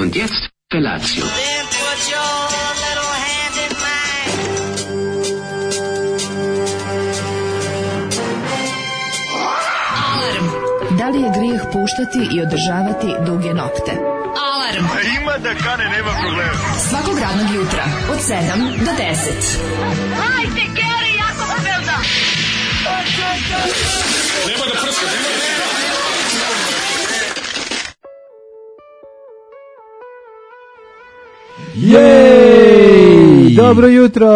Und jetzt Felatio. Then put your little hand in mine. Alarm. Da li je grijeh puštati i održavati duge nokte? Alarm. Ima da kane, nema problema. Svakog radnog jutra od 7 do 10. Hajde, Geri, jako se velda. Nema da prska, nema da prska. Jej! Dobro jutro!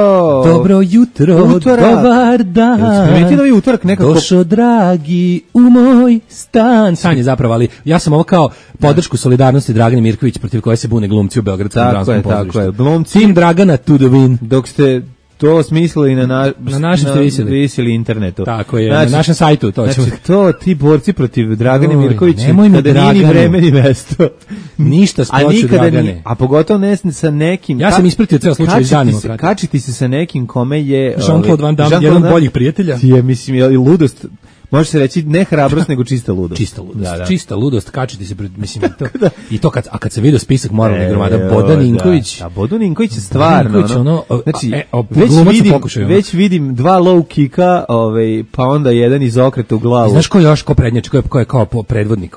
Dobro jutro, Utorak. dobar dan. Primetio da je utorak nekako... Došo dragi u moj stan. San je zapravo, ali ja sam ovo kao podršku solidarnosti Dragane Mirković protiv koje se bune glumci u Beogradskom dramskom pozorištu. Tako je. Glumci, Tim Dragana to the win. dok ste to smislili na našem ste visili. internetu. Tako je, Znači, na našem sajtu. To ćemo. Znači, to ti borci protiv Dragane Mirković, nemoj mi kada nije ni Dragane. vreme ni mesto. Ništa s A ploču nikada Dragane. ni, a pogotovo ne sa nekim... Ja sam ispratio ceo slučaj iz danima. Kačiti se sa nekim kome je... Jean-Claude Van Damme, jedan od boljih prijatelja. Je, mislim, i ludost... Može se reći ne hrabrost, nego čista ludost. Čista ludost. Da. Čista ludost, kačiti se pred, mislim, i to kad se vidio spisak moralnih gromada, Bodan Ninković. Da, Bodan Ninković je stvarno, Ninković, znači, već već vidim dva low kicka, pa onda jedan iz okreta u glavu. Znaš ko još, ko prednjači, ko je kao predvodnik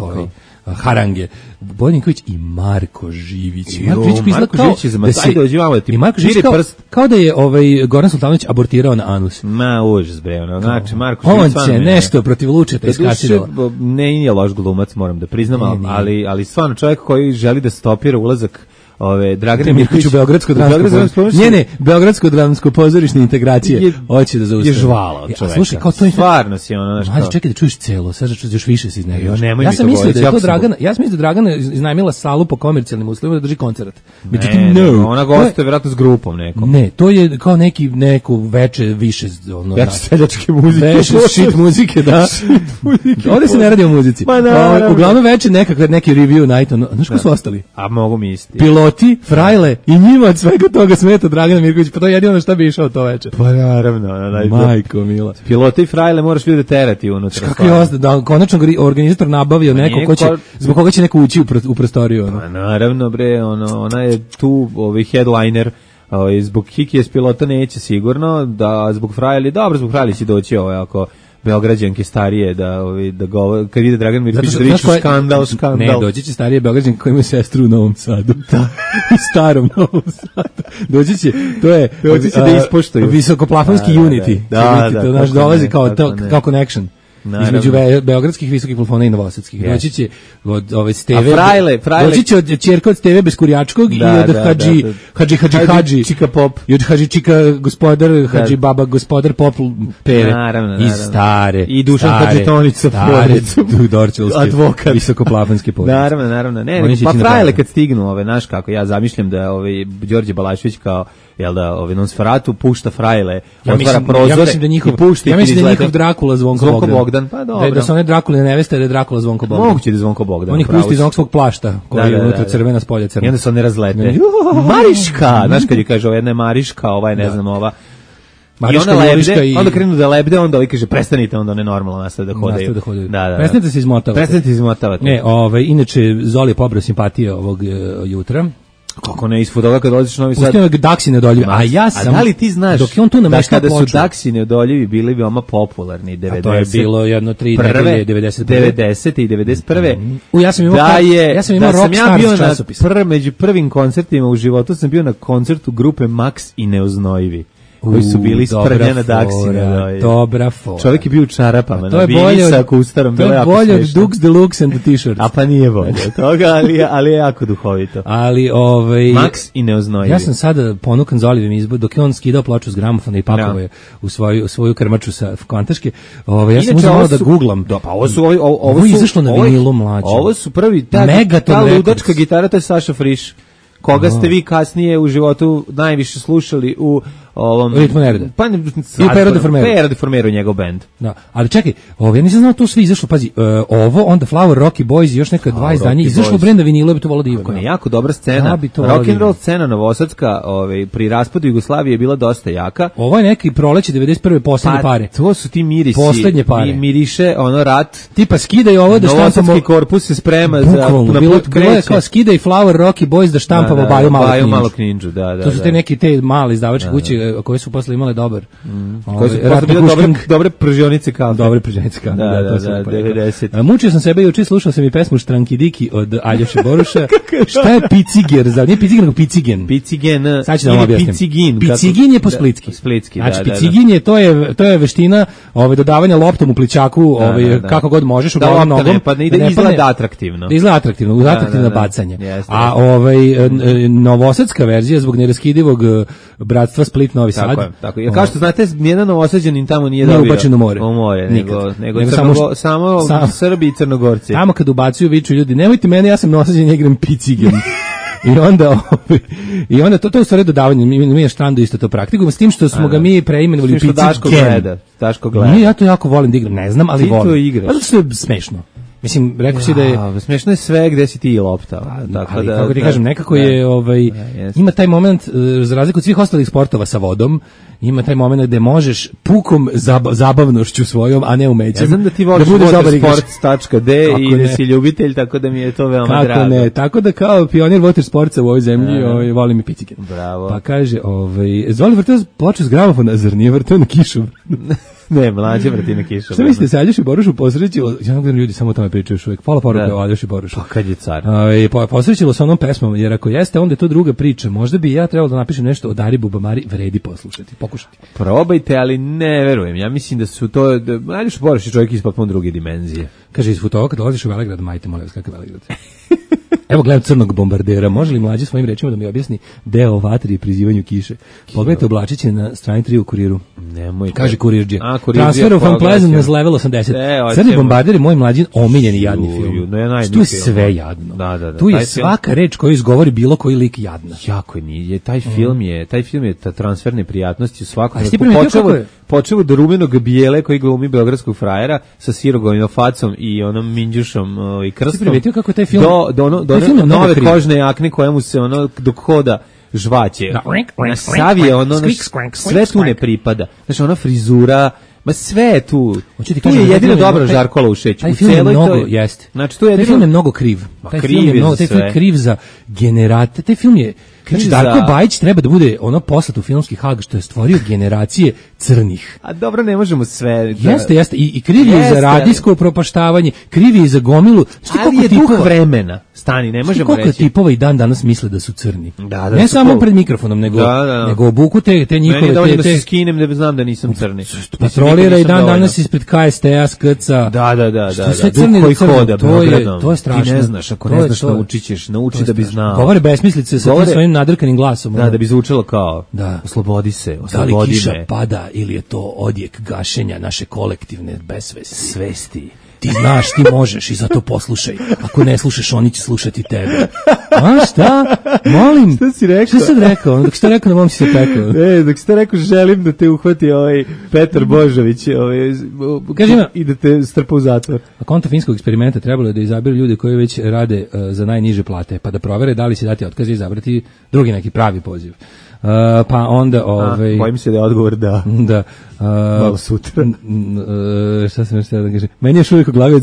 harange? Bodan Ninković i Marko Živić. Marko Živić je zamacaj, dođi vamo da ti i Marko Živić kao da je Goran Sultanović abortirao na anus. Ma, užas bre, znači Marko Živić on će nešto protiv Lučeta iskasirao. Nije loš glumac, moram da priznam, ali stvarno čovjek koji želi da stopira ulazak Dragane Mirković u Beogradsko dramsko pozorište. Ne, Beogradsko dramsko pozorišne integracije hoće da zaustavi. Je žvala od čoveka. Slušaj, kao to je stvarno si ono nešto. Ajde, čekaj da čuješ celo, sad još više se iznerviraš. Ja sam mislio da je to Dragana, Dragana iznajmila salu po komercijalnim uslovima da drži koncert. Međutim, ona gostuje verovatno s grupom nekom. Ne, to je kao neku veče više ono. Veče seljačke muzike. Veče shit muzike, da. Ovde se ne radi o muzici. Uglavnom veče neki review night, znaš ko su ostali? A mogu misliti. Piloti, frajle i njima od svega toga smeta Dragana Mirković, pa to je jedino na šta bi išao to veče. Pa naravno. Majko mila. Piloti i frajle moraš vidjeti terati unutra. Kako je da konačno organizator nabavio neko ko će, zbog koga će neko ući u prostoriju. Pa naravno bre, ona je tu headliner, zbog Kikije s pilota neće sigurno, da zbog frajli, dobro, zbog frajli će doći ako Beograđanke starije da kad vide Dragan Mirković da viču skandal. Ne, doći će starije Beograđanke koji imaju sestru u Novom Sadu. U starom Novom Sadu. Doći će da ispoštuju. Visokoplafonski Unity. To naš dolazi kao connection. Naravno. Između beogradskih visokih plafona i novosadskih. Doći će od ove Steve. Frajle. Doći će od ćerka od Steve Beskurjačkog i od Hadži Čika Pop. I od Hadži Čika gospodar, Hadži Baba gospodar Pop Pere. Naravno. I stare. I Dušan Hadžitonić sa porodicom. Dorčelski. Advokat. Visokoplafonski porodice. Naravno. Ne, pa frajle kad stignu, znaš kako, ja zamišljam da Đorđe Balašević kao Nosferatu pušta frajle, otvara prozore i pušta. Ja mislim da njihov Drakula Zvonko Bogdan, pa dobro. Da su one Drakule neveste, da je Drakula Zvonko Bogdan. Moguće da je Zvonko Bogdan. On ih pusti iz onog svog plašta, koji je unutra crvena, spolja crna. I onda se one razlete. Mariška! Znaš kad je kaže, jedna je Mariška, ne znam, ova. I ona lebde, onda krenu da lebde, onda kaže, prestanite, onda one normalno nastave da hodaju. Da. Prestanite se izmotavati. Ne, inače, Zoli je pobrao simpatije ovog jutra. Kako ne, ispod toga kad dolaziš u Novi Sad. Pustio je Daksi neodoljivi. A ja sam... A da li ti znaš dok je on tu da kada su Daksi neodoljivi bili veoma popularni 90. A to je bilo jedno 3 nedelje 90. i 91. Ja sam imao Rockstars časopis. Među prvim koncertima u životu sam bio na koncertu grupe Max i Neoznojvi. Koji su bili sprnjena Daksine. Dobra fora. Čovjek je bio u čarapama, na Vinisaku u starom. To je bolje od Dux Deluxe and the T-shirts. A pa nije bolje od toga, ali je jako duhovito. Max i Neoznojvi. Ja sam sada ponukan Zolivim izbor, dok je on skidao ploču s gramofona i pakovao je u svoju krmaču sa kvantaške. Ja sam uzmano da googlam. Pa ovo je izašlo na vinilu mlađe. Ovo su prvi, ta ludačka gitara, to je Saša Friš. Koga ste vi kasnije u životu najviše slušali u ovom Ritmo nereda. Pa I Pero Deformero njegov bend. Da, ali čekaj, ja nisam znao to sve izašlo, pazi, ovo, onda Flower, Rocky Boys i još neka 2 izdanja, izašlo Brenda vinilo, bi to volao da imam. Ako ne, jako dobra scena, rock and roll scena novosadska, pri raspadu Jugoslavije je bila dosta jaka. Ovo je neki proleće 91. poslednje pare. To su ti mirisi. Poslednje pare. Miriše, ono rat. Tipa skidaj ovo da štampamo. Novosadski korpus se sprema za na put kreće. Bilo je kao skidaj Flower, Rocky Boys da štampamo Baju Malo Knindžu. To su te neki te male izdavačke kuće koje su posle imale dobar. Koje su posle bile dobre pržionice kao. Dobre pržionice kao. Da, 90. Mučio sam sebe juče, slušao sam i pesmu Štranki Diki od Aljoše Boruša. Šta je piciger? Nije piciger, nego picigen. Picigen. Sad ću da vam objasnim. Picigin je po splitski. Znači, picigin je, to je veština dodavanja loptom u plićaku, kako god možeš, u glavom nogom. Da izgleda atraktivno. Da izgleda atraktivno, uz atraktivno bacanje. A novosadska verzija zbog neraskidivog bratstva Split Novi Sad. Tako je. Kao što znate, nijedan Novosađanin tamo nije dobio. Nije ubačen u more. U more, nego samo Srbi i Crnogorci. Tamo kad ubacuju viču ljudi, nemojte mene, ja sam Novosađan, igram picigen. I onda to je u stvari dodavanje, mi je Štrando isto to praktikujemo, s tim što smo ga mi preimenovali u picigen. Daško gleda. Ja to jako volim da igram, ne znam, ali volim. Ti to igraš. Pa zato što je smešno. Mislim, rekao si da je... Smešno je sve gde si ti i lopta. Ali, kako ti kažem, nekako je... Ima taj moment, za razliku od svih ostalih sportova sa vodom, ima taj moment gde možeš pukom zabavnošću svojom, a ne umećem. Ja znam da ti voliš watersports.d i da si ljubitelj, tako da mi je to veoma drago. Kako ne, tako da kao pionir watersportsa u ovoj zemlji volim i picigen. Bravo. Pa kaže, zvoli vrteo ploču s gramofona, zar nije vrteo na kišu? Ne, mlađe vrti na kišu. Šta mislite, se Aljoši Borušu posrećilo, ja ne gledam ljudi samo o tome pričaju još uvijek, pola poruka o Aljoši Borušu. Pa kad je car. Posrećilo sa onom pesmom, jer ako jeste, onda je to druga priča. Možda bi ja trebalo da napišem nešto o Dari Bubamari, vredi poslušati, pokušati. Probajte, ali ne verujem. Ja mislim da su to, Aljoši Boruš je čovjek iz potpuno druge dimenzije. Kaže, iz Futova, kad dolaziš u Velegrad, majte, molim vas, kakav Velegrad? Evo gledam Crnog bombardera, može li mlađe svojim rečima da mi objasni deo o vatri i prizivanju kiše? Pogledajte oblačiće na strani 3 u Kuriru. Nemoj. Kaže Kurirđe. Transfer of Unpleasantness level 80. Crni bombarder je moj mlađin omiljeni jadni film. Tu je sve jadno. Tu je svaka reč koju izgovori bilo koji lik jadna. Jako nije. Taj film je ta transferne prijatnosti u svakom. Počevo do rumenog bijele koji glumi beogradskog frajera sa sirogovim facom i onom minđušom i krstom. Ti primetio kako taj film do nove kožne jakne koja mu se dok hoda žvaće. Savije sve tu ne pripada. Znači ona frizura, ma sve je tu. Tu je jedino dobro Žarko Laušeć. Taj film je mnogo, jeste. Znači taj film je mnogo kriv. Taj film je kriv za generate. Taj film je Znači, Darko Bajić treba da bude poslat u filmski Hag što je stvorio generacije crnih. A dobro, ne možemo sve. Jeste. I kriv je za radijsko upropaštavanje, kriv je za gomilu. Ali je duh vremena. Stani, ne možemo reći. Koliko tipova i dan danas misle da su crni. Ne samo pred mikrofonom, nego obuku te njihove... Meni dovoljno da se skinem da znam da nisam crni. Patrolira i dan danas ispred KST-a, SKC-a. Da. Sve crni koji hoda, to je strašno. Ti ne znaš, ako ne znaš, nauči da bi znao. Govore besmislice sa tim svojim nadrkanim glasom. Da bi zvučalo kao oslobodi se, oslobodi me. Da li kiša pada ili je to odjek gašenja naše kolektivne svesti? Ti znaš, ti možeš i zato poslušaj. Ako ne slušaš, oni će slušati tebe. A šta? Molim. Šta si rekao? Šta sam rekao? Dok si to rekao, na mom si se pekao. Dok si to rekao, želim da te uhvati Petar Božović i da te strpa u zatvor. A konto finskog eksperimenta trebalo je da izaberu ljude koji već rade za najniže plate, pa da provere da li se dati otkaz i izabrati drugi neki pravi poziv. Pa onda bojim se da je odgovor da malo sutra. Šta sam još da kažem, meni je uvijek u glavi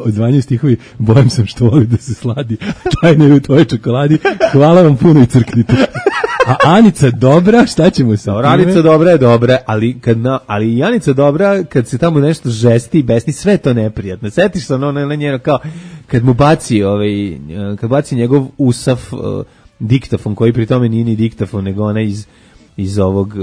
odzvanjaju stihovi, bojim sam što voli da se sladi, tajne je u tvojoj čokoladi, hvala vam puno i crknite. A Anica dobra, šta ćemo sa time? Anica dobra je dobra, ali i Anica dobra kad se tamo nešto žesti i besni, sve to neprijatno. Setiš se na njeno kao kad mu baci njegov usaf diktafon, koji pri tome nije ni diktafon, nego ona iz ovog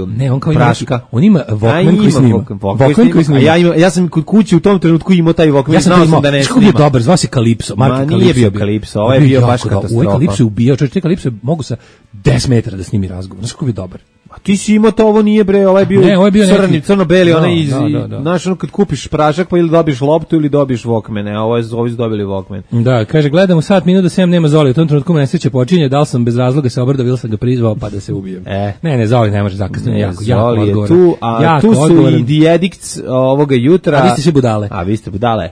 praška. On ima Walkman koji snima. Ja sam kod kuće u tom trenutku imao taj Walkman. Ja sam imao, što je dobar, zvao se Kalipso. Nije bio Kalipso, ovo je bio baš katastrofa. Ovo je Kalipso ubijao, čovječ, te Kalipso mogu sa 10 metara da snimi razgovor. Znaš kako je dobar? A ti si imao to, ovo nije bre, ovaj bio, Ne, ovo je bio crni, neki- crno-beli, onaj iz, Da. znaš, ono kad kupiš prašak pa ili dobiješ loptu ili dobiješ Walkmane, a ovi su dobili Walkman. Da, kaže, gledam u sat minut do 7 nema Zoli, u tom trenutku me nesreća počinje, da li sam bez razloga se obrdao ili sam ga prizvao pa da se ubijem. Ne, Zoli ne može zakasno, jako Zoli je odgovoran. tu, a Jako tu su odgovoran. i The Addicts ovoga jutra. A vi ste svi budale. A vi ste budale.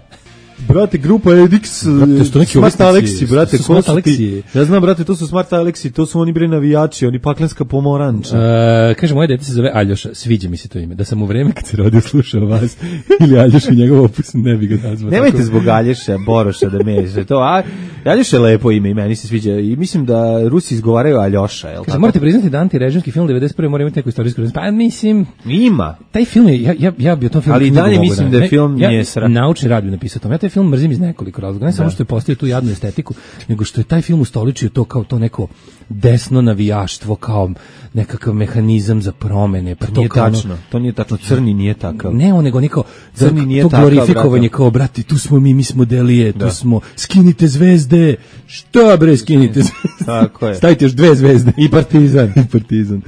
Brate, grupa Addicts, Brate, što neki Smart umetnici, Alexi, brate, su ko Smart su ti? Alexi. Ja znam, brate, to su Smart Alexi, to su oni bre navijači, oni paklenska pomoranča. Kaže, moje dete se zove Aljoša, sviđa mi se to ime. Da sam u vreme kad se rodio slušao vas ili Aljoša i njegov opus, ne bi ga nazvao. Nemojte tako. zbog Alješa, Boroša da mešate to, a Aljoša je lepo ime i meni se sviđa i mislim da Rusi izgovaraju Aljoša, jel Kaže, tako? morate priznati da antirežimski film 91. mora imati neku istorijsku rezonu. Pa mislim, Ima. taj film je, ja bi o tom filmu Ali i knjigu dalje mogu mislim da- da je film nije sra. Naučni rad bi napisao o tome. Ja taj film mrzim iz nekoliko razloga. Ne samo što je postavio tu jadnu estetiku, nego što je taj film ustoličio to kao to neko desno navijaštvo, kao nekakav mehanizam za promene. Pa to Nije kao ono- tačno, to nije tačno, crni nije takav. Ne, on nego niko Crni nije to takav, glorifikovanje brate. kao brati, tu smo mi smo delije, tu smo skinite zvezde. Šta bre skinite zvezde? Tako je. Stavite još 2 zvezde. I Partizan. I Partizan.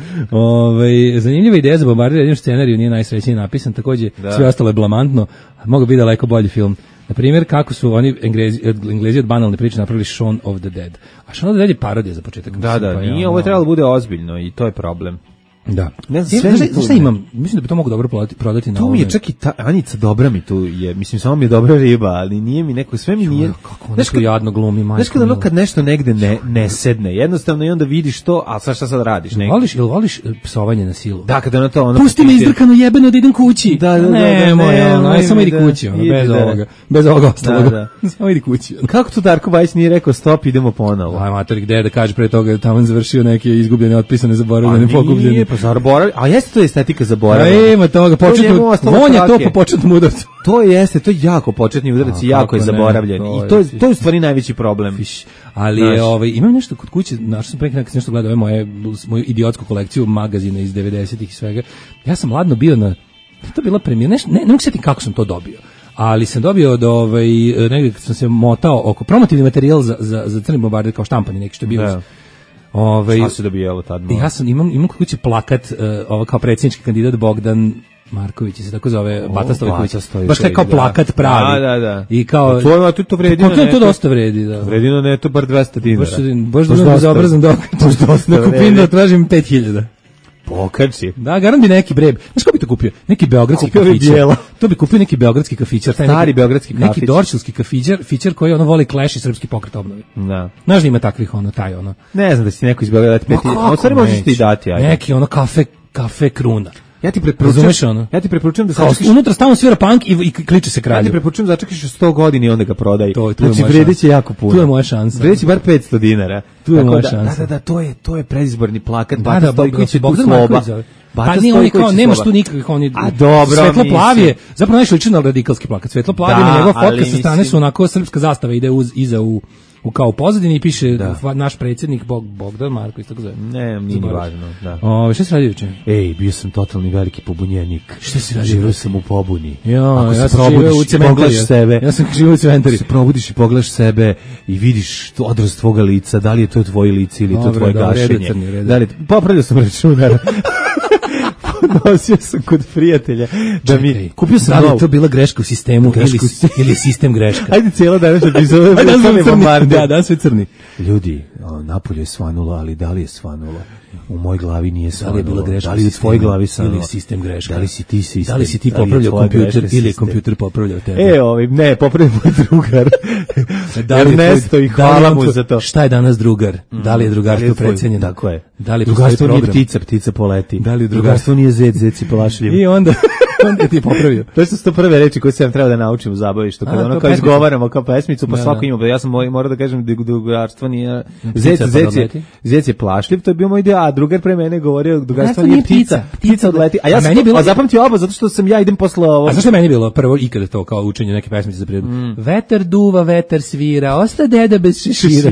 Zanimljiva ideja za bombardiranje, jedino scenariju nije najsrećnije napisan, takođe sve ostalo je blamantno, mogu biti daleko bolji film. Na primjer, kako su oni Englezi od banalne priče napravili Shaun of the Dead. A Shaun of the Dead je parodija za početak. Da, Pa nije, ovo je trebalo da bude ozbiljno i to je problem. Da. Ne znam, sve mi tu Znaš šta ne. imam? Mislim da bi to mogu dobro prodati na Tu mi ovome. je čak i ta Anica dobra mi tu je, mislim samo mi je dobra riba, ali nije mi neko, sve mi nije. Kako ona tu jadno glumi, majko. Znaš kad ono mila. kad nešto negde ne sedne, jednostavno i onda vidiš to, a sad šta sad radiš? Voliš psovanje na silu? Da, kada ono to ono... Pusti me izdrkano jebeno da idem kući. Da, Nemoj, nemoj, samo idi da, kući, ono, idi, bez da. ovoga. Bez ovoga ostalog. Da. Samo idi kući. ono. Kako to Darko Bajić nije rekao stop, idemo ponovo? Aj, mater, gde je da kaže pre toga, tamo završio neke izgubljene, otpisane, zaboravljene, pokupljene. Nije, pa zaboravljaj, a jeste to estetika zaboravljena. Ima toga, njemu ostalo vonja to trake. po početnom udarcu. To jeste, to je jako početni udarac i jako je kako ne, zaboravljen. to I je- to je u stvari najveći problem. Ali Znaš. je, imam nešto kod kuće, našao sam pre neki nešto gledao moju idiotsku kolekciju magazina iz 90-ih i svega. Ja sam ladno bio na, to je bila premijera, ne mogu sjetiti kako sam to dobio. Ali sam dobio od negdje kad sam se motao oko promotivni materijal za crni bombarder kao štampani neki što je bio. Da. Šta se dobijalo tad? Ja sam imam kod kuće plakat ovo kao predsjednički kandidat Bogdan Marković se tako zove, Bata Stojković. Baš taj kao plakat pravi. Da. I kao To vredi na to netu. dosta vredi, da. Vredi na netu bar 200 dinara. Baš da bezobrazan dok. Da kupim da tražim 5000. Pokači. Da, garant bi neki breb. Znaš ko bi to kupio? Neki beogradski Kupio bi kafićar. bijela. To bi kupio neki beogradski kafićar. Taj Stari neki, beogradski Neki kafić. dorčilski kafićar koji ono voli Clash i srpski pokret obnovi. Da. Znaš da ima takvih taj ono. Ne znam da si neko izbjegao dati peti. A u stvari možeš ti dati, ajde. Neki ono kafe kruna. Ja ti Razumeš ono? preporučujem da Kao, sačekaš. unutra stalno svira punk i kliče se Ja ti kralju. preporučujem da začekaš 100 godina i onda ga prodaj. To je Znači moja vredeće šansa. jako puno. Tu je moja šansa. Vredeće bar 500 dinara. Tu je Tako moja da- šansa. Da, to je predizborni plakat. Da, Bata Stojković je tu Bogdan sloba. Marković zove. Bata Pa nije oni Stojković kao, je nemaš sloba. tu nikakvih, oni A dobro, svetlo plav je, mislim. zapravo najviše liči na radikalski plakat. Svetlo plav Da, je njegov ali fotka sa strane mislim- su onako srpska zastava ide iza u kao pozadini i piše naš predsjednik Bogdan Marković, tako zove. Ne, nije ni važno, da. Šta si radio juče? Ej, bio sam totalni veliki pobunjenik. Šta si radio? Živio sam u pobuni. Ja, se ja sam probudiš živeo u i cementariji. pogledaš sebe. Ja sam živeo u cementariji. Se probudiš i pogledaš sebe i vidiš odraz tvoga lica, da li je to tvoje lice ili je to Dobro, tvoje dobro, gašenje. redu crni, redu. Da li, popravljao sam računar. Nosio sam kod prijatelja da mi kupio sam da li je novu. to bila greška u sistemu ili sistem greška? Ajde cijela danas epizoda Ajde, da crni. bombarde. Da, danas sve crni. Ljudi, napolje je svanulo, ali da li je svanulo? U moj glavi nije Da svanulo. li je bila greška Da li je u u tvojoj sistemu glavi svanulo? ili sistem greška? Da li si ti sistem? Da li si ti Da li je popravljao tvoja kompjuter greška ili je sistem? kompjuter popravljao tebe? Ne, popravio moj drugar. Da li je Ernesto tvoj- i da li hvala je mu tvoj- za to. Šta je danas drugar? Da li je drugarstvo precenjeno? Tako je. Da li drugarstvo postoji nije program? ptica poleti. Da li je drugarstvo nije zec je plašljiv. I onda ti je popravio. To su to prve reči koje sam trebao da naučim u zabavištu, kada A, ono kao kao pesmicu. izgovaramo kao pesmicu, pa Da, svako da. ima, ja sam morao da kažem da drugarstvo nije, Ptica odleti. zec je plašljiv, to je bio moj deo, a drugar pre mene govorio drugarstvo Drugarstvo nije nije ptica, ptica. ptica odleti, a A ja sam meni je bilo- zapamtio oba, zato što sam ja idem posle ovo. A zašto je meni bilo prvo ikada to kao učenje neke pesmice za prirodu? Vetar duva, vetar svira, osta deda bez šešira.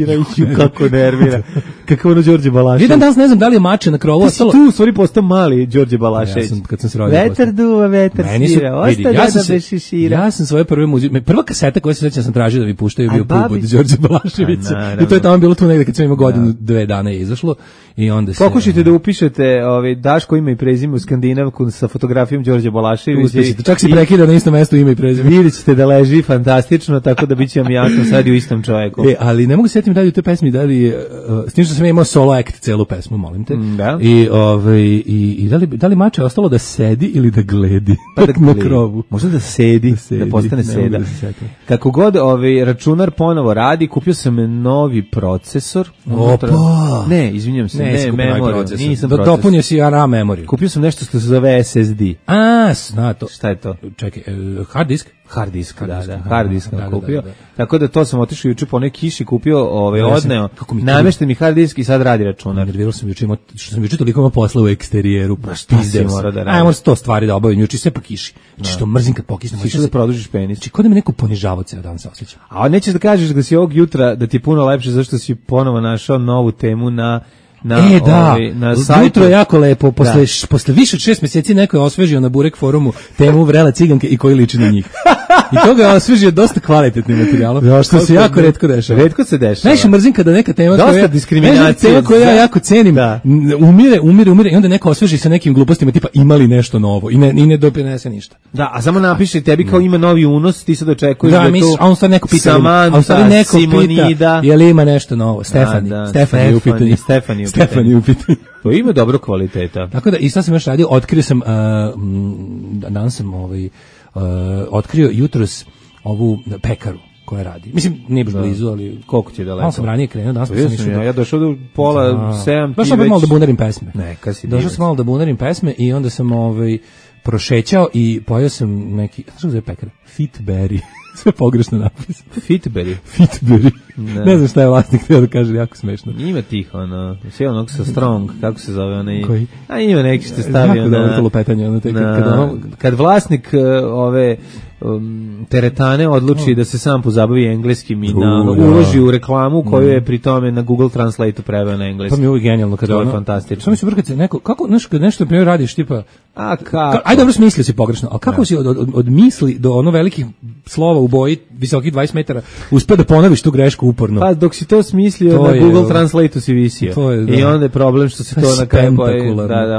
Kako nervira. Kako ono Đorđe Balašević. Jedan danas ne znam da li je mače na krovu Ti si ostalo. tu u stvari postao mali Đorđe Balašević. Ja sam, kad sam se rodio Vetar postao. duva, vetar Meni su, svira, vidi, osta ja deda sam se- bez šešira. Ja sam svoje prve muzike, prva kaseta koju se sećam sam tražio da mi puštaju A bio babi- Pubud Đorđe Balaševića. A, naravno. I to je tamo bilo tu negde kad sam imao godinu, 2 dana je izašlo. i onda se... Pokušajte da upišete Daško ime i prezime u Skandinavku sa fotografijom Đorđe Balaševića. Uspešite, čak si prekida na istom mestu ime i prezime. Vidjet ćete da leži fantastično, tako da bit će vam jasno sad u istom čovjeku. Ali ne mogu se sjetiti da li u toj pesmi, s tim što sam imao solo act celu pesmu, molim te. Da. I da li mače ostalo da sedi ili da gledi na krovu? Možda da sedi, da postane seda. Kako god računar ponovo radi, kupio sam novi procesor. Opa! Ne, izvinjam se, ne memoriju. Nisam procesor. Dopunio si RAM memoriju. Kupio sam nešto što se zove SSD. Zna to. Šta je to? Čekaj, hard disk? Hard disk sam kupio. Tako da to sam otišao juče po onoj kiši, kupio, odneo, namešten mi hard disk i sad radi računar. Nervirao sam juče, što sam juče toliko imao posla u eksterijeru. Šta si mora da radi? Ajmo 100 stvari da obavim juče, sve po kiši. Što mrzim kad pokisnem. Sišao da produžiš penis. Znači, kod da me neko ponižavao ceo dan se osjećam. A nećeš da kažeš da si ovog jutra, da ti je puno lepše zašto si ponovo našao novu temu na sajtu. Jutro je jako lepo, posle više od 6 mjeseci neko je osvežio na Burek forumu temu vrele ciganke i koji liči na njih. I toga je osvežio dosta kvalitetnim materijalom, što se jako retko dešava. Retko se dešava. Najviše mrzim kada neka tema koju ja jako cenim, umire i onda neko osveži sa nekim glupostima tipa imali nešto novo i ne doprinese ništa. Da, a samo napiše tebi kao ima novi unos, ti sad očekuješ da je tu a on sad neko pita, Samanta, Simonida, je li ima nešto novo? Stefani u pitanju. To ima dobro kvaliteta. Tako da, i sad sam još radio, otkrio sam, danas sam otkrio jutros ovu pekaru koja radi. Mislim, nije baš blizu, ali... Koliko ti je daleko? Malo sam ranije krenuo, danas sam išao... Ja došao do pola 7, došao sam malo da bunarim pesme. Neka si došao sam malo da bunarim pesme i onda sam prošećao i pojao sam neki... Znaš kako zove pekara? Fitberry. Sve pogrešno napisano. Fitberry. Ne znam šta je vlasnik htio da kaže, jako smešno. Ima tih, sve onog sa Strong, kako se zove onaj... Koji? A ima neki što stavio kad vlasnik teretane odluči da se sam pozabavi engleskim i uloži u reklamu koju je pri tome na Google Translate-u preveo na engleski. Pa mi je uvijek genijalno kada to je fantastično. Samo mi se vrkati neko, kako nešto primjer radiš tipa, kako? Ajde, dobro smislio si pogrešno, ali kako si od misli do ono velikih slova u boji visokih 20 metara uspeo da ponoviš tu grešku uporno? Pa dok si to smislio na Google Translate-u si visio. I onda je problem što se to na kraju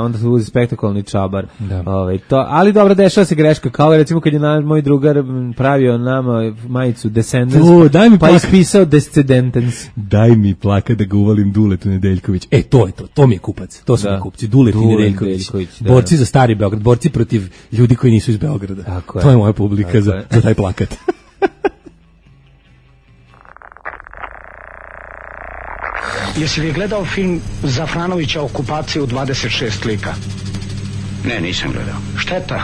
onda se uzi spektakularni čabar. Ali dobro, dešava se greška, kao recimo kad je moj drugar pravio nama majicu Descendants, pa ispisao Descendants. Daj mi plaka da ga uvalim Duletu Nedeljković. To mi je kupac, to su mi kupci, Duleti Nedeljković. Borci za stari Beograd, borci protiv ljudi koji nisu iz Beograda. To je moja publika za taj plakat. Jesi li gledao film Zafranovića Okupacija u 26 lika? Ne, nisam gledao. Šteta,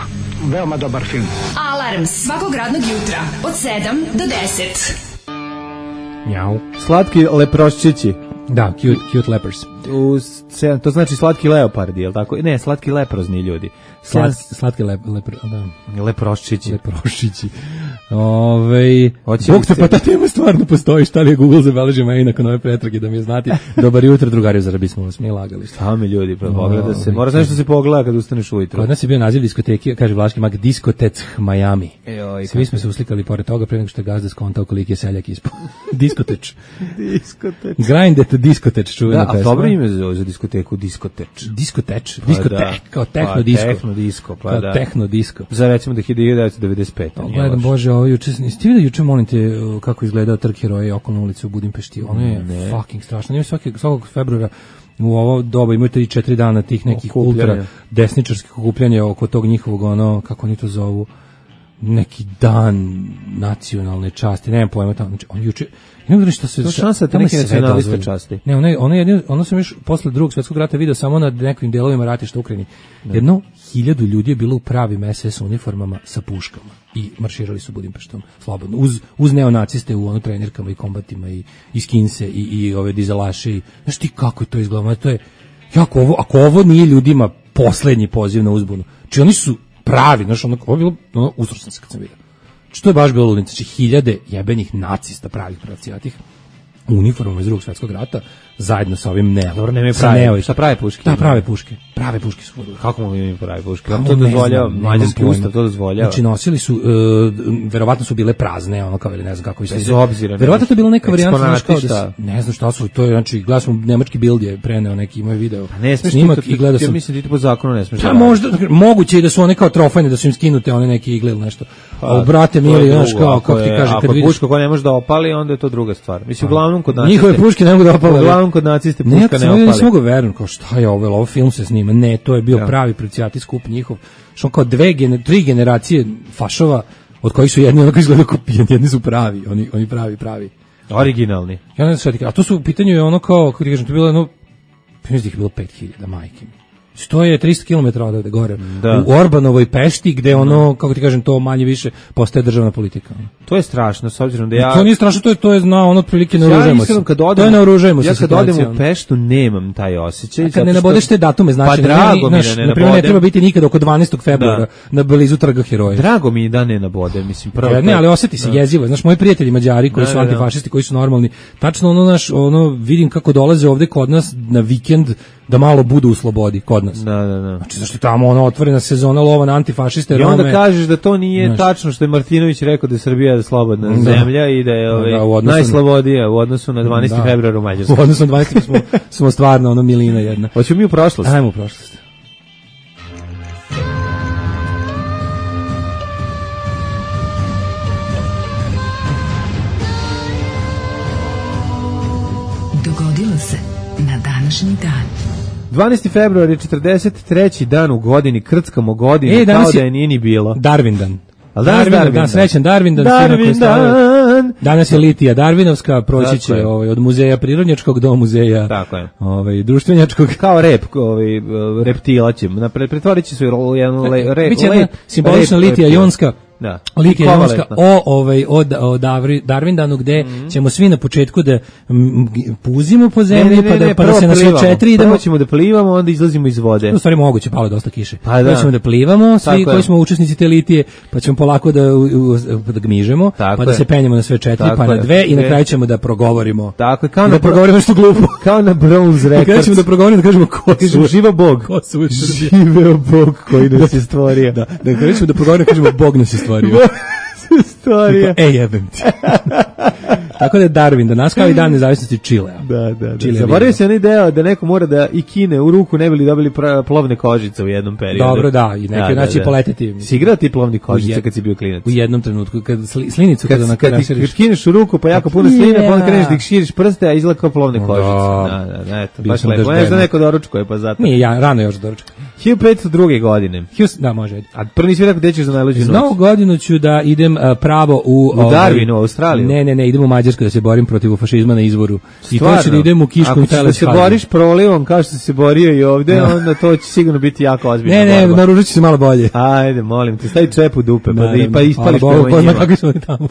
veoma dobar film. Alarm svakog radnog jutra od 7 do 10. Njau. Slatki leproščići. Da, cute lepers. To znači slatki leopardi, je li tako? Ne, slatki leprozni ljudi. Slatki leproščići. Bog te, pa ta tema stvarno postoji, šta li je Google zabeležio meni nakon ove pretrage da mi je znati. Dobar jutro, drugari, zar bismo vas mi lagali. Šta mi ljudi, pogleda se. Mora nešto se pogleda kad ustaneš ujutro. Kod nas je bio naziv diskoteke, kaže Vlaški mag, Diskotec Miami. Svi smo se uslikali pored toga pre nego što je gazda skontao koliki je seljak ispod. Diskoteč. Grind at Diskoteč, čuvena pesma. A dobro ime za diskoteku, Diskoteč, kao tehno disko. Kao tehno disko. Za recimo da 1995. Gledam, Bože, ovo juče, niste vidio juče, molim te, kako izgledao trk heroja okolna ulica u Budimpešti? Ono je fucking strašno. Nije svakog februara u ovo doba imaju 3-4 dana tih nekih ultra desničarskih okupljanja oko tog njihovog, kako oni to zovu, neki dan nacionalne časti, nemam pojma tamo, znači on juče, ne znam što se... To šansa te neke nacionaliste časti. Ne, ono sam još posle drugog svjetskog rata vidio samo na nekim delovima ratišta u Ukrajini. 1.000 ljudi je bilo u pravim SS uniformama sa puškama i marširali su Budimpeštom slobodno, uz neonaciste u trenirkama i kombatima i skinse i ove dizelaše. Znaš ti kako je to izgledalo? To je, ako ovo nije ljudima poslednji poziv na uzbunu, či oni su pravi, znaš, ovo je bilo, usro sam se kad sam vidio. Što je baš bilo ludnica, znači 1000 jebenih nacista pravih pracijatih u uniformama iz drugog svjetskog rata zajedno sa ovim Neo. Dobro, nema sa prave. Neo. Šta prave puške? Da, prave puške. Prave puške su. Kako mogu imati prave puške? Kako to dozvoljava? Mađarski ustav to dozvoljava. Znači nosili su, verovatno su bile prazne, ono kao ili ne znam kako i bez obzira. Verovatno to je bila neka varijanta, znaš kao da ne znam šta su, to je, znači, gledao sam nemački Bild je preneo neki moj video. Ne smiješ snimak i gledao sam. Ja mislim da ti po zakonu ne smiješ. Pa možda, moguće je da su one kao trofejne, da su im skinute one neke igle ili nešto. A brate mili, znaš kao, kako ti kaže, kad vidiš... puška koja ne može da opali, onda je to druga stvar. Mislim, uglavnom kod naciste... Njihove puške ne mogu da opale. Uglavnom kod naciste puška ne opali. Ne mogu verujem, kao šta je ovo film se snima. Ne, to je bio pravi prociati skup njihov. Što kao tri generacije fašova, od kojih su jedni onako izgledaju kopijeni, jedni su pravi, oni pravi. Originalni. Ja ne znam šta ti, a to su u pitanju je ono kao, kako ti kažem, to je bilo jedno, mislim da je bilo 5000, majke mi. To je 300 km odavde gore. Da. U Orbanovoj Pešti gde ono, kako ti kažem, to manje više postaje državna politika. To je strašno, s obzirom da ja... To nije strašno, to je znao, ono otprilike naoružajmo se. To je naoružajmo se. Ja kad odem u Peštu nemam taj osjećaj. A kad ne nabodeš te datume, znači, pa drago mi da ne naprimjer, ne treba biti nikad oko 12. februara na blizu Trga Heroja. Drago mi da ne nabodem, mislim, prvo. Ne, ali osjeti se jezivo. Znaš, moji prijatelji Mađari koji su antifašisti, koji su normalni, tačno ono vidim kako dolaze ovde kod nas na vikend da malo budu u slobodi kod nas. Da. Znači, zašto je tamo otvorena sezona lova na antifašiste, i onda Rome, kažeš da to nije tačno što je Martinović rekao da je Srbija slobodna zemlja i da je najslobodija u odnosu na 12. februar u Mađarskoj. U odnosu na 12. smo stvarno milina jedna. Hoćemo mi u prošlost? Ajmo u prošlost. Dogodilo se na današnji dan. 12. februar je 43. dan u godini, krckamo godinu, kao da je nije ni bilo. Darwin dan. Darwin dan, srećan Darwin dan. Danas je litija Darwinovska, proći će od muzeja prirodnjačkog do muzeja društvenjačkog. Kao reptila će, pretvorit će se u jednu biće jedna simbolična litija jonska. Da. Litija jonska o Darwindanu gde ćemo svi na početku da puzimo po zemlji pa da se na sve četiri idemo. Prvo ćemo da plivamo, onda izlazimo iz vode. U stvari moguće, palo dosta kiše. Pa ćemo da plivamo, svi koji smo učesnici te litije, pa ćemo polako da gmižemo, pa da se penjemo na sve četiri, pa na dve i na kraju ćemo da progovorimo. Tako je, kao da progovorimo nešto glupo. Kao na Bronze Records. Kada ćemo da progovorimo, da kažemo ko su. Živa Bog. Živeo Bog koji nas je stvorio. Da kažemo da progovorimo, kažemo Bog nas je stvorio. Stvarija. Jebem ti. Tako da je Darwin, da nas kao i dan nezavisnosti Čilea. Da. Zaboravio se onaj deo da neko mora da i kine u ruku ne bi li dobili plovne kožice u jednom periodu. Dobro, da, i neki znači poleteti. Si igrao ti plovni kožice kad si bio klinac? U jednom trenutku, kad slinicu kada kad kineš u ruku pa jako puno sline, pa onda kreneš da ih širiš prste, a izgleda kao plovne kožice. Da, eto, baš lepo. Ne znam neko doručkuje, pa zato. Nije, ja rano još doručkujem. 1502. godine. Da, može. A prvi svi rekao gde ćeš za najluđu noć? Za Novu godinu ću da idem pravo u Darwinu, u Australiju. Ne, idem u Mađarsku da se borim protiv fašizma na izvoru. I to ću da idem u Kiškom Teleš. Ako ćeš da se boriš prolivom kao što si se borio i ovde, onda to će sigurno biti jako ozbiljno. Ne, naružit ću se malo bolje. Ajde, molim te, stavi čep u dupe, pa ispališ prema njima.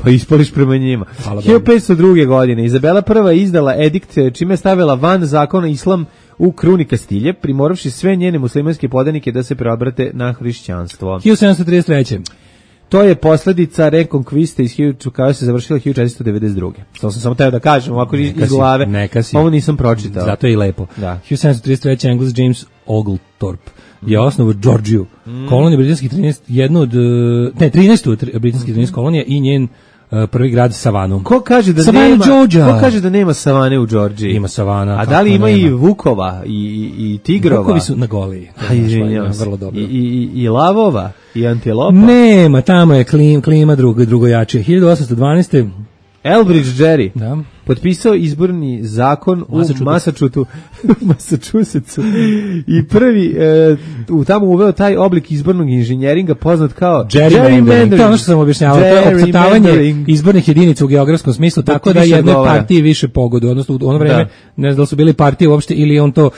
Pa ispališ prema njima. 1502. godine Izabela I izdala edikt čime je stavila van zakona islam u kruni Kastilje, primoravši sve njene muslimanske podanike da se preobrate na hrišćanstvo. 1733. To je posljedica rekonkviste koja se završila 1492. To sam samo teo da kažem, ovako iz glave. Ovo nisam pročitao. Zato je i lepo. Da. 1733. Engles James Oglethorpe je osnovao Georgiju, koloniju britanskih 13. britanskih 13 kolonija i njen prvi grad Savanu. Ko kaže da nema savane u Georgiji? Ima savana. A da li ima i vukova i tigrova? Vukovi su na Goliji. Vrlo dobro. I lavova i antilopa? Nema, tamo je klima drugojačije. 1812. Elbridge Gerry potpisao izborni zakon u Massachusettsu i prvi tamo uveo taj oblik izbornog inženjeringa poznat kao gerrymandering. To je ono što sam objašnjavao, to je opcrtavanje izbornih jedinica u geografskom smislu, tako da jedne partije više pogodu, odnosno u ono vreme, ne znam da li su bili partije uopšte ili on to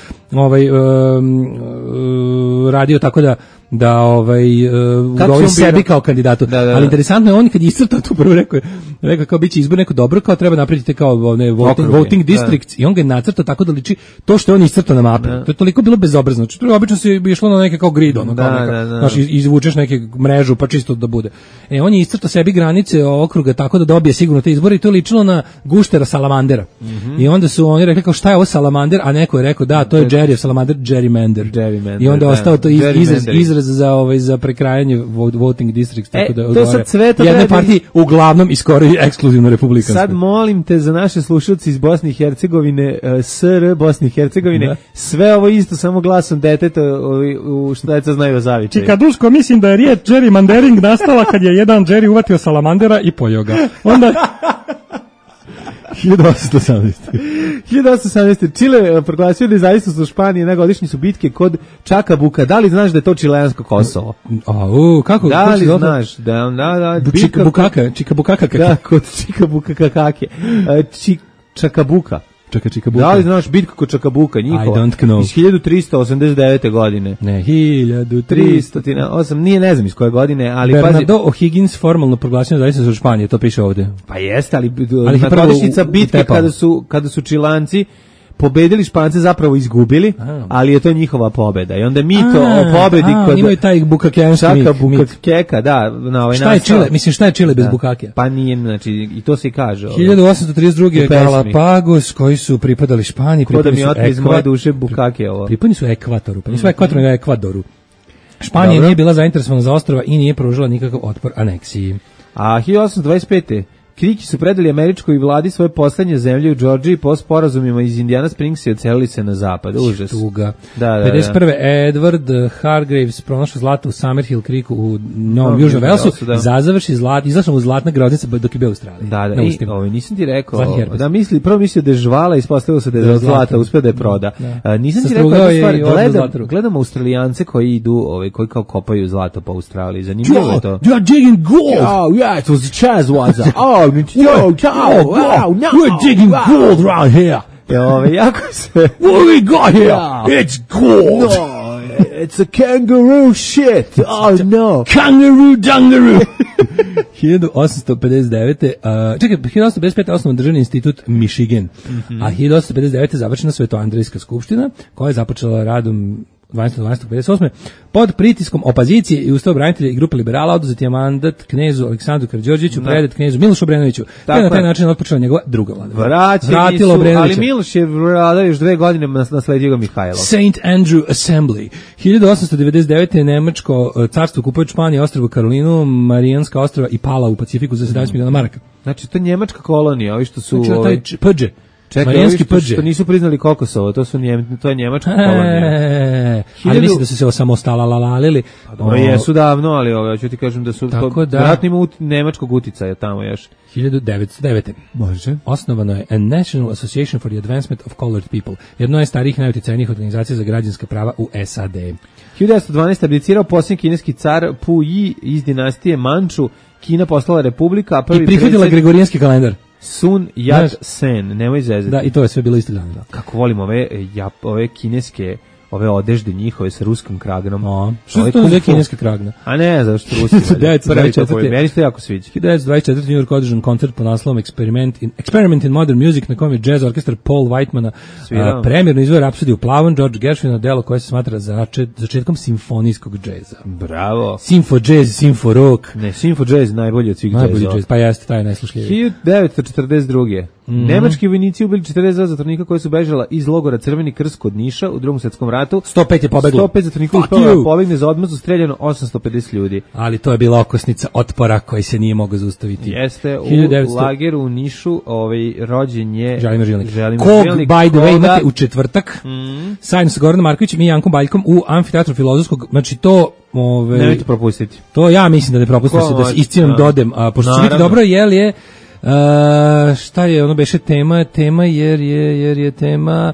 radio tako da govori sebi kao kandidatu. Ali interesantno je on kad je iscrtao tu prvo rekao kao biće izbor neko dobro, kao treba napraviti kao voting districts i on ga je nacrtao tako da liči to što je on iscrtao na mapi. To je toliko bilo bezobrazno. Znači, obično se išlo na neke kao grid, znači izvučeš neke mrežu pa čisto da bude. On je iscrtao sebi granice okruga tako da dobije sigurno te izbore i to je ličilo na guštera salamandera. I onda su oni rekli kao šta je ovo salamander, a neko je rekao da to je Jerry salamander, gerrymander. I onda je ostao to izraz za prekrajanje voting districts, tako da odgovara jedne partije, uglavnom i skoro ekskluzivno republikanske. Sad molim te za naše slušalci iz Bosne i Hercegovine, SR Bosne i Hercegovine, sve ovo isto samo glasom deteta u što deca znaju o zavičaju. Čikaduško, mislim da je riječ gerrymandering nastala kad je jedan Jerry uvatio salamandera i pojeo ga. Onda 1818. Čile proglasio nezavisnost od Španije, godišnje su bitke kod Čakabuka. Da li znaš da je to čileansko Kosovo? Kako? Da li znaš? Čikabukaka. Da, kod Čikabukakake. Čakabuka. Da li znaš bitku kod Čakabuka, njihova? I don't know. Iz 1389. godine. Ne, 1308. Nije, ne znam iz koje godine, ali Bernardo O'Higgins formalno proglasio nezavisnost od Španije, to piše ovde. Pa jeste, ali godišnjica bitke kada su Čilanci pobedili, Špance zapravo izgubili, ali je to njihova pobeda. I onda mito o pobedi kod imaju taj bukakenski Bukakeka, da, na ovaj šta je Čile? Mislim, šta je Čile bez Bukakija? Pa nije, znači, i to se i kaže. 1832. Galapagos, koji su pripadali Španiji, pripadali su iz moje duše Bukake ovo. Pripadali su Ekvatoru, pa nisu Ekvatoru, nego Ekvadoru. Španija nije bila zainteresovana za ostrva i nije pružila nikakav otpor aneksiji. A 1825. Kriki su predali američkoj vladi svoje poslednje zemlje u Džordžiji po sporazumima iz Indiana Springs i odselili se na zapad. Užas. Tuga. 51. Edward Hargraves pronašao zlato u Summerhill Creeku u Novom Južnom Velsu. Zazavrši izašao u zlatna groznica dok je bio u Australiji. Nisam ti rekao. Prvo mislio da je žvala, ispostavilo se da je zlata, uspio da je proda. Nisam ti rekao jednu stvar. Gledam Australijance koji idu, koji kao kopaju zlato po Australiji. Zanimljivo je to. You're digging gold. Oh, yeah, it was a Chazwaza. We're digging gold around here. Jako se... What we got here? It's gold. No, it's a kangaroo shit. Oh no. Kangaroo dungaroo. 1859. Čekaj, 1855. osnovan državni institut Michigan. A 1859. završena Svetoandrejska skupština, koja je započela radom 12.12.58. pod pritiskom opozicije i ustavobranitelja i grupe liberala oduzeti je mandat knezu Aleksandru Karađorđeviću, predat knezu Milošu Obrenoviću, te na taj način otpočela njegova druga vlada. Vratilo Obrenovića. Ali Miloš je vladao još 2 godine, nasledio ga Mihajlo. St. Andrew Assembly. 1899. Nemačko carstvo kupuje Španiju, ostrvo Karolinu, Marijanska ostrva i Pala u Pacifiku za 17 miliona maraka. Znači, to je njemačka kolonija, ovi što su... Znači, Pđe. Čekaj, što nisu priznali Kokosovo, to je njemačka kolonija. Ali mislim da su se osamostalalalili. Jesu davno, ali hoću ti kažem da su vjerojatno ima nemačkog uticaja tamo još. 1909. Može. Osnovano je a National Association for the Advancement of Colored People, jedno je starijih najuticajnijih organizacija za građanska prava u SAD. 1912. abdicirao posljednji kineski car Pu Yi iz dinastije Manču, Kina postala republika, a i prihvatila gregorijanski kalendar. Sun Yat-sen, nemoj zezati. Da, i to je sve bilo isto dana. Kako volim ove kineske, ove odežde njihove sa ruskim kragnom. Što je to za kineska kragna? A ne, zašto ruski. 1924. Meni se jako sviđa. 1924. New York održan koncert po naslovom Experiment in Modern Music, na kojem je jazz orkestar Paul Whitemana premjerno izveo Rapsodiju u plavom George Gershwina, delo koje se smatra začetkom simfonijskog džeza. Bravo. Simfo jazz, simfo rock. Ne, simfo jazz najbolji od svih džezova. Najbolji jazz, pa jeste, taj najslušljiviji. 1942. Nemački vojnici ubili 42 zatvornika koji su bežala iz logora Crveni krst kod Niša u Drugom svjetskom ratu. 105 je pobeglo. 105 zatvornika uspelo da pobegne, za odmah su streljano 850 ljudi. Ali to je bila okosnica otpora koji se nije mogao zaustaviti. Jeste, u lageru u Nišu rođen je Želimir Žilnik. Kog, by the way, imate u četvrtak, sajno sa Goranom Markovićem i Jankom Baljkom u Amfiteatru Filozofskog, znači to... Nemojte propustiti. To ja mislim da ne propustite, da se iscinom dodem, a pošto će biti dobro, jel je Šta je ono beše tema? Tema jer je tema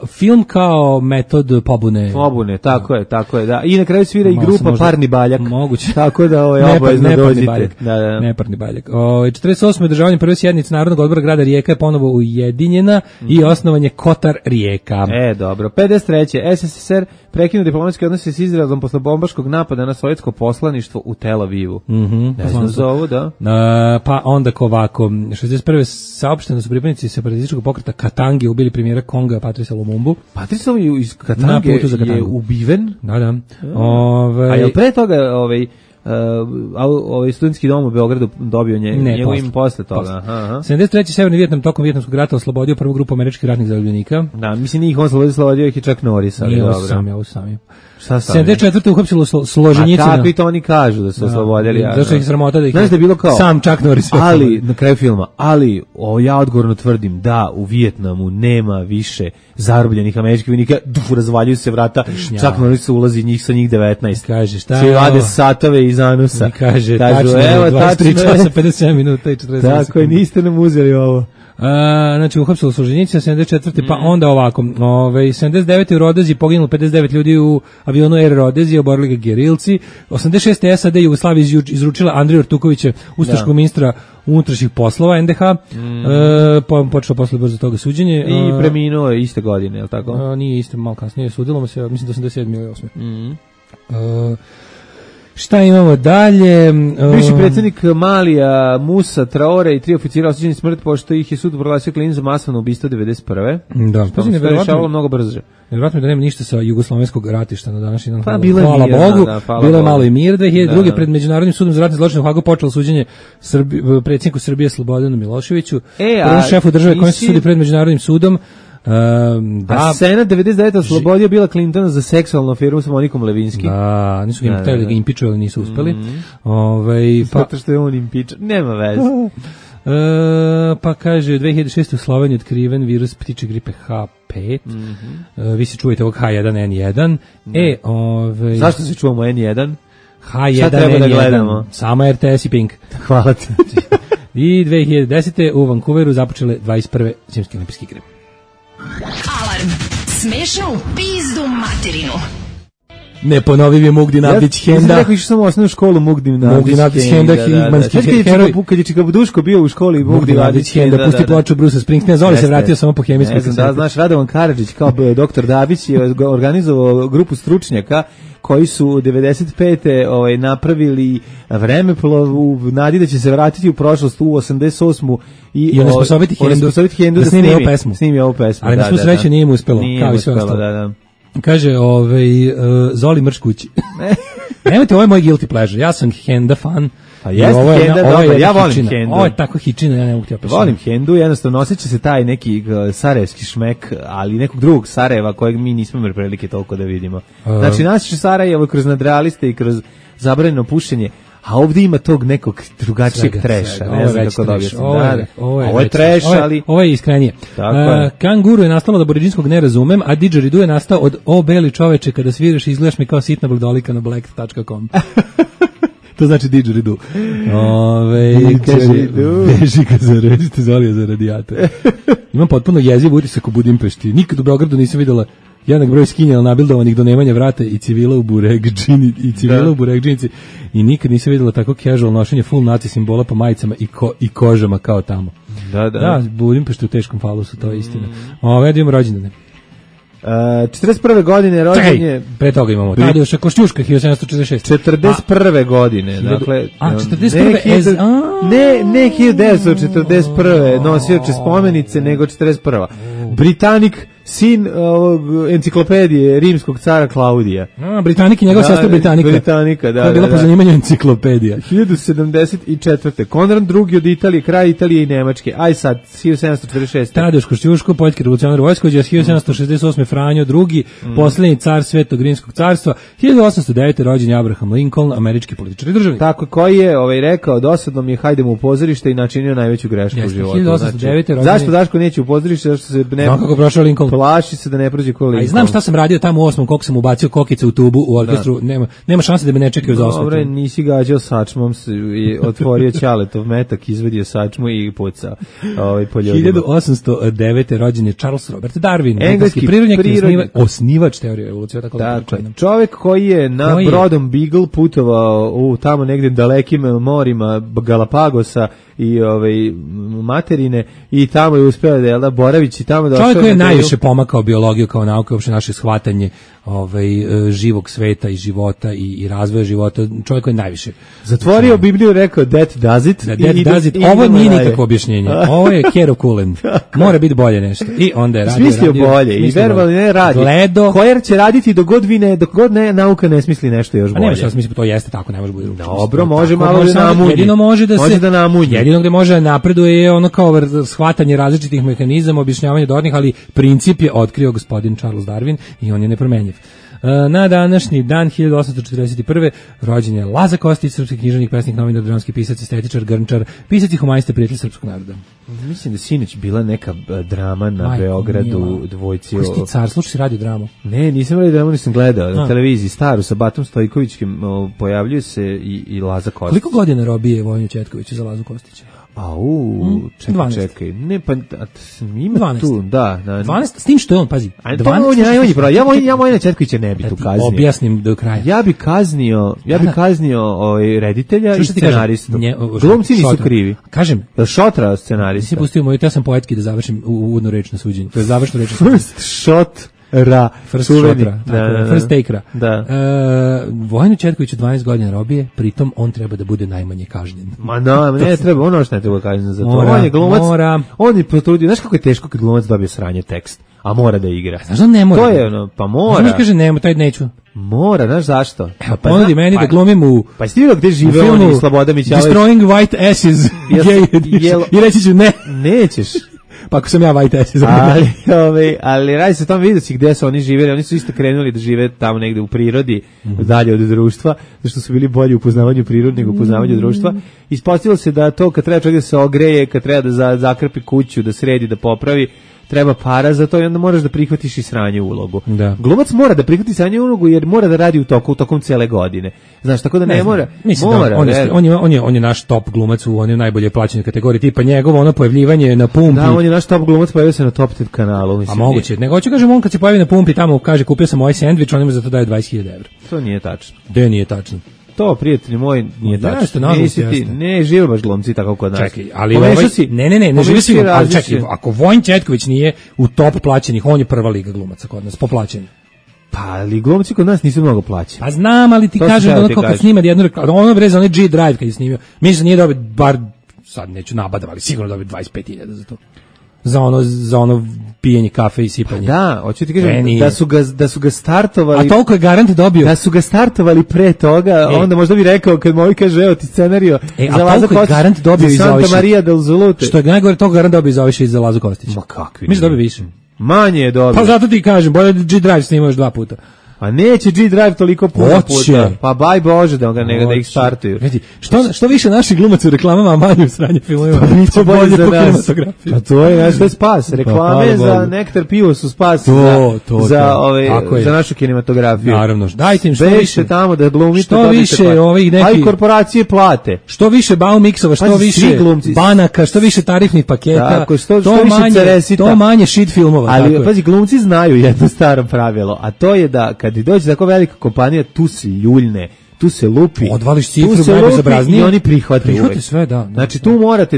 film kao metod pobune. Pobune, tako je, da. I na kraju svira i grupa Parni baljak. Moguće. Tako da obavezno dođite. Baljak. Da. Neparni baljak. 48. održavanje prve sjednice Narodnog odbora grada Rijeka je ponovo ujedinjena i osnovan je Kotar Rijeka. Dobro. 53. SSSR prekinuo diplomatske odnose s Izraelom posle bombaškog napada na sovjetsko poslaništvo u Tel Avivu. Ne znam za ovo, da. Pa onda ovako, 61. saopšteno su pripadnici separatističkog pokreta Katange ubili premijera Konga Patrisa Lumumbu. Patrisa iz Katange je ubiven? Da. A je li pre toga studentski dom u Beogradu dobio njegov ime posle toga? 73. Severni Vijetnam tokom Vijetnamskog rata oslobodio prvu grupu američkih ratnih zarobljenika. Da, mislim njih on slobodio ih i čak Norris, ali dobro. Ovo sam. Šta sam? 74. uhapsilo Složenjicina. A kako i to oni kažu da su oslobodili? Zašto ih sramota da ih... Znaš da je bilo kao... Sam Chuck Norris. Ali, na kraju filma, ja odgovorno tvrdim da u Vijetnamu nema više zarobljenih američkih vojnika, razvaljuju se vrata, Chuck Norris ulazi njih sa njih 19. Kaže, šta je? Svi vade satove iz anusa. I kaže, tačno, 23 časa, 57 minuta i 40 sekundi. Tako je, niste nam uzeli ovo. Znači uhapsilo Solženjicina 74. Pa onda ovako 79. u Rodezi poginulo 59 ljudi u avionu Air Rodezi, oborili ga gerilci. 86. SAD Jugoslavija izručila Andriju Artukovića, ustaškog ministra unutrašnjih poslova NDH, počelo posle brzo toga suđenje. I preminuo je iste godine, je li tako? Nije iste, malo kasnije, sudilo mu se, mislim da 87. ili 8. Šta imamo dalje? Bivši predsjednik Malija, Musa, Traore i 3 oficira osuđeni smrt pošto ih je sud proglasio krivim za masovno ubistvo 91. Da, što se rešavalo mnogo brže. Nevjerojatno da nema ništa sa jugoslovenskog ratišta na današnji dan. Hvala Bogu, bilo je malo i mir. 2002. pred Međunarodnim sudom za ratne zločine u Hagu počelo suđenje predsjedniku Srbije Slobodanu Miloševiću, prvom šefu države kojem se sudi pred Međunarodnim sudom. A Senat 99 oslobodio Bila Clintona za seksualnu aferu sa Monikom Levinsky. Da, nisu ga htjeli da ga impičuju, ali nisu uspeli. Zato što je on impičan, nema veze. Pa kaže, 2006. u Sloveniji otkriven virus ptiče gripe H5. Vi se čujete ovog H1N1. Zašto se čuvamo N1? H1N1. Šta treba da gledamo? Samo RTS i Pink. Hvala ti. I 2010. u Vancouveru započele 21. zimske olimpijske igre. Alarm. Smešno u pizdu materinu. Neponovivi Mugdin Avdić Henda. Ja sam rekao, išao sam u osnovnu školu Mugdin Avdić Henda. Kad je Čikabuduško bio u školi Mugdin Avdić Henda. Pusti ploču Brusa Springsteena, Zoli se vratio samo po hemijskoj kaseti. Da, znaš, Radovan Karadžić kao doktor Dabić je organizovao grupu stručnjaka koji su 95. napravili vremeplov u nadi da će se vratiti u prošlost u 88. I onesposobiti Hendu da snimi ovu pesmu. Ali na svu sreću nije im uspelo. Nije uspelo, da. Kaže, Zoli mrš kući. Nemojte, ovo je moj guilty pleasure. Ja sam Henda fan. Pa jeste Henda, dobro, ja volim Hendu. Ovo je tako hičina, ja ne mogu ti opisati. Volim Hendu, jednostavno osjeća se taj neki sarajevski šmek, ali nekog drugog Sarajeva kojeg mi nismo imali prilike toliko da vidimo. Znači, naše Sarajevo kroz nadrealiste i kroz zabranjeno pušenje, a ovdje ima tog nekog drugačijeg treša. Ne znam kako da objasnim. Ovo je treš, ali... Ovo je iskrenije. Kanguru je nastalo od aboriđinskog ne razumem, a didgeridoo je nastao od o beli čoveče kada sviraš i izgledaš mi kao sitna bladolika na black.com. To znači didgeridoo. Kaže, beži ga zarežite Zolija za radijator. Imam potpuno jeziv utisak u Budimpešti. Nikad u Beogradu nisam vidjela jednak broj skinjala nabildovanih do nemanja vrata i civila u buregdžinici i nikad nisam vidjela tako casual nošenje full naci simbola po majicama i kožama kao tamo. Da, Budimpešti u teškom falusu, to je istina. Da imamo rođendane. 41. godine rođenje. Pre toga imamo Tadeuša Košćuška 1746. 41. godine, dakle 41. Ne 1941. nosioče spomenice, nego 41. Britanik, sin enciklopedije rimskog cara Klaudija. Britanik i njegov sestra Britanika, da. To je bila po zanimanju enciklopedija. 1074. Konrad II od Italije, kraj Italije i Nemačke. Aj sad, 1746. Tadeuš Košćuško, poljski revolucionar Vojskovođa, 1768. Franjo II, posljednji car Svetog Rimskog carstva, 1809. rođen Abraham Lincoln, američki političar i državnik. Tako, koji je rekao, dosadno mi je, hajdemo u pozorište i načinio najveću grešku u životu. 1809. Zašto Daško neće u pozorište? Zašto se ne... Kako prošao Lincoln? plaši se da ne prođe koliko. A i znam šta sam radio tamo u 8. koliko sam ubacio kokice u tubu u orkestru, nema šanse da me ne čekaju za osvetom. Dobre, nisi gađao sačmom, i otvorio Ćaletov metak, izvadio sačmu i pucao po ljudima. 1809. rođen je Charles Robert Darwin, engleski prirodnjak i osnivač teorije evolucije. Dakle, čovjek koji je na brodom Beagle putovao u tamo negdje dalekim morima Galapagosa i materine i tamo je uspeo da boravići tamo da čovjek koji je najviše pomakao biologiju kao nauku, uopšte naše shvatanje živog sveta i života i razvoja života, čovjek koji je najviše zatvorio Bibliju, rekao that does it. Ovo nije nikakvo objašnjenje, ovo je Kero Kulen, mora biti bolje nešto. I onda je radio bolje i verovali ne radi. Kojer će raditi dok god nauka ne smisli nešto još bolje. A nema šta smisli, to jeste tako, ne može biti drugo. Dobro, može malo da namunji. Jedino može da namunji. Jedino gde može napreduje je ono kao shvatanje različitih mehanizama, objašnjavanje dodatnih, ali princip je otkrio gospodin Charles Darwin i on je nepromenjiv. Na današnji dan 1841. rođen je Laza Kostić, srpski književnik, pesnik, novinar, dramski pisac, estetičar, grnčar, pisac i humanista, prijatelj srpskog naroda. Mislim da sinoć bila neka drama na Beogradu, dvojci. Koji si ti car, slušaj si radio dramu? Ne, nisam radio dramu, nisam gledao na televiziji, staru, sa Batom Stojkovićkim, pojavljuje se i Laza Kostić. Koliko godina robije Vojinu Četkoviću za Lazu Kostića? Čekaj, ne, pa ima 12. tu, da. 12, s tim što je on, pazi, 12. Ja Vojina Četkovića ne bi tu kaznio. Objasnim do kraja. Ja bi kaznio reditelja i scenaristu. Glumci nisu krivi. Kažem, Šotra scenarista. Nisi pustio moju, ja sam poetski da završim uvodnu reč na suđenju. To je završna reč. First shot. First take-ra. Da. Vojinu Četkoviću 12 godina robije, pritom on treba da bude najmanje kažnjen. Ma ne treba, ono što ne treba kažnjen za to. On je glumac, on je potrudio. Znaš kako je teško kad glumac dobije sranje tekst, a mora da igra. Znaš da ne mora? To je ono, pa mora. Znaš kaže nemo, taj neću. Mora, znaš zašto? Ponudi meni da glumim u... Pa jesi ti vidio gde žive oni Sloboda Mićalović? Destroying White Asses. I reći ću ne. Nećeš. Pa ako sam ja White Asses. Ali radi se o tom, vidjeti gde su oni živjeli, oni su isto krenuli da žive tamo negde u prirodi, dalje od društva, zašto su bili bolji u upoznavanju prirode nego u upoznavanju društva. Ispostavilo se da to kad treba čovjek da se ogreje, kad treba da zakrpi kuću, da sredi, da popravi, treba para za to i onda moraš da prihvatiš i sranje ulogu. Da. Glumac mora da prihvati sranje ulogu jer mora da radi tokom cele godine. Znaš, tako da ne mora. Mislim mora, on je naš top glumac u onoj najbolje plaćenoj kategoriji, tipa njegovo ono pojavljivanje na pumpi. Da, on je naš top glumac, pojavio se na Top 10 kanalu. Mislim, a moguće. Nego hoću kažem, on kad se pojavi na pumpi tamo kaže kupio sam ovaj sendvič, on mu za to daje 20.000 €. To nije tačno. Da, nije tačno. To, prijatelji moj, nije tačno. Ne, žive baš glumci tako kod nas. Čekaj, ali ne živi si, ali čekaj, ako Vojin Četković nije u top plaćenih, on je prva liga glumaca kod nas, po plaćenju. Pa, ali glumci kod nas nisu mnogo plaćeni. Pa znam, ali ti kažem, ono kako snima jednu reklamu, ono bre za onaj G-Drive kad je snimio, mislim da nije dobio, bar, sad neću nabadav, ali sigurno dobio 25.000 za to. Za ono pijenje kafe i sipanje. Da, hoću ti kažem da su ga startovali. A toliko je garant dobio. Da su ga startovali pre toga, onda možda bi rekao kad mu kaže evo ti scenario za Lazu Kostić. Garant dobio i za Santa Maria del Zulute. Što je najgore, toliko garant dobio za više za Lazu Kostić. Ma kakvi. Mislim da dobio više. Manje je dobio. Pa zato ti kažem, bolje da G-Drive snima još 2 puta. Pa neće G-Drive toliko puta. Pa baj Bože da ih startuju. Vidi, što više naših glumaca u reklamama, a manje u sranje filmovima, to bolje za nas. Pa to je naš spas. Reklame za Nektar pivo su spas za našu kinematografiju. Naravno. Dajte im što više tamo da glumite. Što više ovih nekih... A i korporacije plate. Što više Baumixova, što više banaka, što više tarifnih paketa, to manje shit filmova. Ali pazi, glumci znaju jedno staro pravilo, a to je da kad dođe tako velika kompanija, tu se ljuljne, tu se lupi, odvališ cifru najbezobraznije i oni prihvate sve, da. Znači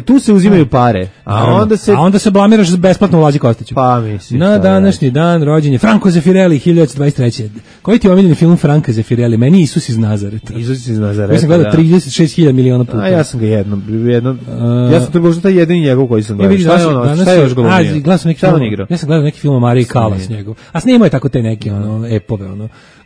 tu se uzimaju pare, a onda se blamiraš besplatno u Lazi Kostiću. Pa mislim. Na današnji dan rođen je Franco Zeffirelli 1923. Koji ti je omiljeni film Franca Zeffirelli? Meni Isus iz Nazareta. Isus iz Nazareta. Ja sam gledao 36.000 miliona puta. A ja sam ga jednom. Ja sam to možda taj jedini njegov koji sam gledao. Šta je još glumio? Ja sam gledao neki film o Mariji Kalas njegov. A snimao je tako te neke epove,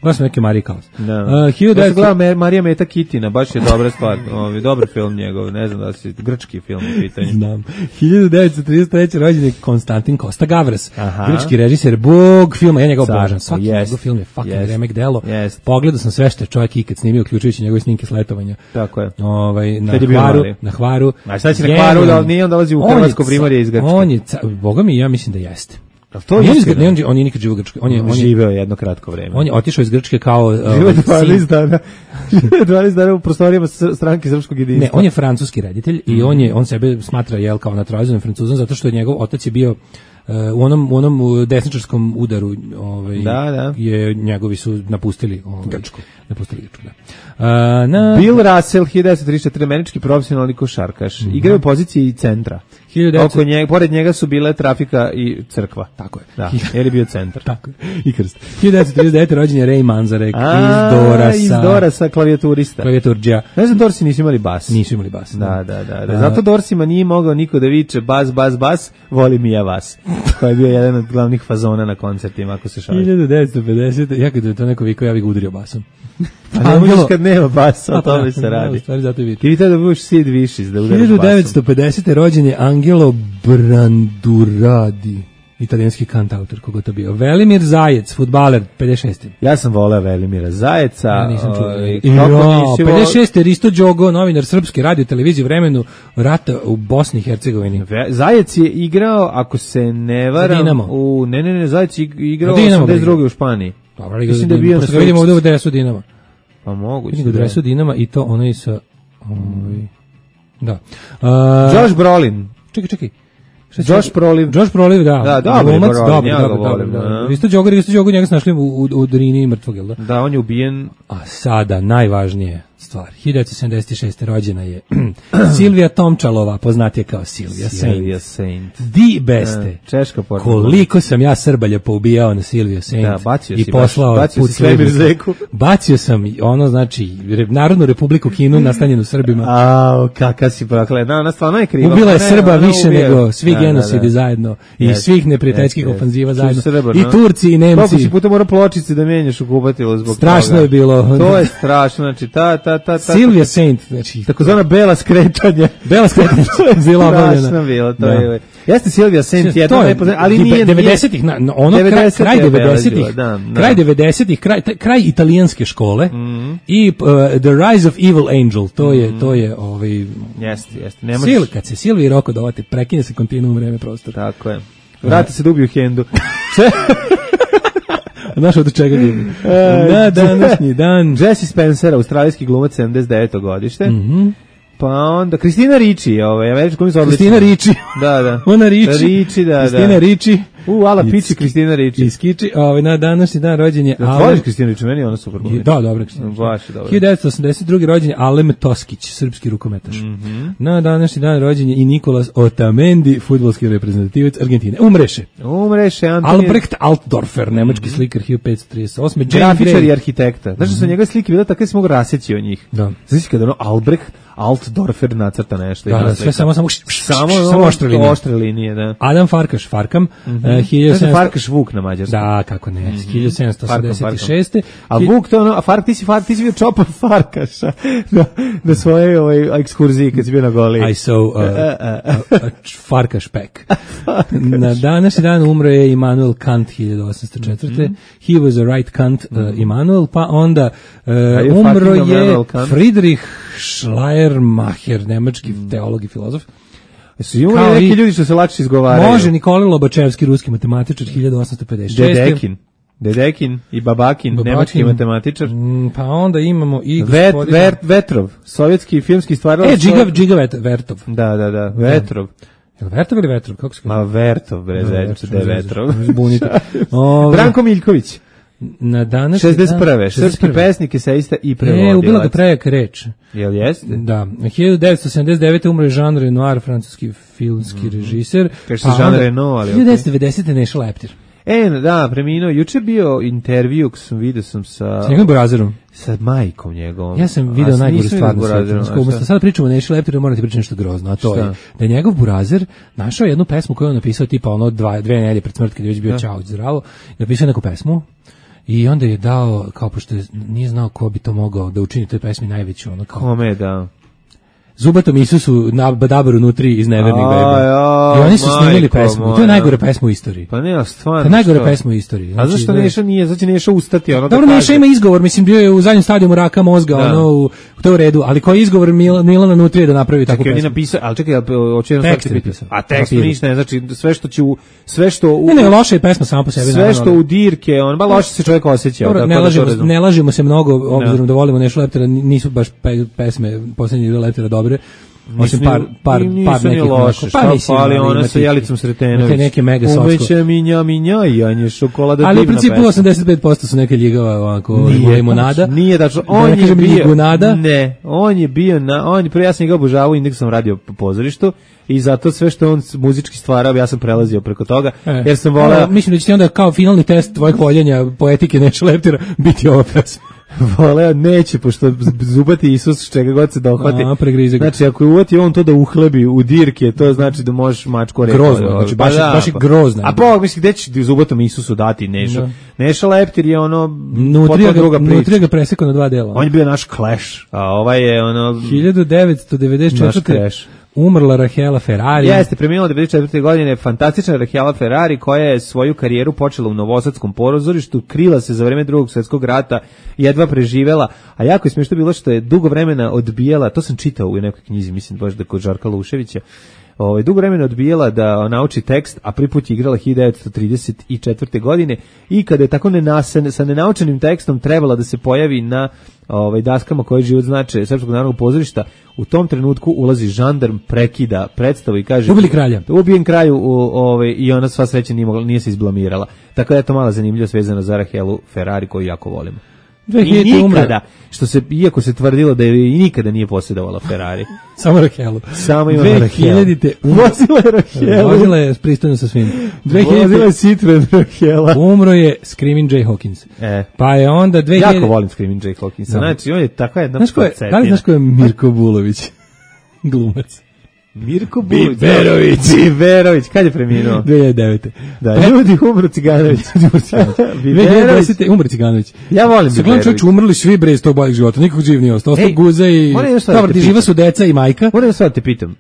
gledao sam neki Mariji Kalas. Ja sam gledao Marija Meta Kitina, baš je dobra stvar. Dobar film njegov, ne znam da si grčki film u pitanju. Znam. 1933. rođen je Konstantin Kosta Gavras. Grčki režiser, bog filma, ja njega obožavam. Svaki njegov film je fucking remek delo. Pogledao sam sve što je čovjek ikad snimio, uključujući njegove snimke s letovanja. Tako je. Na Hvaru. A šta će na Hvaru, da nije on dolazi u Hrvatsko primorje iz Grčke? On je, boga mi, ja mislim da jeste. To je istina. On je nikad živio u Grčkoj. On je živeo jedno kratko vreme. On je otišao iz Grčke kao živeo 12 dana. 12 dana u prostorijama stranke srpskog jedinstva. Ne, on je francuski reditelj i on sebe smatra kao naturalizovan Francuzom zato što je njegov otac je bio u onom desničarskom udaru, je njegovi su napustili Grčku. Bill Russell, 1934, američki profesionalni košarkaš. Igrao u poziciji centra. Pored njega su bile trafika i crkva. Tako je. Da, jer je bio centar. Tako je. I krst. 1939. rođen je Ray Manzarek iz Dorasa, klavijaturista. Klavijaturđija. Ne znam, Dorsi nisu imali bas. Nisu imali bas. Da. Zato Dorsima nije mogao niko da viče bas, volim i ja vas. Koji je bio jedan od glavnih fazona na koncertima, ako se šali. 1950. Ja kad je to neko vikao, ja bih ga udario basom. A ne možeš kad nema basa, o tome se radi. Ti bi tada budeš Sid Vicious da udaraš basom. 1950. rođen je Angelo Branduradi, italijanski kantautor, koga to bio. Velimir Zajec, fudbaler, 56. Ja sam voleo Velimira Zajeca. Ja nisam čuo. 56. Risto Đogo, novinar srpske radio televizije u vremenu rata u Bosni i Hercegovini. Zajec je igrao, ako se ne varam, Ne, Zajec je igrao 82. u Španiji. Dobro, mislim da je bio na vidimo ovdje u dresu Dinama. Pa moguće. Vidim u dresu Dinama i to ono i sa... Da. Josh Brolin. Čekaj. Josh Brolin, da. Da, dobro. Risto Đogo, njega smo našli u Drini mrtvog, jel da? Da, on je ubijen. A sada, najvažnije stvar. 1976. rođena je Silvija Tomčalova, poznatija kao Silvija Saint. Di beste. Češka porno. Koliko sam ja Srbalja poubijao na Silviju Saint. Da, bacio si. I poslao put Svemir Zeku. Bacio sam, Narodnu republiku Kinu nastanjenu Srbima. Kaka si proklet. Ona stvarno je kriva. Ubila je Srba više nego svi genocidi zajedno. I svih neprijateljskih ofanziva zajedno. I Turci i Nemci. Koliko si puta mora pločice da menjaš u kupatilu zbog toga. Strašno je bilo. To je strašno, znači Silvija Saint, znači takozvana bela skretanja. Bela skretanja bila obavljena. Strašno bilo, to je. Jeste Silvija Saint jedna najpoznatija, ali nije 90-ih, ono kraj 90-ih. Kraj 90-ih, kraj italijanske škole i The Rise of Evil Angel, to je Jeste. Kad se Silviji Roko dovate, prekine se kontinuum vreme prostor. Tako je. Vrati se da ubiju Hendu. Znaš od čega ljubi? Na današnji dan. Jesse Spencer, australijski glumac, 79. godište. Pa onda Kristina Ricci, američka glumica odlična. Kristina Ricci. Da. Ona Ricci. Kristina Ricci. Ala Pici, Kristina Ricci. Iskiči, na današnji dan rođen je... Voliš Kristina Ricci, meni je ona super glumica. Da, dobra Kristina Ricci. Baš je dobra. 1982. rođen je Alem Toskić, srpski rukometaš. Na današnji dan rođen je i Nikolas Otamendi, fudbalski reprezentativac Argentine. Umreše, Albrecht Altdorfer, nemački slikar, 1538. Grafičar i arhitekta. Znaš da su njegove slike bile tako da se mogu raseći od njih. Da. Znači kada Albrecht Altdorfer nacrta nešto. Da, sve samo oštre linije, da. Adam Farkaš, Farkam, 1700... Farkaš Vuk na mađarskom. Da, kako ne, 1786. A Vuk to ono, a ti si bio čopa Farkaša na svoje ekskurziji kad si bio na Goli. I saw a Farkaš pack. Na današnji dan umro je Immanuel Kant, 1804. He was a right Kant, Immanuel, pa onda umro je Friedrich Schleiermacher, nemački teolog i filozof. Su imali neki ljudi što se lakše izgovaraju. Može, Nikolaj Lobačevski, ruski matematičar, 1856. Dedekin i Babakin, nemački matematičar. Pa onda imamo i Vetrov, sovjetski filmski stvarac. Džiga Vertov. Da, Vetrov. Je li Vertov ili Vetrov? Kako se kaže? Vertov, zajednice, da je Vetrov. Zbunite. Branko Miljković. Na današnji 61. Srpski pesnik, eseista i prevodilac. Ubila ga prejaka reč. Jel jeste? Da. 1979. umre Jean Renoir, francuski filmski režiser. Kaže se Jean Renoir, ali 1990. Neša Leptir. Da, preminuo. Juče bio intervju, vidio sam sa njegovim burazerom. Sa majkom njegovom. Ja sam video najgoru stvar na svijetu. Sada pričamo o Neši Leptiru, morate pričati nešto grozno, a to je da je njegov burazer našao jednu pesmu koju je napisao tipa dve nedelje pred smrt, kad je već bio čao, zdravo, napisao neku pesmu. I onda je dao, kao pošto nije znao ko bi to mogao da učini toj pesmi najveću, Kome je dao? Zubatom Isusu na Badabaru nutri iz Nevernih Baby. I oni su snimili pesmu. To je najgore pesma u istoriji. Pa ne, stvarno. To je najgore pesma u istoriji. A zašto Neša nije? Znači Neša ustati ono. Dobro, Neša ima izgovor, mislim bio je u zadnjem stadijumu raka mozga, ono u to u redu, ali koji izgovor Milana Nutrije da napravi takvu pesmu? Napisao, ali čekaj, hoće jedno tekst napisao. A tekst ništa ne znači, sve što Ne, loša je pesma sama po sebi. Sve što u dirke, on ba loše se čovjek osjeća. Ne lažemo se mnogo, obzirom da volimo Nešu Leptera, nisu baš pesme posljednje Leptera dobre. Osim par nekih loše, ali ona sa Jelicom Sretenović. Te neke mega socko. Umeće minja, janje šokolada divna. Ali u principu 85% su neke ljigava ovako limonada. Nije tačno. On je bio Ne, on je bio prvo ja sam ga obožavao, Indeksom radio po pozorištu i zato sve što on muzički stvarao, ja sam prelazio preko toga, jer sam voleo. Mislim da će ti onda kao finalni test tvojeg voljenja poetike Neše Leptera biti ova pesma. Voleo neće, pošto Zubati Isus čega god se dohvati. Znači, ako je uvati on to da uhlebi u dirke, to znači da možeš mačku rekao. Grozno, znači baš je grozno. A Bog, misli, gde će Zubatom Isusu dati Nešu? Neša Leptir je ono potom druga priča. Nutrija ga presekao na 2 dela. On je bio naš Clash, a ovaj je ono 1994. Umrla Rahela Ferrari. Jeste, preminula 1994. godine fantastična Rahela Ferrari koja je svoju karijeru počela u Novosadskom pozorištu, krila se za vreme Drugog svjetskog rata, jedva preživela, a jako je smiješno bilo što je dugo vremena odbijala, to sam čitao u nekoj knjizi, mislim baš da kod Žarka Luševića, dugo vremena odbijala da nauči tekst, a prvi put je igrala 1934. godine i kada je tako sa nenaučenim tekstom trebala da se pojavi na daskama koje život znače Srpskog narodnog pozorišta, u tom trenutku ulazi žandarm, prekida predstavu i kaže ubili kralja. Ubijen kraju i ona sva sreća nije se izblamirala. Tako da je to mala zanimljivost vezana za Rahelu Ferrari koju jako volimo. I nikada, iako se tvrdilo da je i nikada nije posjedovala Ferrari. Samo Rahelu. Samo ima Rahelu. 2000-te vozila je Rahelu. Vozila je pristojno sa svim. Vozila je Citroen Rahela. Umro je Screaming Jay Hawkins. Pa je onda 2000... Jako volim Screaming Jay Hawkinsa. Znači, on je takva jedna podcetina. Da li znaš ko je Mirko Bulović? Glumac. Mirko Biberović, kad je preminuo? 2009. Da, ljudi umro Ciganović. 2010. umro Ciganović. Ja volim Biberović. Čovječ, umrli svi bre iz tog boljeg života, nikog živ nije ostao. Ostao Guza i... Dobro, živa su deca i majka. Moram sad te pitam,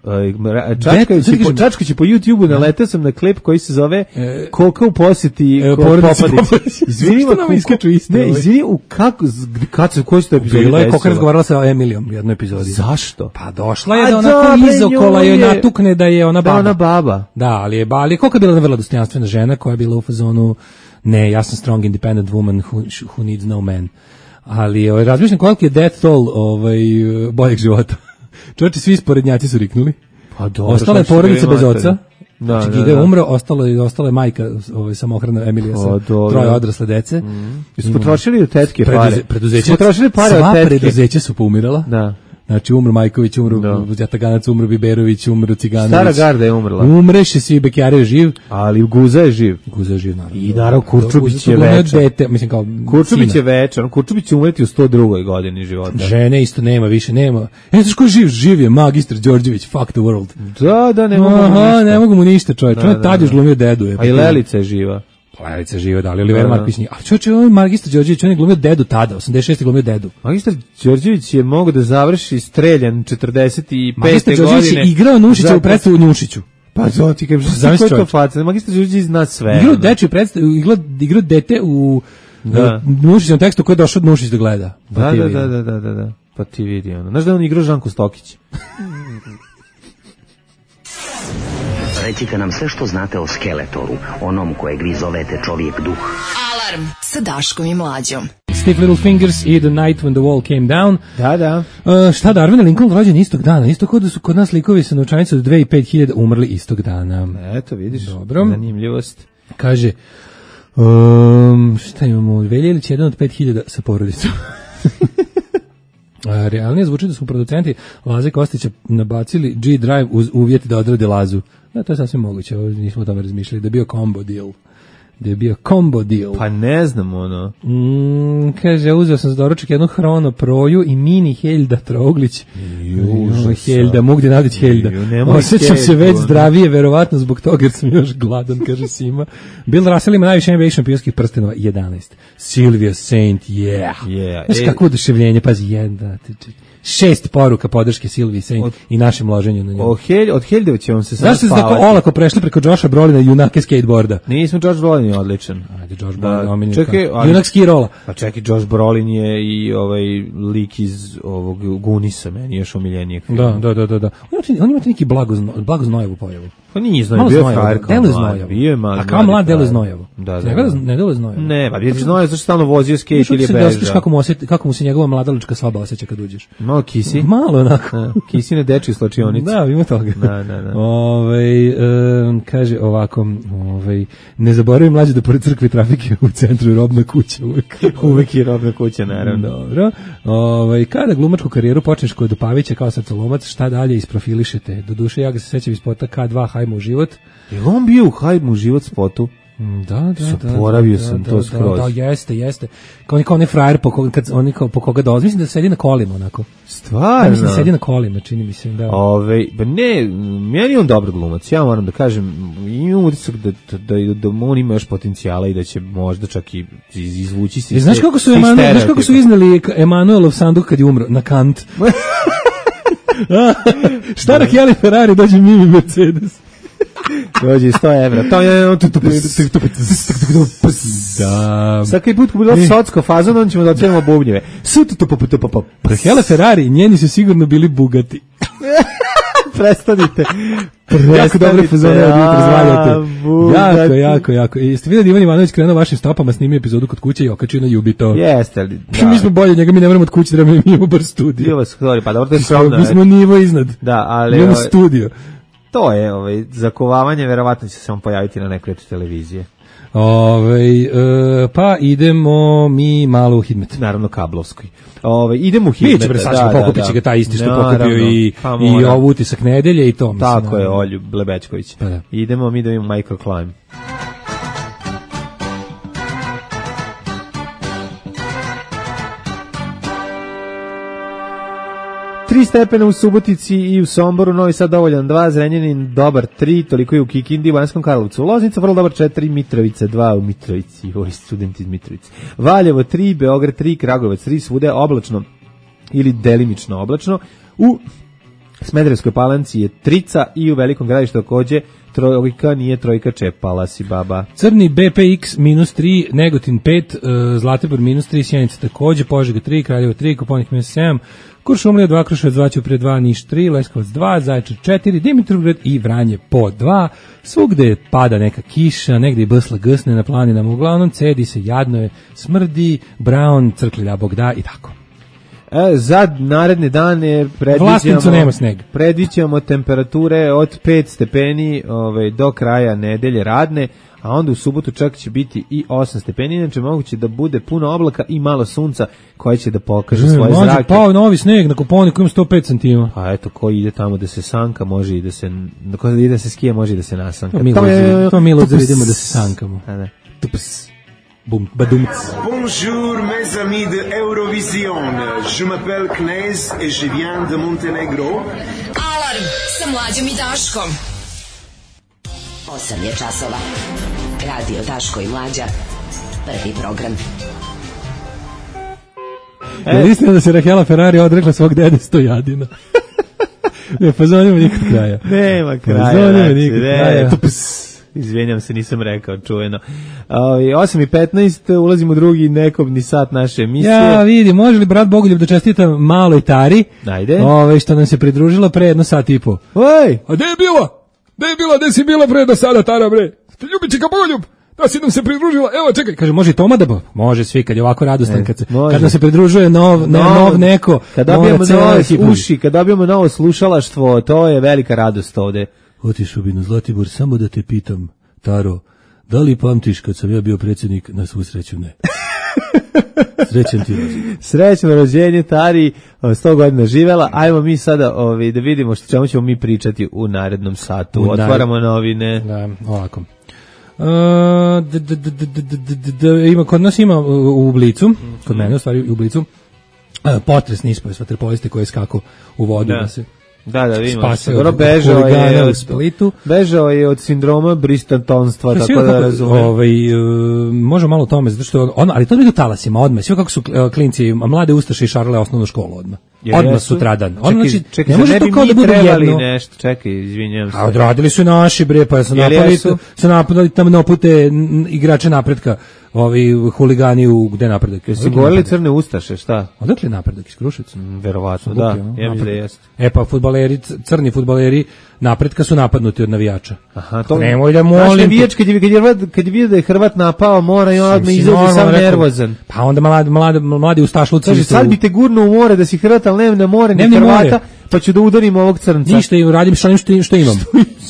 čačkajući po YouTube-u naletao sam na klip koji se zove Koka u posjeti Popadić. Izvini, koji su to epizodi? Bilo je Koka razgovarala sa Emilijom u jednoj epizodi. Zašto? Pa došla je da onako izokola joj natukne da je ona baba. Da, ali Koka je bila vrlo dostojanstvena žena koja je bila u fazonu ne, ja sam strong independent woman who needs no man. Ali razmišljam koliko je death toll boljeg života. Čovječe, svi sporednjaci su riknuli. Pa dobro. Ostala je porodica bez oca. Znači, Giga je umro, ostala je majka samohrana Emilija sa 3 odrasle dece. Su potrošili od tetke pare. Sva preduzeća su poumirala. Da. Znači, umro Majković, umro Jataganac, umro Biberović, umro Ciganović. Stara garda je umrla. Umreše svi, Bekjare je živ. Ali Guza je živ. Naravno. I naravno, Kurčubić je večer. Kurčubić je večer. Kurčubić će umreti u 102. godini života. Žene isto nema, više nema. Znaš ko je živ? Živ je magistar Đorđević, fuck the world. Da, ne mogu mu ništa. Čovječ. On je tad još glumio dedu. A i Lelica je živa. Lelica živa, da li Oliver Marković nije. A čovječe, on je magistar Đorđević, on je glumio dedu tada, 86. glumio dedu. Magistar Đorđević je mogao da završi streljan 45. Magistar Đorđević je igrao Nušića u predstavu Nušiću. Pa to ti kažem, što je to faca? Magistar Đorđević zna sve. Igrao dečju predstavu, igrao dete u Nušićevom tekstu koji je došao od Nušić da gleda. Da. Pa ti vidi ono. Znaš da on igrao Žanko Stokić? Recite nam sve što znate o Skeletoru, onom kojeg vi zovete čovjek duh. Alarm sa Daškom i Mlađom. Stiff Little Fingers i The Night When the Wall Came Down. Da. Šta da, Arvin Lincoln rođen istog dana, isto kod da su kod nas likovi sa novčanicom od 2.500 umrli istog dana. Eto, vidiš, dobro. Zanimljivost. Kaže, šta imamo, Veljelić jedan od 5.000 sa porodicom. Realnije zvuči da su producenti Laze Kostića nabacili G-Drive uz uvjet da odrade Lazu. Da, to je sasvim moguće, nismo o tome razmišljali, da je bio combo deal. Pa ne znam ono. Kaže, uzeo sam za doručak jednu Hrono Proju i mini Helda Trouglić. Helda, Mugdje Nadić Helda. Osjećam se već zdravije, verovatno zbog toga jer sam još gladan, kaže Sima. Bill Russell ima najviše NBA šampionskih prstenova, 11. Sylvia Saint, yeah. Znaš kako oduševljenje, pazi, 6 poruka podrške Silviji Saint i našem loženju na njemu. Od Heljdev će vam se sad Zašto ste tako olako prešli preko Josha Brolina i junake skateboarda? Nismo, Josh Brolin je odličan. Ajde, Josh Brolin omiljen. Čekaj, junak ski rola. Pa čekaj, Josh Brolin je i ovaj lik iz ovog Gunisa, meni još omiljenijeg. Da. On ima neki blago znojevu pojavu. Pa nije znojevo, bio je frajer kao mlad. Bio je mlad. A kao mlad delo znojevo. Da. Ne delo znojevo. Ne, pa bio je znojevo zašto stalno vozio skejt ili beža. Kako mu se njegova mladalačka soba osjeća kad uđeš. Malo kisi. Malo onako. Kisine dečje slačionice. Da, ima toga. Da. Kaže ovako, ne zaboravim mlađe da pored crkve trafike u centru je robna kuća uvek. Uvek je robna kuća, naravno. Dobro. Kada glumačku karijeru počneš kod Pavića kao srcolomac, šta dalje isprofilišete? Doduše, ja ga se sećam iz spota K2 Hajmo u život. Je on bio u Hajmo u život spotu? Da. Zaboravio sam to skroz. Da, jeste. Kao onaj frajer po koga dolazi. Mislim da sedi na kolima onako. Stvarno? Mislim da sedi na kolima, čini mi se, da. Pa ne, meni je on dobar glumac. Ja moram da kažem, imam utisak da on ima još potencijala i da će možda čak i izvući se. Znaš kako su iznali Emanuelov sanduk kad je umro? Na kant. Šta na Kelly Ferrari dođe Mimi Mercedes? Dođe 100 evra. To je da. Svaki put ko bilo socko fazon, on ćemo da otvorimo bubnjeve. Hele Ferrari, njeni su sigurno bili Bugatti. Prestanite. Jako dobre fazone od jutra zvajate. Jako. Jeste vidjeli da Ivan Ivanović krenuo vašim stopama, snimio epizodu kod kuće i okačio na Jubi to? Jeste li? Mi smo bolje njega, mi ne moramo od kuće, mi imamo bar studio. Pa dobro, to je skromno. Mi smo nivo iznad. Da, ali... Imamo studio. To je, zakovavanje, verovatno će se on pojaviti na nekoj televizije. Pa idemo mi malo u Hidmet. Naravno kablovskoj. Idemo u Hidmet. Biće bre Saško, pokupit će ga taj isti što pokupio i ovu utisak nedelje i to. Tako je, Olju Blebečković. Pa da. Idemo mi da imamo Microclimb. 3 stepena u Subotici i u Somboru, Novi Sad dovoljan 2, Zrenjanin dobar 3, toliko je u Kikindi, u Banskom Karlovcu, Loznica vrlo dobar 4, Mitrovica 2 u Mitrovici, studenti iz Mitrovice, Valjevo 3, Beograd 3, Kragujevac 3, svuda je oblačno ili delimično oblačno, u Smederevskoj Palanci je 3 i u Velikom Gradištu takođe trojka, nije trojka, čepala si baba. Crni BPX -3, Negotin 5, Zlatibor -3, Sjenica takođe, Požega 3, Kraljevo 3, Koponik -7, Kuršumlija 2, Kruševac 2, Ćuprije 2, Niš 3, Leskovac 2, Zaječar 4, Dimitrovgrad i Vranje po 2. Svugde pada neka kiša, negde i bsla gsne na planinama, uglavnom cedi se, jadno je, smrdi, Brown, crklja Bog da i tako. Za naredne dane predviđamo temperature od 5 stepeni do kraja nedelje radne, a onda u subotu čak će biti i 8 stepeni, inače moguće da bude puno oblaka i malo sunca koje će da pokaže svoje zrake. Pao novi sneg na Koponiku, ima 5 cm. Pa eto, ko ide tamo da se sanka, može i da se, ko ide da se skije, može i da se nasanka. To mi luzer idemo da se sankamo. Tups. Boum, badumc. Bonjour mes amis de Eurovision. Je m'appelle Knez et je viens de Montenegro. Alarm sa Mlađom i Daškom. 8 je časova. Radio Daško i Mlađa. Prvi program. Je istina da se Rahela Ferrari odrekla svog dede Stojadina? Ne, pa zovnjamo nikad kraja. Nema kraja. Izvinjam se, nisam rekao, čujeno. 8:15, ulazimo u drugi nekobni sat naše emisije. Ja, vidi, može li brat Bogoljub da čestita maloj Tari? Ajde. Što nam se pridružila pre 1 sat i po. Oj! A gde je bila? Gde si bila pre do sada, Tara, bre? Ljubičika Bogoljub, da si nam se pridružila, evo čekaj. Kaže, može i Toma da može svi, kad je ovako radostan, kad nam se pridružuje nov neko. Kad dobijemo nove uši, kad dobijemo novo slušalaštvo, to je velika radost ovde. Otišao bi na Zlatibor, samo da te pitam, Taro, da li pamtiš kad sam ja bio predsjednik? Na svu sreću ne. Srećan ti rođenje. Srećno rođenje, Tari, 100 godina živela. Ajmo mi sada da vidimo što čemu ćemo mi pričati u narednom satu. Otvaramo novine. Da, ovako. Kod nas ima u Blicu, kod mene u stvari u Blicu, potresni ispoje vaterpoliste koji skako u vodu da se vidimo. Bežao je od sindroma bristantonstva, tako da razumem. Može malo o tome, zato što ali to je do talasima odmah. Sve kako su klinci, mlade ustaše i šarale osnovnu školu odmah. odmah sutradan. Čekaj, ne može to kao da bude jedno. Nešto, čekaj, izvinjavam se. A odradili su naši bre, pa su napadali tamo pute igrače Napretka, ovi huligani u gde Napredak. Jesu govorili crne ustaše, šta? Odakle Napredak iz Kruševca? Verovatno, da. Ja mislim da jeste. Pa fudbaleri, crni fudbaleri Napretka su napadnuti od navijača. Aha, to nemoj da molim. Navijač kad je vidio da je Hrvat napao, mora i odmah izaći sam nervozan. Pa onda mladi ustašluci. Kaže, sad bi te gurno u more da si Hrvat, ali nema na more ni Hrvata, pa ću da udarim ovog crnca. Ništa, radim sa onim što imam.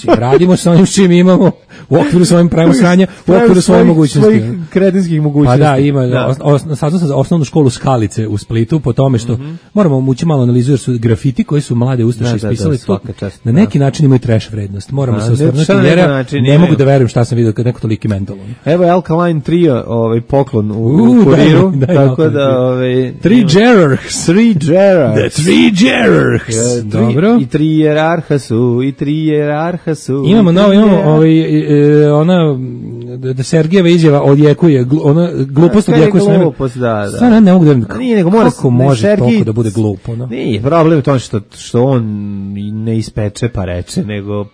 Radimo sa onim što imamo u okviru svojim pravim sranja, u okviru svoje mogućnosti. Svojih kretinskih mogućnosti. Pa da, ima. Sad sam za osnovnu školu Skalice u Splitu, po tome što moramo mući malo analizu, jer su grafiti koji su mlade ustaše ispisali to. Na neki način imaju trash vrednost. Moramo se osvrnuti, jer ne mogu da verujem šta sam vidio kad neko toliki mental. Evo Alkaline Trio, poklon u kuriru, tako da... Three Gerarchs. The Three Gerarchs. Dobro. I tri jerarha su. Imamo ona da Sergijeva izjava odjekuje, ona glupost odjekuje sve. Glupost, da. Stvarno ne mogu da verujem. Nije, nego mora kako može toliko da bude glupo, no? Nije, problem je to što on ne ispeče pa reče, nego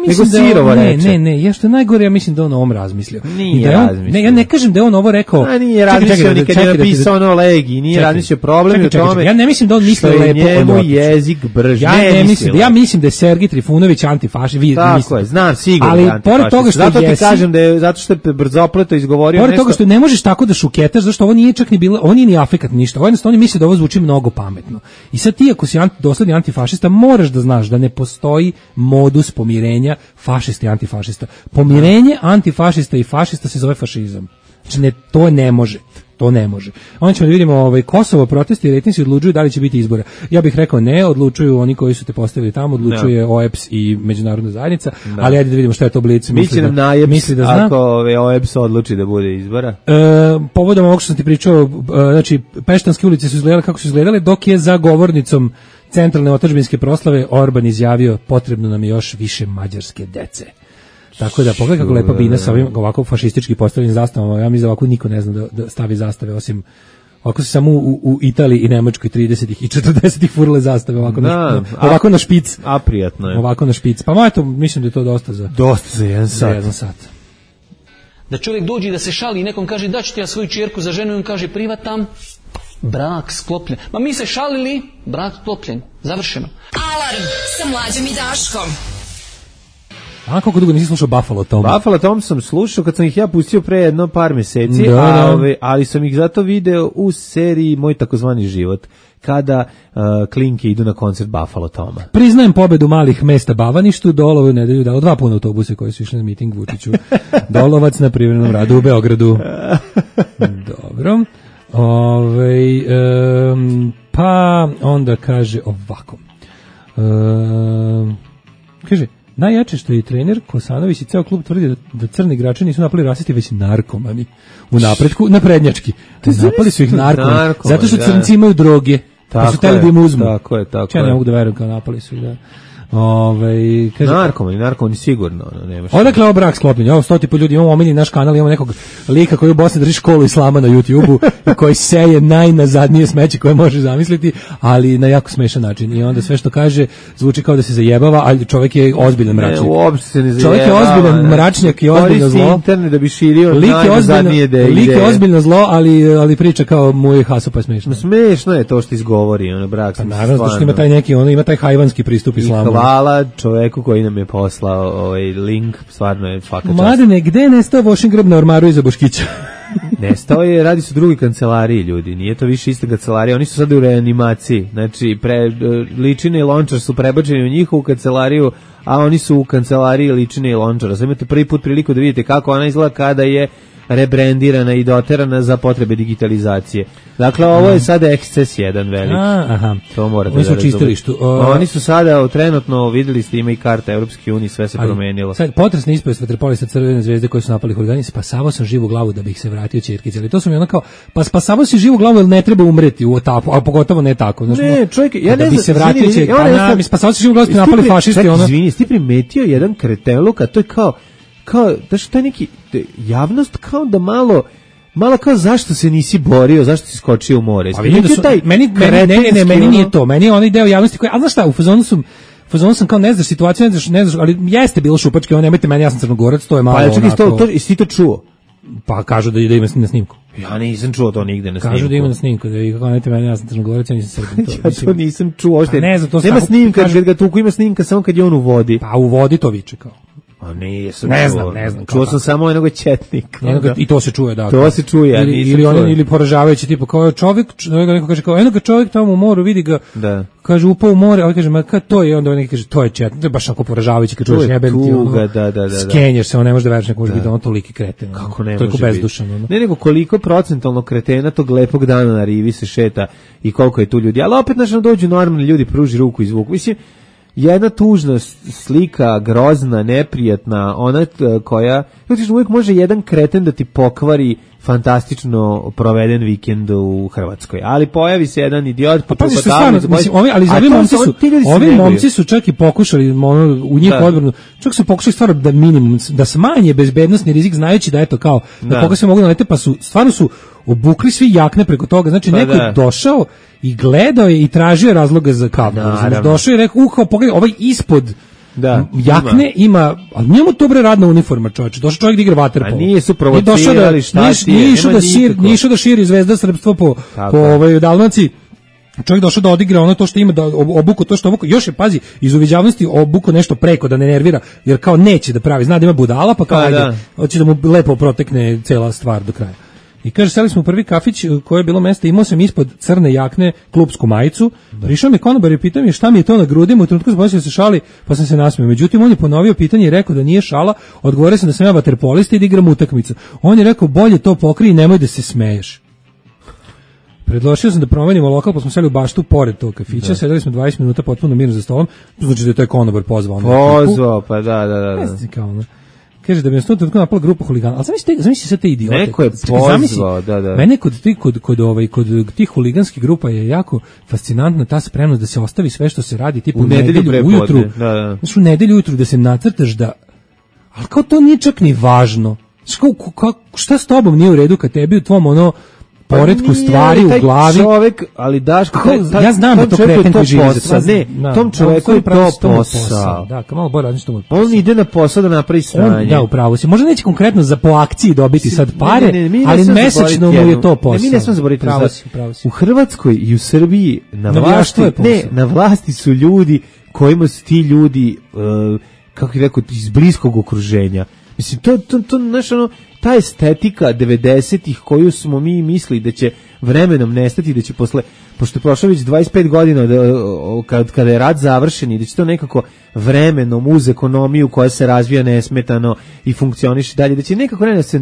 nego sirovo reče. Ne, ja što je najgore, ja mislim da on o ovom razmislio. Nije razmislio. Ne, ja ne kažem da je on ovo rekao. A nije razmislio ni kad je napisao ono Legi, nije razmislio, problem je u tome. Ja ne mislim da on misli lepo njemu jezik brž. Ja mislim da je Sergij Trifunović antifašist. Tako je, znam sigurno. Ali pored toga što zato ti kažem da je zato što je brzopleto izgovorio nešto. Pored toga što ne možeš tako da šuketaš, zašto ovo nije čak ni bilo, on nije ni afekat ništa. Ovo jednostavno misli da ovo zvuči mnogo pametno. I sad ti ako si dosledni antifašista, moraš da znaš da ne postoji modus pomirenja fašista i antifašista. Pomirenje antifašista i fašista se zove fašizam. Znači to ne može. To ne može. Onda ćemo da vidimo Kosovo, protesti i rejtinzi odlučuju da li će biti izbora. Ja bih rekao ne, odlučuju oni koji su te postavili tamo, odlučuje OEBS i međunarodna zajednica, ali ajde da vidimo šta je to Blic. Misli nam najepsi ako OEBS odluči da bude izbora. Povodom ovog što sam ti pričao, znači Peštanske ulice su izgledale kako su izgledale, dok je za govornicom centralne otadžbinske proslave Orban izjavio potrebno nam je još više mađarske dece. Tako da pogledaj kako lepa bina sa ovim ovako fašistički postavljenim zastavama. Ja mislim da ovako niko ne zna da stavi zastave osim ovako se samo u Italiji i Nemačkoj 30-ih i 40-ih furle zastave ovako na špic. A prijatno je. Ovako na špic. Pa eto, mislim da je to dosta za jedan sat. Da čovjek dođe da se šali i nekom kaže da ću ti ja svoju čerku za ženu i on kaže privatam, brak sklopljen. Ma mi se šalili, brak sklopljen. Završeno. Alarm sa Mlađom i Daškom. A koliko dugo nisi slušao Buffalo Tom? Buffalo Tom sam slušao kad sam ih ja pustio pre jedno par meseci, ali sam ih zato video u seriji Moj takozvani život, kada klinke idu na koncert Buffalo Toma. Priznajem pobedu malih mesta Bavaništu, Dolovu nedelju dalo 2 puna autobuse koji su išli na miting Vučiću. Dolovac na privremenom radu u Beogradu. Dobro. Pa onda kaže ovako. Kaže, najjače što je i trener Kosanović i ceo klub tvrdi da crni igrači nisu napali rasisti, već narkomani. U napretku, naprednjački. Napali su ih narkomani. Zato što crnci imaju droge. Pa su teli da im uzmu. Tako je. Ja ne mogu da verujem kao napali su ih, da. Kaže, narkomani sigurno. Odakle ovo brak sklopljen? Evo 100 ljudi, imamo omiljeni naš kanal, imamo nekog lika koji u Bosni drži školu islama na YouTubeu i koji seje najnazadnije smeće koje može zamisliti, ali na jako smešan način. I onda sve što kaže zvuči kao da se zajebava, ali čovjek je ozbiljan mračnjak. Ne, uopšte se ne zajebava. Čovjek je ozbiljan mračnjak i ozbiljno zlo. Internet da bi širio najnazadnije ideje. Lik je ozbiljno zlo, ali priča kao moj haso pa smešno. Smešno je to što izgovori, brak. Pa naravno što ima taj neki, ima taj hajvanski pristup islamu. Hvala čoveku koji nam je poslao link, stvarno je svaka čast. Mladene, gde je nestao Vošin grb na ormaru iza Boškića? Nestao je, radi se u drugoj kancelariji, ljudi, nije to više ista kancelarija, oni su sada u reanimaciji, znači Ličine i Lončar su prebačeni u njihovu kancelariju, a oni su u kancelariji Ličine i Lončara. Sad imate prvi put priliku da vidite kako ona izgleda kada je rebrendirana i doterana za potrebe digitalizacije. Dakle, ovo je sada eksces jedan veliki. Aha. To morate da razumete. Oni su sada trenutno, videli ste, ima i karta Evropske unije, sve se promenilo. Sad, potresni ispred vaterpolista Crvene zvezde koji su napali huligani, spasavao sam živu glavu da bih se vratio ćerkici. Ali to su mi ono kao, pa spasavao si živu glavu jer ne treba umreti u etapu, a pogotovo ne tako. Ne, čovjek, ja ne znam. Da bi se vratio ćerkici, spasavao si živu glavu, ste napali fašisti. Izvini, ti primetio jedan kreteluk, a to je kao da što je neki javnost kao da malo malo kao zašto se nisi borio, zašto si skočio u more. A vidim da su, meni nije to, meni je onaj deo javnosti koji, a znaš šta, u fazonu sam kao ne znaš situaciju, ne znaš, ali jeste bilo šupačke, nemojte meni, ja sam Crnogorac, to je malo onako. Pa jesi ti to čuo? Pa kažu da ima na snimku. Ja nisam čuo to nigde na snimku. Kažu da ima na snimku, da vi kako nemojte meni, ja sam Crnogorac, ja nisam Srbin. Ja to nisam čuo, pa ne znam, to nema snimka, kad ga tuku ima snimka samo kad je on u vodi. Pa u vodi to viče kao. A nisam čuo. Ne znam. Čuo sam samo jednog četnika. I to se čuje, da. To se čuje, ili poražavajući, tipa kao čovjek, neko kaže kao, eno čovjek tamo u moru, vidi ga, da. Kaže, upao u more, a on kaže, ma kad to je, onda neki kaže, to je četnik, to je baš ako poražavajući, kad čuješ jebem ti, skenješ se, on ne može da veriš, neko može biti on toliki kreten. Kako ne može biti? Bezdušan. Ne, nego koliko procentalno kretena tog lepog dana na rivi se šeta i koliko je tu ljudi, ali opet znaš, dođu normalni ljudi, pruži ruku i zvuk, mislim, jedna tužna slika, grozna, neprijatna, ona koja, uvijek može jedan kreten da ti pokvari fantastično proveden vikend u Hrvatskoj. Ali pojavi se jedan idiot, ovi momci su čak i pokušali u njih odbranu, čak su pokušali stvarno da minimum, da smanje bezbednosni rizik znajući da eto kao, da koga se mogu nalete, pa su, stvarno su obukli svi jakne preko toga, znači neko je došao i gledao je i tražio razloga za kavnu. Došao je i rekao, pogledaj, ovaj ispod jakne ima, ali njemu to bre radna uniforma, čovječe. Došao čovjek da igra vaterpolo. A nije su provocirali, šta ti je? Nije išao da širi zvezda srpstvo po Dalmaciji. Čovjek došao da odigra ono to što ima, da obuku to što obuku. Još je, pazi, iz uviđavnosti obuku nešto preko da ne nervira, jer kao neće da pravi, zna da ima budala, pa kao ajde, hoće da mu lepo protekne cela stvar do kraja. I kaže, seli smo u prvi kafić koje je bilo mjesto, imao sam ispod crne jakne klupsku majicu, prišao mi konobar i pitao mi šta mi je to na grudima, u trenutku sam pomislio da se šali, pa sam se nasmio. Međutim, on je ponovio pitanje i rekao da nije šala, odgovorio sam da sam ja vaterpolista i da igram utakmicu. On je rekao, bolje to pokri i nemoj da se smeješ. Predložio sam da promenimo lokal, pa smo seli u baštu pored tog kafića, sedeli smo 20 minuta potpuno mirno za stolom, znači da je taj konobar pozvao. Pozvao, pa da. Kaže da bi nas to tako napala grupa huligana. Ali zamisli sve te idiote. Neko je pozvao, da. Mene kod tih huliganskih grupa je jako fascinantna ta spremnost da se ostavi sve što se radi, tipa u nedelju ujutru. Znaš, u nedelju ujutru da se nacrtaš da... Ali kao to nije čak ni važno. Šta s tobom nije u redu kad tebi u tvom ono... poretku stvari u glavi. Čovjek, ali Daško, ja znam da to kreten koji živi za sad. Ne, tom čovjeku je to posao. Da, kao malo bolje radi što mu posao. On ide na posao da napravi sranje. Da, upravo si. Možda neće konkretno po akciji dobiti sad pare, ali mesečno mu je to posao. Mi ne smemo zaboraviti. Pravo si. U Hrvatskoj i u Srbiji na vlasti su ljudi kojima su ti ljudi, kako bih rekao, iz bliskog okruženja. Mislim, to znaš, ono, ta estetika 90-ih koju smo mi mislili da će vremenom nestati, da će posle, pošto je prošlo već 25 godina kada je rat završen i da će to nekako vremenom uz ekonomiju koja se razvija nesmetano i funkcioniše dalje, da će nekako da se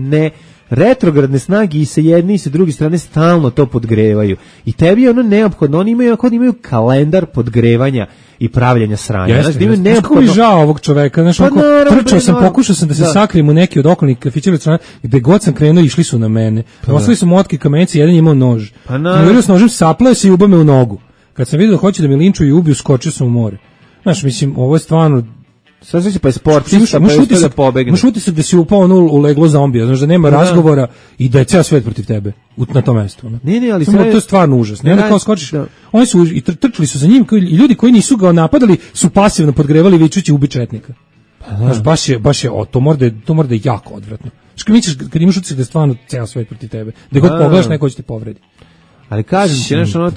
retrogradne snage i sa jedne i sa druge strane stalno to podgrevaju. I tebi je ono neophodno, oni imaju kalendar podgrevanja i pravljanja sranja. Znaš, da imaju neophodno... Kako mi žao ovog čoveka, znaš, pokušao sam da se sakrijem u neki od okolnih kafića, gde god sam krenuo, išli su na mene. Ostali su motke kamenci, jedan je imao nož. Uverio s nožem, saplao se i ubao me u nogu. Kad sam vidio da hoće da me linčuju i ubiju, skočio sam u more. Znaš, mislim, ovo je stvarno... Sad se pa je sportista, pa je da pobegne. Možeš utisak da si upao u leglo zombija, znaš da nema razgovora i da je ceo svet protiv tebe na tom mestu. Ne, ali to je stvarno užasno. Ne, kao skočiš, oni su i trčali su za njim, i ljudi koji nisu ga napadali su pasivno podgrevali vičući ubi četnika. Znaš, baš je, to mora da je jako odvratno. Kad imaš utisak da je stvarno ceo svet protiv tebe, da god pogledaš neko će te povredi. Ali kažem ti, znaš, ono,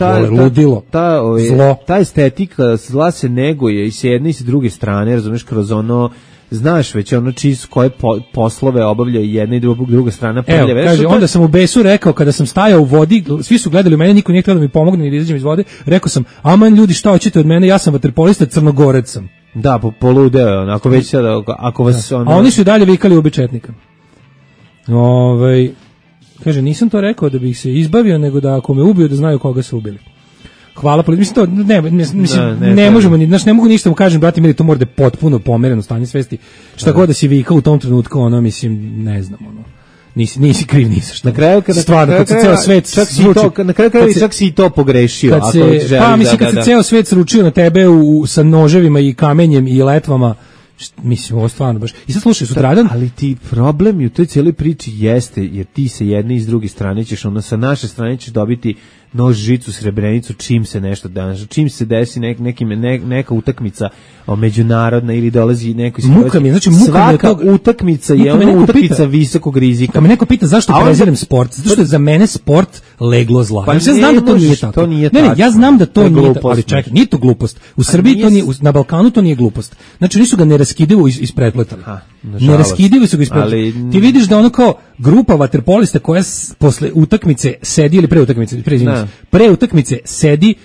ta estetika zla se neguje i s jedne i s druge strane, razumiješ, kroz ono, znaš već ono koje poslove obavlja jedna i druga strana. Evo, kaže, onda sam u besu rekao, kada sam stajao u vodi, svi su gledali u mene, niko nije htio da mi pomogne ni da izađem iz vode, rekao sam, aman ljudi, šta hoćete od mene, ja sam vaterpolista, Crnogorec sam. Da, poludeo, ako već sada, ako vas... A oni su i dalje vikali ubi četnika. Kaže, nisam to rekao da bih se izbavio, nego da ako me ubiju da znaju koga su ubili. Hvala, mislim to ne možemo, znaš, ne mogu ništa mu kažem, brate mili, to mora da je potpuno pomereno stanje svesti. Šta god da si vikao u tom trenutku, ono, mislim, ne znam, ono. Nisi kriv, nisi šta. Na kraju kad se ceo svet čak si i to pogrešio. Kad se ceo svet sručio na tebe sa noževima i kamenjem i letvama Mislim, ovo stvarno baš. I sad slušaj, sutradan... Ali ti problem u toj cijeloj priči jeste, jer ti sa jedne i s druge strane ćeš, sa naše strane ćeš dobiti nož, žicu, srebrenicu, čim se nešto danas, čim se desi neka utakmica međunarodna ili dolazi neko svaka utakmica je ona utakmica visokog rizika. Kad me neko pita zašto prezirem sport, zato što je za mene sport leglo zla. Ja znam da to nije tako. Ne, ja znam da to nije tako, ali čekaj, nije to glupost. U Srbiji to nije, na Balkanu to nije glupost. Znači nisu ga neraskidivo isprepletali. Neraskidivo su ga isprepletali. Ti vidiš da ono kao grupa vaterpolista koja posle utakmice sedi ili pre utakmice sedi.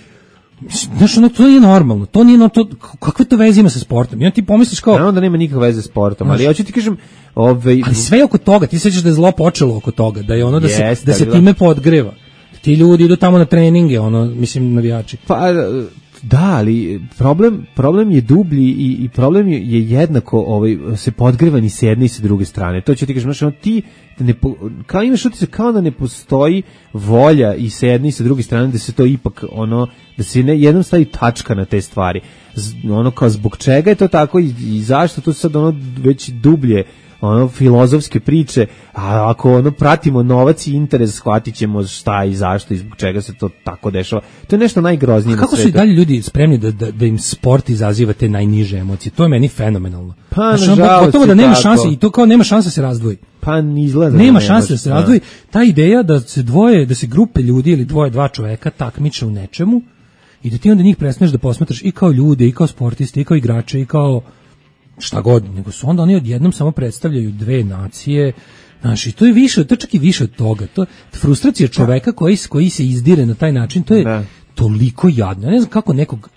Znaš, ono, to nije normalno. To nije to, kakve to veze ima sa sportom? I on ti pomisliš kao... Naravno da nema nikakve veze sa sportom, ali ja ću ti kažem... Ali sve oko toga, ti sećaš da je zlo počelo oko toga, da je ono da se time podgreva. Ti ljudi idu tamo na treninge, ono, mislim, navijači. Pa, da, ali problem je dublji i problem je jednako se podgreva ni s jedne i s druge strane. To ću ti kažem, znači, ti kao imaš utisak kao da ne postoji volja i s jedne i s druge strane da se to ipak da se jednom stavi tačka na te stvari. Kao zbog čega je to tako i zašto to sad već dublje filozofske priče, a ako pratimo novac i interes, shvatit ćemo šta i zašto i zbog čega se to tako dešava. To je nešto najgroznije na svijetu. Kako su i dalje ljudi spremni da im sport izaziva te najniže emocije? To je meni fenomenalno. Pa, nažalost, gotovo da nema šanse, i to kao nema šanse da se razdvoji. Pa izgleda. Nema šanse da se razdvoji. Ta ideja da se grupe ljudi ili dva čoveka takmiče u nečemu i da ti onda njih presmeš da posmatraš i kao ljude, i kao sportiste, i kao igrače, i kao šta god, nego su onda oni odjednom samo predstavljaju dve nacije, znaš, i to je više, to čak i više od toga, to frustracija čoveka koji se izdire na taj način, to je toliko jadno. Ja ne znam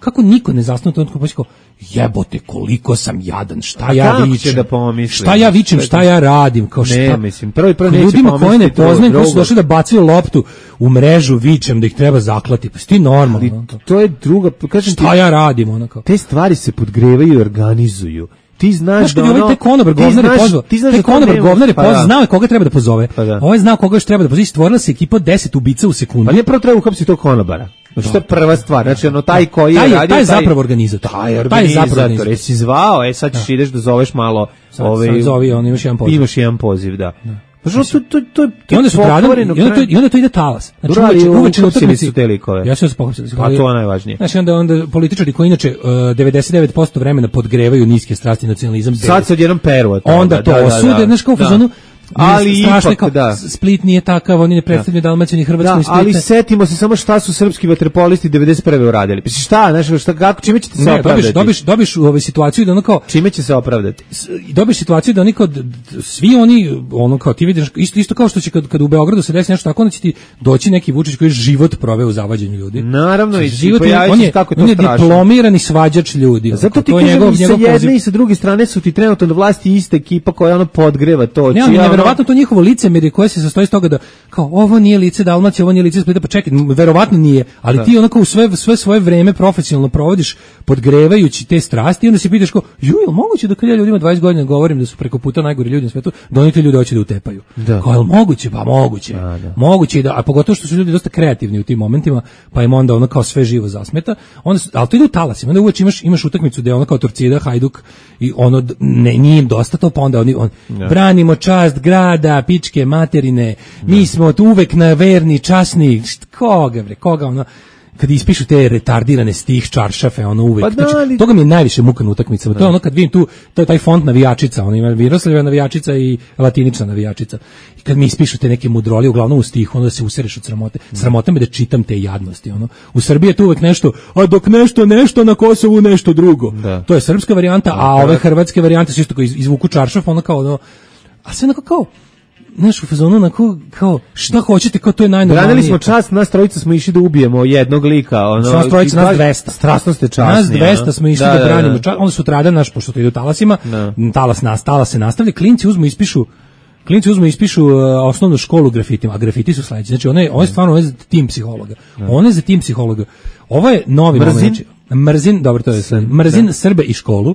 kako niko ne zasnuje to kao jebote koliko sam jadan, šta ja vičem, šta ja radim, kao šta. Ne, mislim, prvo neće ljudima koje ne poznajem, koji su došli da bacaju loptu u mrežu, vičem da ih treba zaklati, pa ti normalno. To je druga, kažem ti, šta ja radim, onako. Te stvari se podgrevaju i organizuju. Ti znaš da te konobar govnar pozvao. Te konobar govnar pozvao, znao je koga treba da pozove. Ovaj znao koga još treba da pozove. Stvorila se ekipa 10 ubica u sekundu. Pa nije prvo treba uhapsiti tog konobara. Znači to je prva stvar. Znači taj koji je radio, taj je zapravo organizator. Taj je zapravo organizator. Jesi zvao, sad ćeš ideš da zoveš malo. Zovi, on imaš jedan poziv. Imaš jedan poziv, da. I onda to ide talas. Znači uveče na utakmici. Ja se pohapsili. Pa to je najvažnije. Znači onda političari koji inače 99% vremena podgrevaju niske strasti nacionalizam. Sad se odjednom peru. Onda to osude, znaš kao u fazonu. Ali ipak, da. Split nije takav, oni ne predstavljaju Dalmaciju ni Hrvatsku ni Splita. Ali setimo se samo šta su srpski vaterpolisti 91. uradili. Pa šta, čime ćete se opravdati? Dobiš u ovoj situaciju da ono kao... Čime će se opravdati? Dobiš situaciju da oni kao, svi oni, ono kao ti vidiš, isto kao što će kad u Beogradu se desi nešto tako, onda će ti doći neki Vučić koji je život proveo u zavađenju ljudi. Naravno, i on je diplomirani svađač ljudi. Zato ti kažem, i sa jedne i sa druge strane su ti trenutno na vlasti ista ekipa koja podgreva to. Verovatno to njihovo licemerje koje se sastoji iz toga da kao ovo nije lice Dalmacije, ovo nije lice Splita, pa čekaj, verovatno nije, ali ti onako u sve svoje vreme profesionalno provodiš podgrevajući te strasti i onda se pitaš kao, jel moguće da kad ja ljudima 20 godina govorim da su preko puta najgori ljudi na svetu, da oni te ljudi hoće da utepaju. Kao, jel moguće? Pa moguće. Moguće a pogotovo što su ljudi dosta kreativni u tim momentima, pa im onda ono kao sve živo zasmeta. Ali to ide u talasima, onda uvijek imaš utakmicu gde ono kao Torcida, Hajduk i ono nije im dosta to, pa onda oni branimo čast grada, pičke materine, mi smo uvek na verni, časni, koga ono, kad ispišu te retardirane stih čaršafe, ono uvek. Znači, toga mi je najviše muka na utakmicama. To je ono kad vidim tu, to je taj font navijačica, ono ima Miroslavljeva navijačica i latinična navijačica. I kad mi ispišu te neke mudrolije, uglavnom u stihu, onda se usereš od sramote. Sramota me da čitam te jadnosti, ono. U Srbiji je tu uvek nešto, a dok nešto na Kosovu nešto drugo. To je srpska varijanta, a ove hrvatske varijante su isto koji izvuku čaršaf, ono kao ono, a sve onako kao, znaš, u fazonu onako, kao, šta hoćete, kao to je najnormalnije. Branili smo čast, nas trojica smo išli da ubijemo jednog lika. Nas trojica, nas 200. Strasno ste časni. Nas 200 smo išli da branimo čast, onda sutradan naš, pošto to ide u talasima, talas se nastavlja, klinci uzmu ispišu osnovnu školu grafitima, a grafiti su sledeći. Znači, on je stvarno za tim psihologa. On je za tim psihologa. Ovo je novi moment. Mrzin, dobro, to je sve. Mrzin Srbe i školu.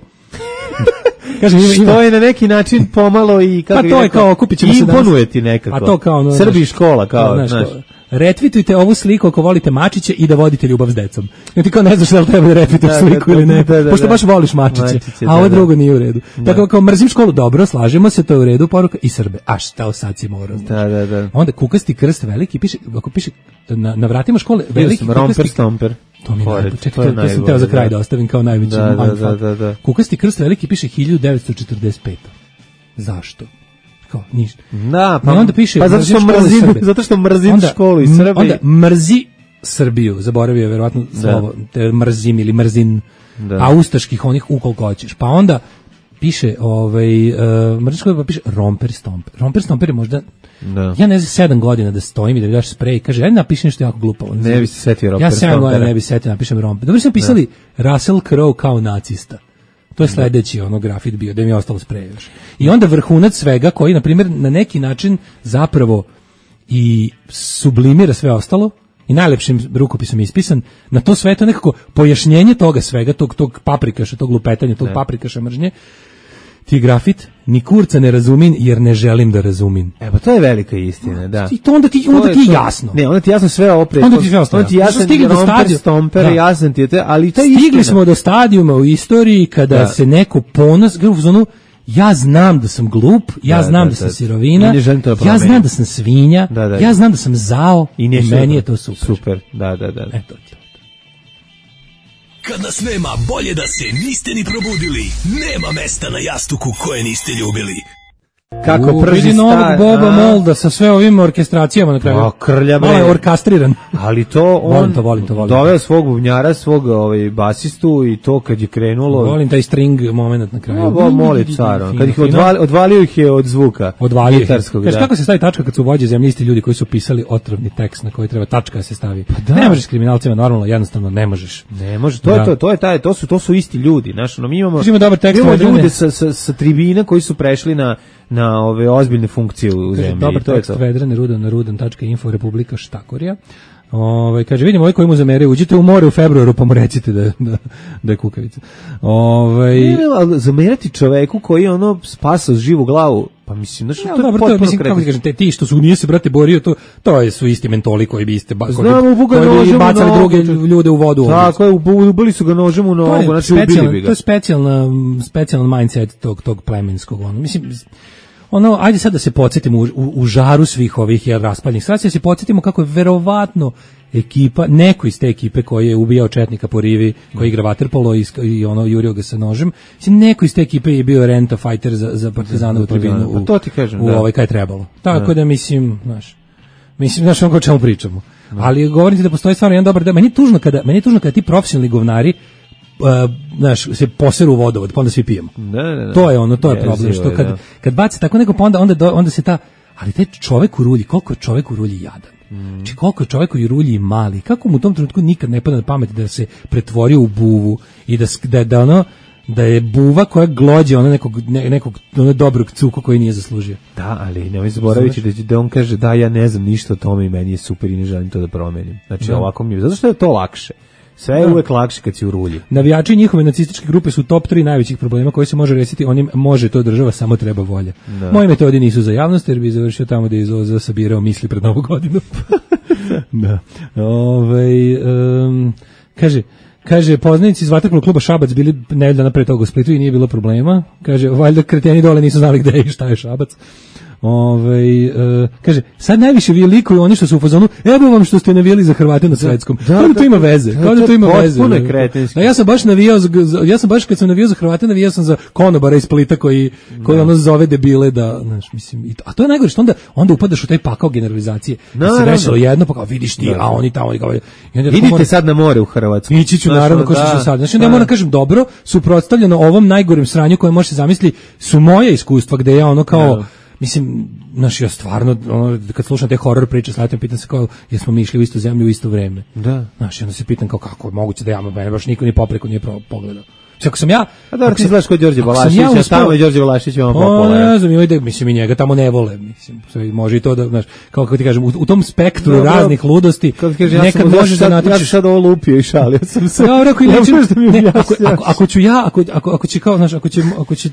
Kažem, što je na neki način pomalo i kako to je kao kupit ćemo se danas. Imponuje ti nekako. A to kao Srbi i škola kao, znaš. retvitujte ovu sliku ako volite mačiće i da vodite ljubav s decom. I ti kao ne znaš da li treba da retvituješ sliku ili ne, pošto baš voliš mačiće, a ovo drugo nije u redu. Tako kao mrzim školu, dobro, slažemo se, to je u redu, poruka i Srbe. A šta sad si morao? Da. Onda kukasti krst veliki, piše, ako piše na vratima škole, veliki romper stomper. To mi je čekaj, to sam teo za kraj da ostavim kao najveći da. Kukasti krst veliki piše 1945. Zašto? Kao ništa. Da, pa onda piše zato što mrzim školu i Srbiju. Onda mrzi Srbiju, zaboravio je verovatno slovo, te mrzim ili mrzin, a ustaških onih ukoliko hoćeš. Pa onda piše mrzim školu, pa piše romper stomper. Romper stomper je možda ja ne znam 7 godina da stojim i da mi daš sprej, kaže ajde napiši nešto jako glupo. Ne bi se setio romper. Ja 7 godina ne bi setio, napišem romper. Dobro sam pisali Russell Crowe kao nacista. To je sledeći grafit bio, da mi je ostalo sprej još. I onda vrhunac svega koji, na primjer, na neki način zapravo i sublimira sve ostalo i najlepšim rukopisom ispisan, na to sve to nekako pojašnjenje toga svega, tog paprikaša, tog lupetanja, tog paprikaša mržnje, ti grafit, ni kurca ne razumim jer ne želim da razumim. Pa to je velika istina, da. I to onda ti jasno. Ne, onda ti jasno sve opet. Onda ti sve ostalo. Onda ti jasno romper, stomper, jasno ti je te, ali to je istina. Stigli smo do stadijuma u istoriji kada se neko ponos, ja znam da sam glup, ja znam da sam sirovina, ja znam da sam svinja, ja znam da sam zao i meni je to super. Super, da. Eto ti. Kad nas nema, bolje da se niste ni probudili. Nema mesta na jastuku koje niste ljubili. Kako prži vidi novog Boba Molda sa sve ovim orkestracijama na kraju. Malo je orkastriran. Ali to on volim to. Doveo svog bubnjara, svog basistu i to kad je krenulo. Volim taj string moment na kraju. Moli car, kad ih odvalio ih je od zvuka. Gitarskog. Kaže kako se stavi tačka kad su vođe zemlje isti ljudi koji su pisali otrovni tekst na koji treba tačka da se stavi. Ne možeš s kriminalcima normalno, jednostavno ne možeš. Ne može. To su isti ljudi, znači mi imamo dobar tekst ljude sa tribina koji su prešli na ove ozbiljne funkcije u zemlji. Dobar tekst Vedrane Rudan na rudan.info Republika Štakorija. Kaže, vidimo koji mu zamere, uđite u more u februaru pa mu recite da je kukavica. Zamerati čoveku koji je spasao živu glavu, pa mislim, to je potpuno kretenski. Kako ti kažem, ti što nije se, brate, borio, to su isti mentoli koji bi bacali druge ljude u vodu. Tako je, ubili su ga nožem u nogu, znači ubili bi ga. To je specijalan mindset tog plemenskog, mislim, ajde sad da se podsjetimo u žaru svih ovih raspaljenih situacija, da se podsjetimo kako je verovatno ekipa, neko iz te ekipe koji je ubijao četnika po rivi, koji igra vaterpolo i jurio ga sa nožem, mislim, neko iz te ekipe je bio renta fighter za Partizana u tribinu to ti kažem, kaj je trebalo. Tako da mislim, znaš o čemu pričamo. Ali govorim ti da postoji stvarno jedan dobar, meni je tužno kada ti profesionalni govnari se poseru u vodovod, pa onda svi pijemo. To je to je problem, što kad baci tako neko, pa onda se ali taj čovek u rulji, koliko je čovek u rulji jadan. Znači koliko je čovek u rulji mali, kako mu u tom trenutku nikad ne pada na pamet da se pretvorio u buvu i da je buva koja glođe nekog dobrog cuka koji nije zaslužio. Da, ali nemoj zaboraviti da on kaže da ja ne znam ništa o tome i meni je super i ne želim to da promenim. Znači ovako mi je, zato što je to lakše. Sve je uvek lakše kad si u rulji. Navijači njihove nacističke grupe su top 3 najvećih problema koji se može rešiti, onim može to država, samo treba volja. Moje metodi nisu za javnost jer bi završio tamo da je Zoza sabirao misli pred Novu godinu. Da. Kaže, poznanici iz vaterpolo kluba Šabac bili nedelju dana pre toga u Splitu i nije bilo problema. Kaže, valjda kreteni dole nisu znali gde je i šta je Šabac. Kaže, sad najviše vi likuju oni što su u fazonu, evo vam što ste navijali za Hrvate na svetskom. Kao da to ima veze. Ja sam baš navijao, kad sam navijao za Hrvate, navijao sam za konobara iz Splita koji zove debile da, znaš, mislim, a to je najgore što onda upadaš u taj pakao generalizacije. Da se desilo jedno, pa kao vidiš ti, a oni tamo, idite sad na more u Hrvatsku. Ići ću naravno ko što sad. Znači, ja moram kažem, dobro, suprotstavljeno ovom najgorem sranju koje može se zamisliti su moje iskustva gde ja kao mislim, ja stvarno, kad slušam te horror priče, slatim, pitam se kao, jesmo mi išli u istu zemlju u isto vreme. Da. Onda se pitam kao, kako je moguće da mene baš niko ni popreko nije pogledao. Ako sam ja... A dobro, ti znaš ko je Đorđe Balašić, tamo je Đorđe Balašić vam popularan. Ne znam, mislim i njega tamo ne vole, mislim, može i to da, znaš, kako ti kažem, u tom spektru raznih ludosti, nekad možeš da natričiš... Ja sam sad ovo lupio i šalio sam se. Dobro, ako ću ja, ako će kao, znaš, ako će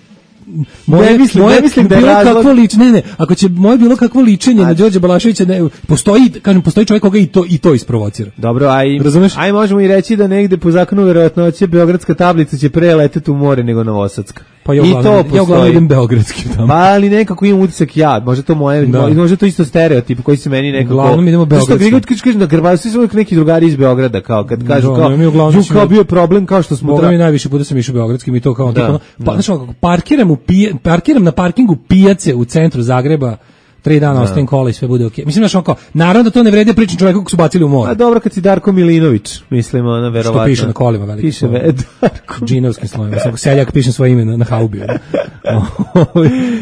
moje mislim da je bilo razlog... kakvo ličenje, ako će moje bilo kakvo ličenje na Đorđa Balaševića, ne, postoji čovjek koga i to isprovocira. Dobro, aj možemo i reći da negde po zakonu verovatnoće beogradska tablica će pre leteti u more nego novosadska. Pa ja uglavnom idem beogradskim tamo. Pa ali nekako imam utisak možda to moje, možda to isto stereotip koji se meni nekako... Uglavnom idemo beogradskim. Što kažeš na Grbavi, svi su uvijek neki drugari iz Beograda, kao kad kažu kao bio problem, kao što smo... Boga mi najviše puta sam išao beogradskim i to kao... Pa znači, parkiram na parkingu pijace u centru Zagreba, 3 dana ostavim kola i sve bude okej. Mislim, znaš, kao, naravno da to ne vredi pričam čovjeku kako su bacili u more. A dobro, kad si Darko Milinović, mislim, ona verovatno. Što piše na kolima velike. Piše Darko. Džinovskim slovima. Seljak piše svoje ime na haubi.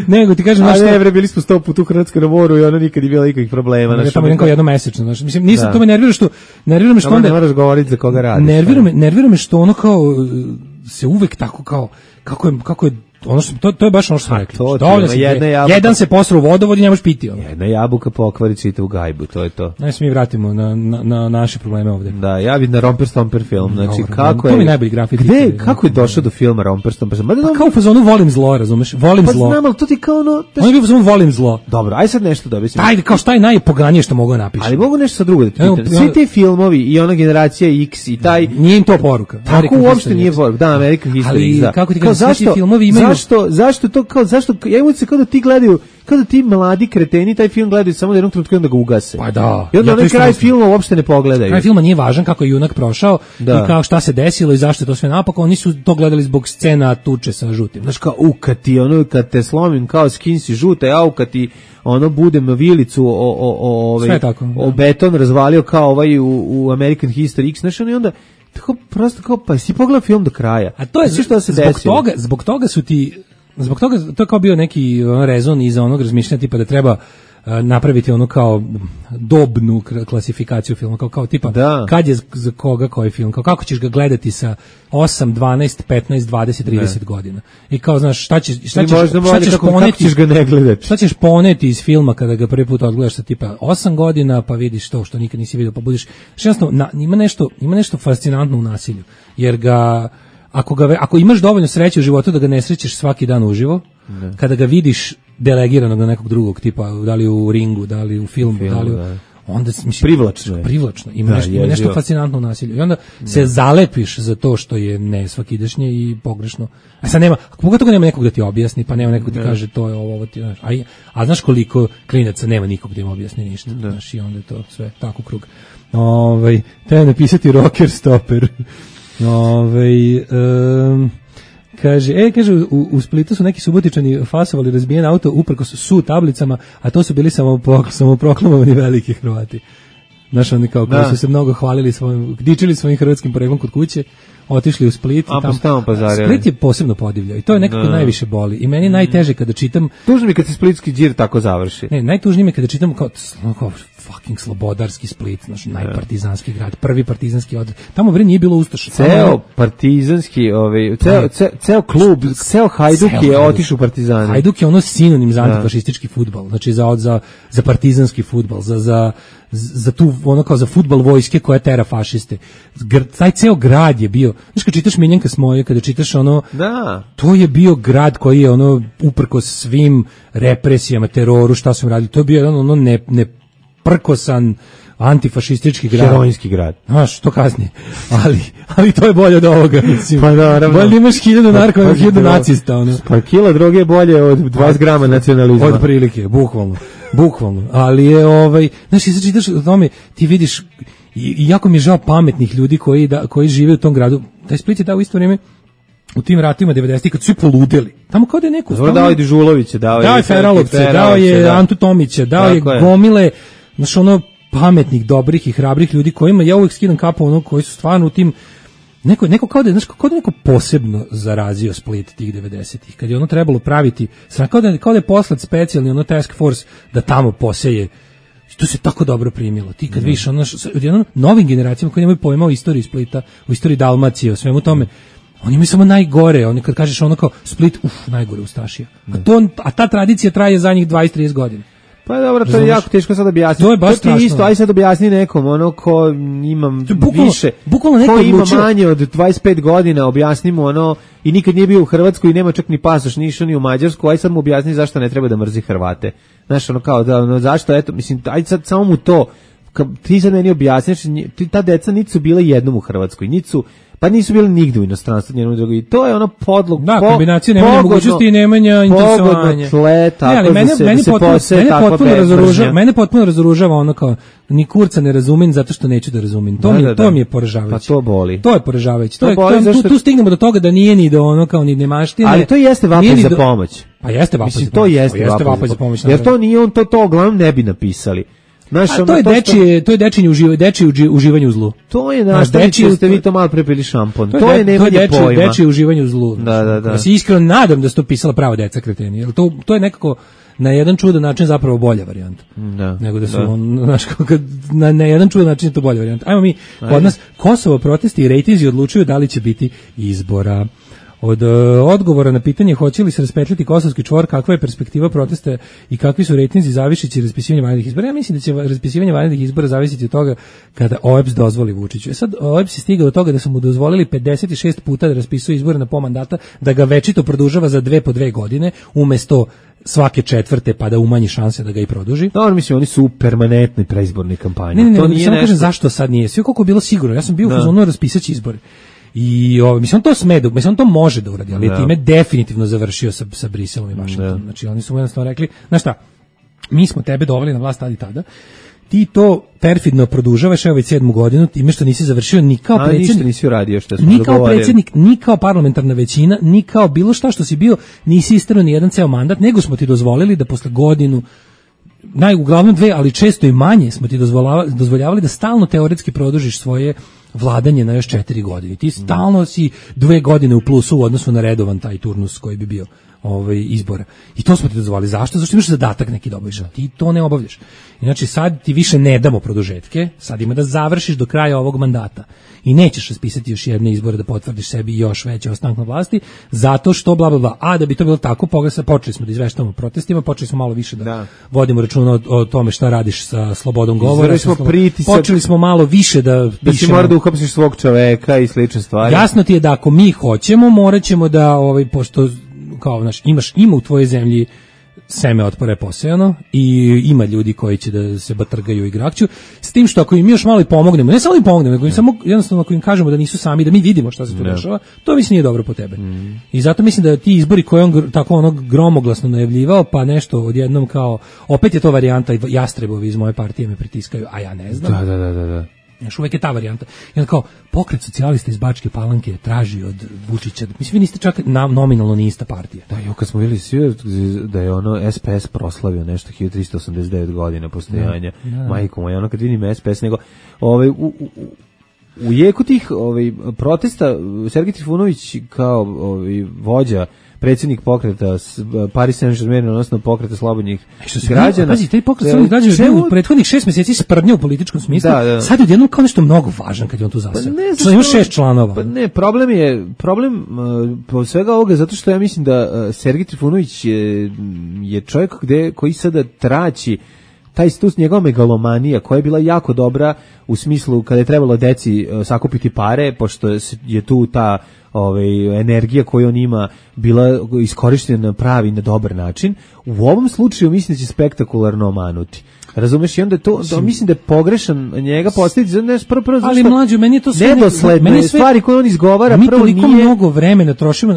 Nego ti kažem, znaš što... A ne, bili smo 100 puta u Hrvatskoj na moru i ono nikad nije bilo nikakvih problema. Ja tamo idem kao jednomesečno, znaš. Mislim, nisam to me nervira što onda... Ne moraš govoriti za koga radiš. Nervira me što ono kao se uvek tako kao kako je ono što to je baš ono što smo rekli. Jedan se posra u vodovod i ne možeš piti. Jedna jabuka pokvari čitavu gajbu, to je to. Znači se mi vratimo na naše probleme ovde. Da, ja vidim na Romper Stomper film. Znači kako je? To mi najbolji grafit. Kako je došao do filma Romper Stomper? Kao u fazonu volim zlo, razumeš? Volim zlo. Pa znam, ali to ti kao ono... On je bio u fazonu volim zlo. Dobro, aj sad nešto da mislim. Ajde, kao šta je najpoganije što mogu napišem. Ali mogu nešto sa drugo da ti pitam. Svi ti filmovi i ona generacija X i taj... Nije im to poruka. Tako uopšte nije poruka. Da, American History. Ali kako ti kažeš, svi ti filmovi imaju... Zašto to kao zašto ja imam se kao da ti gledaju, kao da ti mladi kreteni taj film gledaju samo da jednog trenutka da ga ugase. Pa da. I onda onaj kraj filma uopšte ne pogledaju. Kraj filma nije važan kako je junak prošao i kao šta se desilo i zašto je to sve napako, oni su to gledali zbog scena tuče sa žutim. Znaš kao kad te slomim kao skin si žuta, kad ti ono budem vilicu o beton razvalio kao ovaj u American History X, znaš, i onda tako prosto kao pa si pogledao film do kraja. A to je što se zbog toga su ti zbog toga to je kao bio neki rezon iza onog razmišljanja tipa da treba napraviti ono kao dobnu klasifikaciju filma, kao tipa kad je za koga koji film, kao kako ćeš ga gledati sa 8, 12, 15, 20, 30 godina. I kao znaš šta ćeš ga ne gledati. Šta ćeš poneti iz filma kada ga prvi put odgledaš sa tipa 8 godina pa vidiš to što nikad nisi vidio pa budeš jednostavno ima nešto fascinantno u nasilju. Jer ga ako imaš dovoljno sreće u životu da ga ne srećeš svaki dan uživo, kada ga vidiš delegiranog na nekog drugog tipa, da li u ringu, da li u filmu, da li onda mislim privlačno. Ima nešto fascinantno u nasilju. I onda se zalepiš za to što je nesvakidašnje i pogrešno. A sad nema, pogotovo nema nekog da ti objasni, pa nema nekog da ti kaže to je ovo ti, znaš. A znaš koliko klinaca nema nikog da im objasni ništa. Znaš, i onda je to sve tako krug. Treba napisati rocker stopper. Kaže, u Splitu su neki Subotičani fasovali razbijen auto uprkos su tablicama, a to su bili samoproklamovani veliki Hrvati. Znaš, oni kao koji su se mnogo hvalili dičili svojim hrvatskim poreklom kod kuće, otišli u Split. Split je posebno podivljao i to je nekako najviše boli. I meni najteže kada čitam... Tužno mi kad se splitski đir tako završi. Ne, najtužnije mi kada čitam kao fucking slobodarski Split, znači najpartizanski grad, prvi partizanski odred. Tamo bre nije bilo ustaša. Ceo partizanski, ceo klub, ceo Hajduk je otišao u Partizane. Hajduk je ono sinonim za antifašistički fudbal, znači za partizanski fudbal, za tu ono kao za fudbal vojske koja tera fašiste. Taj ceo grad je bio, znači kad čitaš Miljenka Smoje, kada čitaš ono, to je bio grad koji je ono uprkos svim represijama, teroru, šta su im radili, to je bio ono neprkosan antifašistički grad. Herojski grad. Znaš, to kasnije. Ali to je bolje od ovoga, mislim. Pa naravno. Bolje imaš 1000 narkomana, 1000 nacista. Ono. Pa kila droge je bolje od 20 grama nacionalizma. Od prilike, bukvalno. Ali je, znaš, i sad čitaš o tome, ti vidiš, i jako mi je žao pametnih ljudi koji žive u tom gradu. Taj Split je dao u isto vrijeme u tim ratima 90-ih kad su svi poludeli. Tamo kao da je neko... Dao je Dežulovića, dao je Feralovce, dao je Antu Tomića, dao je gomile, znaš, ono, pametnih, dobrih i hrabrih ljudi kojima ja uvijek skidam kapu ono koji su stvarno u tim neko kao da neko posebno zarazio Split tih 90-ih kad je ono trebalo praviti kao da je poslat specijalni ono task force da tamo poseje. To se tako dobro primilo. Ti kad vidiš ono novim generacijama koji nemaju pojma o istoriji Splita, o istoriji Dalmacije, o svemu tome, oni imaju samo najgore. Oni kad kažeš ono kao Split, najgore ustašija. A ta tradicija traje zadnjih 20-30 godina. Pa dobro, to je jako teško sad objasniti. To je baš strašno. Isto, aj sad objasni nekom, ono ko ima više, bukvalno ko ima manje od 25 godina, objasni mu ono, i nikad nije bio u Hrvatskoj i nema čak ni pasoš, ni išao ni u Mađarsku, aj sad mu objasni zašto ne treba da mrzi Hrvate. Znaš, ono kao, da, ono, zašto, eto, mislim, aj sad samo mu to, ti sad meni objasniš, ta deca niti su bile jednom u Hrvatskoj, pa nisu bili nigde u inostranstvu, njenom drugom. I to je ono podlog. Da, kombinacija nemanja mogućnosti i nemanja interesovanja. Tle, tako mene potpuno razoružava ono kao, ni kurca ne razumem zato što neću da razumem. To mi je poražavajuće. Pa to boli. To je poražavajuće. Tu stignemo do toga da nije ni do ono kao ni nemaštine. Ali to jeste vapaj za pomoć. Pa jeste vapaj za pomoć. Mislim, to jeste vapaj za pomoć. Jer to nije on, to uglavnom ne bi napisali. To je dečije uživanje u zlu. To je nastavniče, ste vi to malo prepili šampon. To je nemanje pojma. Dečije uživanje u zlu. Da. Ja se iskreno nadam da se to pisala prava deca kreteni. Jer to je nekako na jedan čudan način zapravo bolja varijanta. Da. Nego da su na jedan čudan način je to bolja varijanta. Ajmo mi, kod nas Kosovo protesti i rejtinzi odlučuju da li će biti izbora. Od odgovora na pitanje hoće li se raspetljati kosovski čvor, kakva je perspektiva protesta i kakvi su rejtinzi zavisići raspisivanje vanrednih izbora. Ja mislim da će raspisivanje vanrednih izbora zavisiti od toga kada OEBS dozvoli Vučiću. Sad OEBS je stigao do toga da su mu dozvolili 56 puta da raspisuje izbore na pola mandata, da ga večito produžava za 2 po 2 godine, umesto svake 4. pa da umanji šanse da ga i produži. Dobro, mislim, oni su u permanentnoj preizbornoj kampanji. Ne, to nije samo kažem zašto sad nije. Sve koliko je bilo sigurno. Ja sam bio u fazonu raspisaći izbore. I mislim on to mislim on to može da uradi, ali je time definitivno završio sa Briselom i Vašingtonom. Znači oni su mu jednostavno rekli, znaš šta, mi smo tebe doveli na vlast tada, ti to perfidno produžavaš već 7. godinu time što nisi završio ni kao predsjednik, ništa nisi uradio što smo ni kao predsjednik, ni kao parlamentarna većina, ni kao bilo šta što si bio, nisi istrao ni jedan ceo mandat, nego smo ti dozvolili da posle godinu uglavnom 2, ali često i manje smo ti dozvoljavali da stalno teoretski produžiš svoje vladanje na još 4 godine. Ti stalno si 2 godine u plusu u odnosu na redovan taj turnus koji bi bio izbora. I to smo ti dozvolili. Zašto? Zašto imaš zadatak neki da obavljaš. Ti to ne obavljaš. Znači sad ti više ne damo produžetke, sad ima da završiš do kraja ovog mandata. I nećeš raspisati još jedne izbore da potvrdiš sebi još veći ostanak na vlasti, zato što bla bla bla. A da bi to bilo tako, počeli smo da izveštavamo protestima, počeli smo malo više da vodimo računa o tome šta radiš sa slobodom govora. Počeli smo malo više da si mora da uhapsiš svog čoveka i slične stvari. Jasno ti je da ako mi hoćemo, morat ćemo da, pošto kao, ima u tvojoj zemlji seme otpora je posejano i ima ljudi koji će da se batrgaju i grakću, s tim što ako im još malo i pomognemo, ne samo im pomognemo, nego im samo jednostavno ako im kažemo da nisu sami, da mi vidimo šta se tu dešava, to mislim nije dobro po tebe. I zato mislim da ti izbori koje on tako gromoglasno najavljivao, pa nešto odjednom kao, opet je to varijanta jastrebovi iz moje partije me pritiskaju, a ja ne znam. Da. Još uvijek je ta varijanta. I onda kao, pokret socijalista iz Bačke Palanke traži od Vučića, mislim, vi niste čak nominalno ni ista partija. Da, kad smo vidjeli svi da je ono SPS proslavio nešto 1389 godina postojanja, majko moja, ono kad vidim SPS, nego u jeku tih protesta Sergej Trifunović kao vođa, predsjednik pokreta Paris Saint-Germain, odnosno pokreta slobodnih građana. Pazi, taj pokret slobodnih građana je u prethodnih 6 mjeseci sprdnja u političkom smislu. Sad je odjednom kao nešto mnogo važan kad je on tu zaseo. Što ima 6 članova. Pa ne, problem po svega ovoga, zato što ja mislim da Sergej Trifunović je čovjek koji sada traći taj stus, njegova megalomanija koja je bila jako dobra u smislu kada je trebalo deci sakupiti pare, pošto je tu ta energija koju on ima bila iskorištena na pravi, na dobar način. U ovom slučaju mislim da će spektakularno omanuti. Razumeš, i onda to mislim da je pogrešan njega postaviti za nešto prvo ali mlađo, meni je to sve nedosledne stvari koje on izgovara, mi prvo nije. Mi toliko mnogo vremena trošimo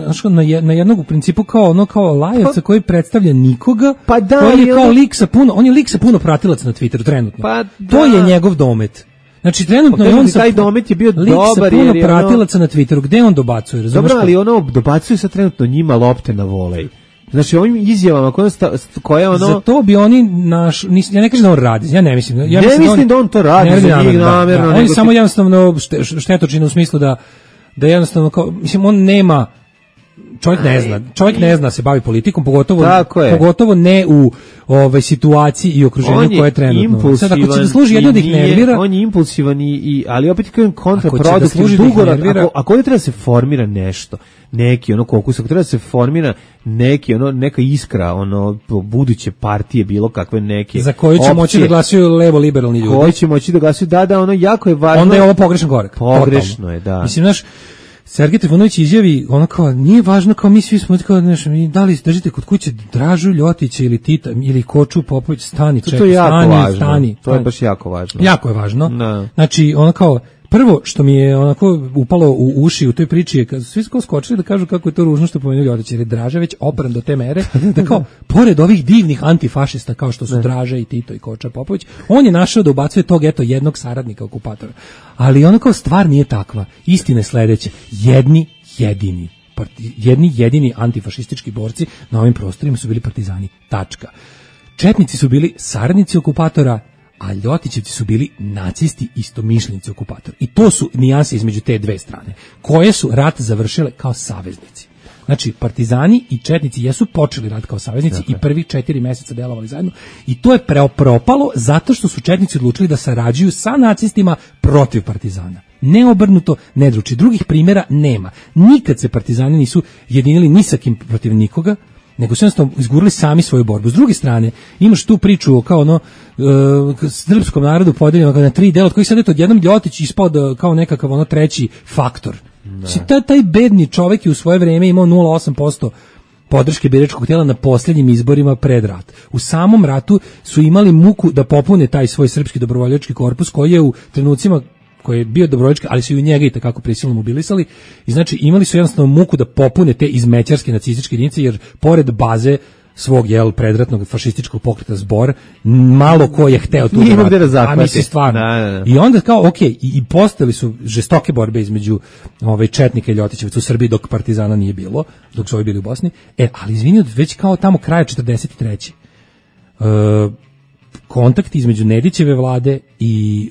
na jednog u principu kao lajevca koji predstavlja nikoga, koji je kao lik sa puno, on je lik sa puno pratilaca na Twitteru trenutno. To je njegov domet. Znači trenutno je on taj domet je bio dobar jer je pratilaca na Twitteru, gde on dobacuje, razumeš? Dobro, ali ono dobacuje sa trenutno njima lopte na volej. Znači ovim izjavama koje ono za to bi oni ja ne kažem da on radi, ja ne mislim. Ja mislim da on to radi za njih namjerno. On je samo jednostavno štetočina u smislu da jednostavno kao, mislim on nema čovjek ne zna se bavi politikom, pogotovo ne u situaciji i okruženju koje je trenutno. Sad ako će da služi jedno da ih nervira, on je impulsivan ali opet kažem kontraproduktivno dugoročno. Ako ovdje treba da se formira nešto, neki kokus, ako treba da se formira neka iskra buduće partije, bilo kakve neke za koju će moći da glasuju levo liberalni ljudi, koji će moći da glasuju, jako je važno. Onda je ovo pogrešan korak. Pogrešno je, da. Mislim, Sergej Trifunović izjavi, kao, nije važno, kao mi svi smo, kao, da li držite kod kuće Dražu Ljotića ili Tita, ili Koču Popović, stani, čekaj, stani. To je baš jako važno. Jako je važno. No. Znači, kao, prvo što mi je upalo u uši u toj priči je kad su svi skočili da kažu kako je to ružno što pomenuo Ljotić, jer je Draža već opran do te mere da kao, pored ovih divnih antifašista kao što su Draža i Tito i Koča Popović, on je našao da ubacuje tog jednog saradnika okupatora. Ali kao stvar nije takva. Istina je sledeća. Jedni jedini antifašistički borci na ovim prostorima su bili partizani. Tačka. Četnici su bili saradnici okupatora, a Ljotićevci su bili nacisti istomišljenici okupatora. I to su nijanse između te dve strane, koje su rat završile kao saveznici. Znači, partizani i četnici jesu počeli rat kao saveznici i prvih 4 meseca delovali zajedno i to je propalo zato što su četnici odlučili da sarađuju sa nacistima protiv partizana. Ne obrnuto, ne druči. Drugih primjera nema. Nikad se partizani nisu jedinili ni sa kim protiv nikoga, nego su jednostavno izgurali sami svoju borbu. S druge strane, imaš tu priču kao srpskom narodu podeljeno na 3 dela, od kojih sad je odjednom Ljotić ispao kao nekakav treći faktor. Taj bedni čovjek je u svoje vrijeme imao 0,8% podrške biračkog tijela na posljednjim izborima pred rat. U samom ratu su imali muku da popune taj svoj srpski dobrovoljački korpus koji je u trenucima koji je bio dobrovoljački, ali su i u njega i takako prisilno mobilisali i znači imali su jednostavno muku da popune te izmećarske nacističke jedinice, jer pored baze svog predratnog fašističkog pokreta Zbor, malo ko je hteo tu da zahvati. Mislim stvarno. I onda kao, i postali su žestoke borbe između četnika i Ljotićevaca u Srbiji dok partizana nije bilo, dok su ovi bili u Bosni. Ali izvini, već kao tamo kraja 43. Kontakti između Nedićeve vlade i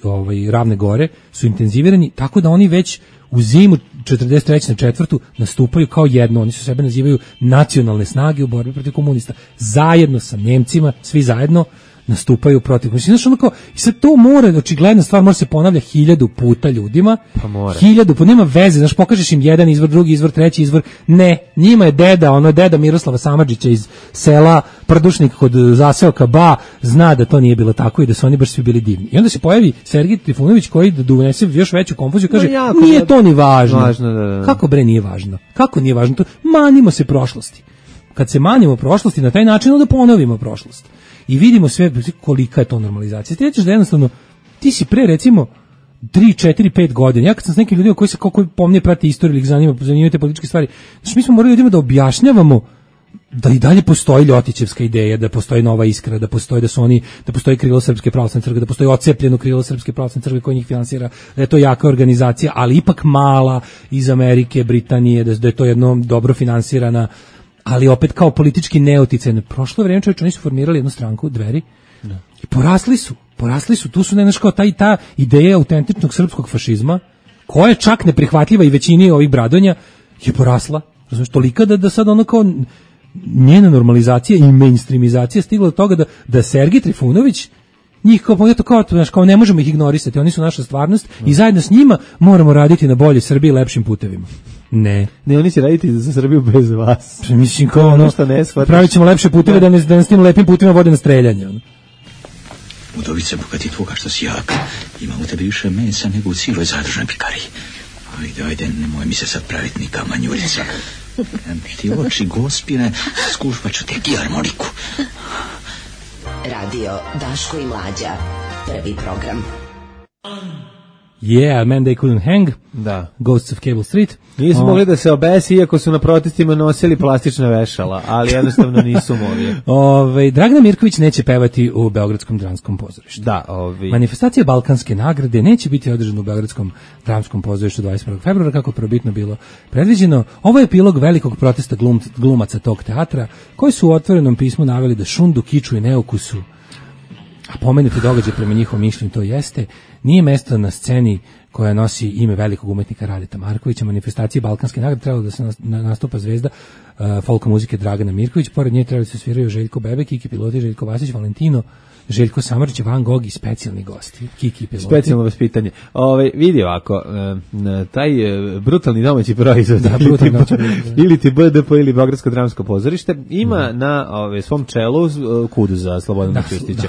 Ravne Gore su intenzivirani, tako da oni već u zimu 43. na 4. nastupaju kao jedno. Oni su sebe nazivaju nacionalne snage u borbi protiv komunista. Zajedno sa Njemcima, svi zajedno nastupaju protiv. Znači, i sad to mora, očigledna stvar, mora se ponavlja 1000 puta ljudima. Pa mora. 1000 puta, nema veze, znaš, pokažeš im jedan izvor, drugi izvor, treći izvor. Ne, njima je deda Miroslava Samardžića iz sela Prdušnik kod zaseoka Ba, zna da to nije bilo tako i da su oni baš svi bili divni. I onda se pojavi Sergej Trifunović koji da donese još veću konfuziju, kaže, nije to ni važno. Da. Kako bre nije važno? Kako nije važno to? Manimo se prošlosti. Kad se manimo prošlosti na taj način, onda ponovimo prošlost. I vidimo sve kolika je to normalizacija. Ti rećeš da jednostavno, ti si pre recimo 3, 4, 5 godina, ja kad sam s nekim ljudima koji se kako pomnije prati istoriju ili zanimaju te političke stvari, znači mi smo morali ljudima da objašnjavamo da i dalje postoji Ljotićevska ideja, da postoji Nova Iskra, da postoji krilo Srpske pravoslavne crkve, da postoji ocepljeno krilo Srpske pravoslavne crkve koje njih finansira, da je to jaka organizacija, ali ipak mala, iz Amerike, Britanije, da je to jedno dobro finansirana, ali opet kao politički neoticajno. Prošlo vrijeme, čovječe, oni su formirali jednu stranku, Dveri, i porasli su, tu su kao ta ideja autentičnog srpskog fašizma, koja je čak neprihvatljiva i većini ovih bradonja, je porasla, razumiješ, tolika da sad ono kao njena normalizacija i mainstreamizacija stigla do toga da Sergej Trifunović njih kao ne možemo ih ignorisati, oni su naša stvarnost i zajedno s njima moramo raditi na boljoj Srbiji i lepšim putevima. Ne, oni će raditi za Srbiju bez vas. Mislim kao ono, pravit ćemo lepše puteve da nas tim lepim putima vode na streljanje. Udovice, bogati tvoga što si jak, ima u tebi više mesa nego u cijeloj zadružnoj pikariji. Ajde, nemoj mi se sad praviti ni kamanjuljica. Ti oči gospine, skušpat ću tek i harmoniku. Radio Daško i Mlađa, prvi program. Yeah, Man They Couldn't Hang, da. Ghosts of Cable Street. Nisu mogli da se obesi, iako su na protestima nosili plastična vešala, ali jednostavno nisu mogli. Dragana Mirković neće pevati u Beogradskom dramskom pozorištu. Da, Manifestacija Balkanske nagrade neće biti održana u Beogradskom dramskom pozorištu 21. februara, kako probitno bilo predviđeno. Ovo je epilog velikog protesta glumaca tog teatra, koji su u otvorenom pismu naveli da šundu, kiču i neukusu, a pomenuti događaj prema njihovom mišljenju to jeste, nije mesto na sceni koja nosi ime velikog umetnika Radeta Markovića, manifestacije Balkanske nagrade, trebalo da se nastupa zvezda folka muzike Dragana Mirković, pored nje trebali se sviraju Željko Bebek, Kiki Piloti, Željko Vasić, Valentino, Željko Samrđić, Van Gogh i specijalni gosti. Kiki Piloti. Specijalno vaspitanje. Vidi ovako, taj brutalni domaći proizvod, ili ti BDP ili Beogradsko dramsko pozorište, ima na svom čelu kudu za Slobodana Ćustića.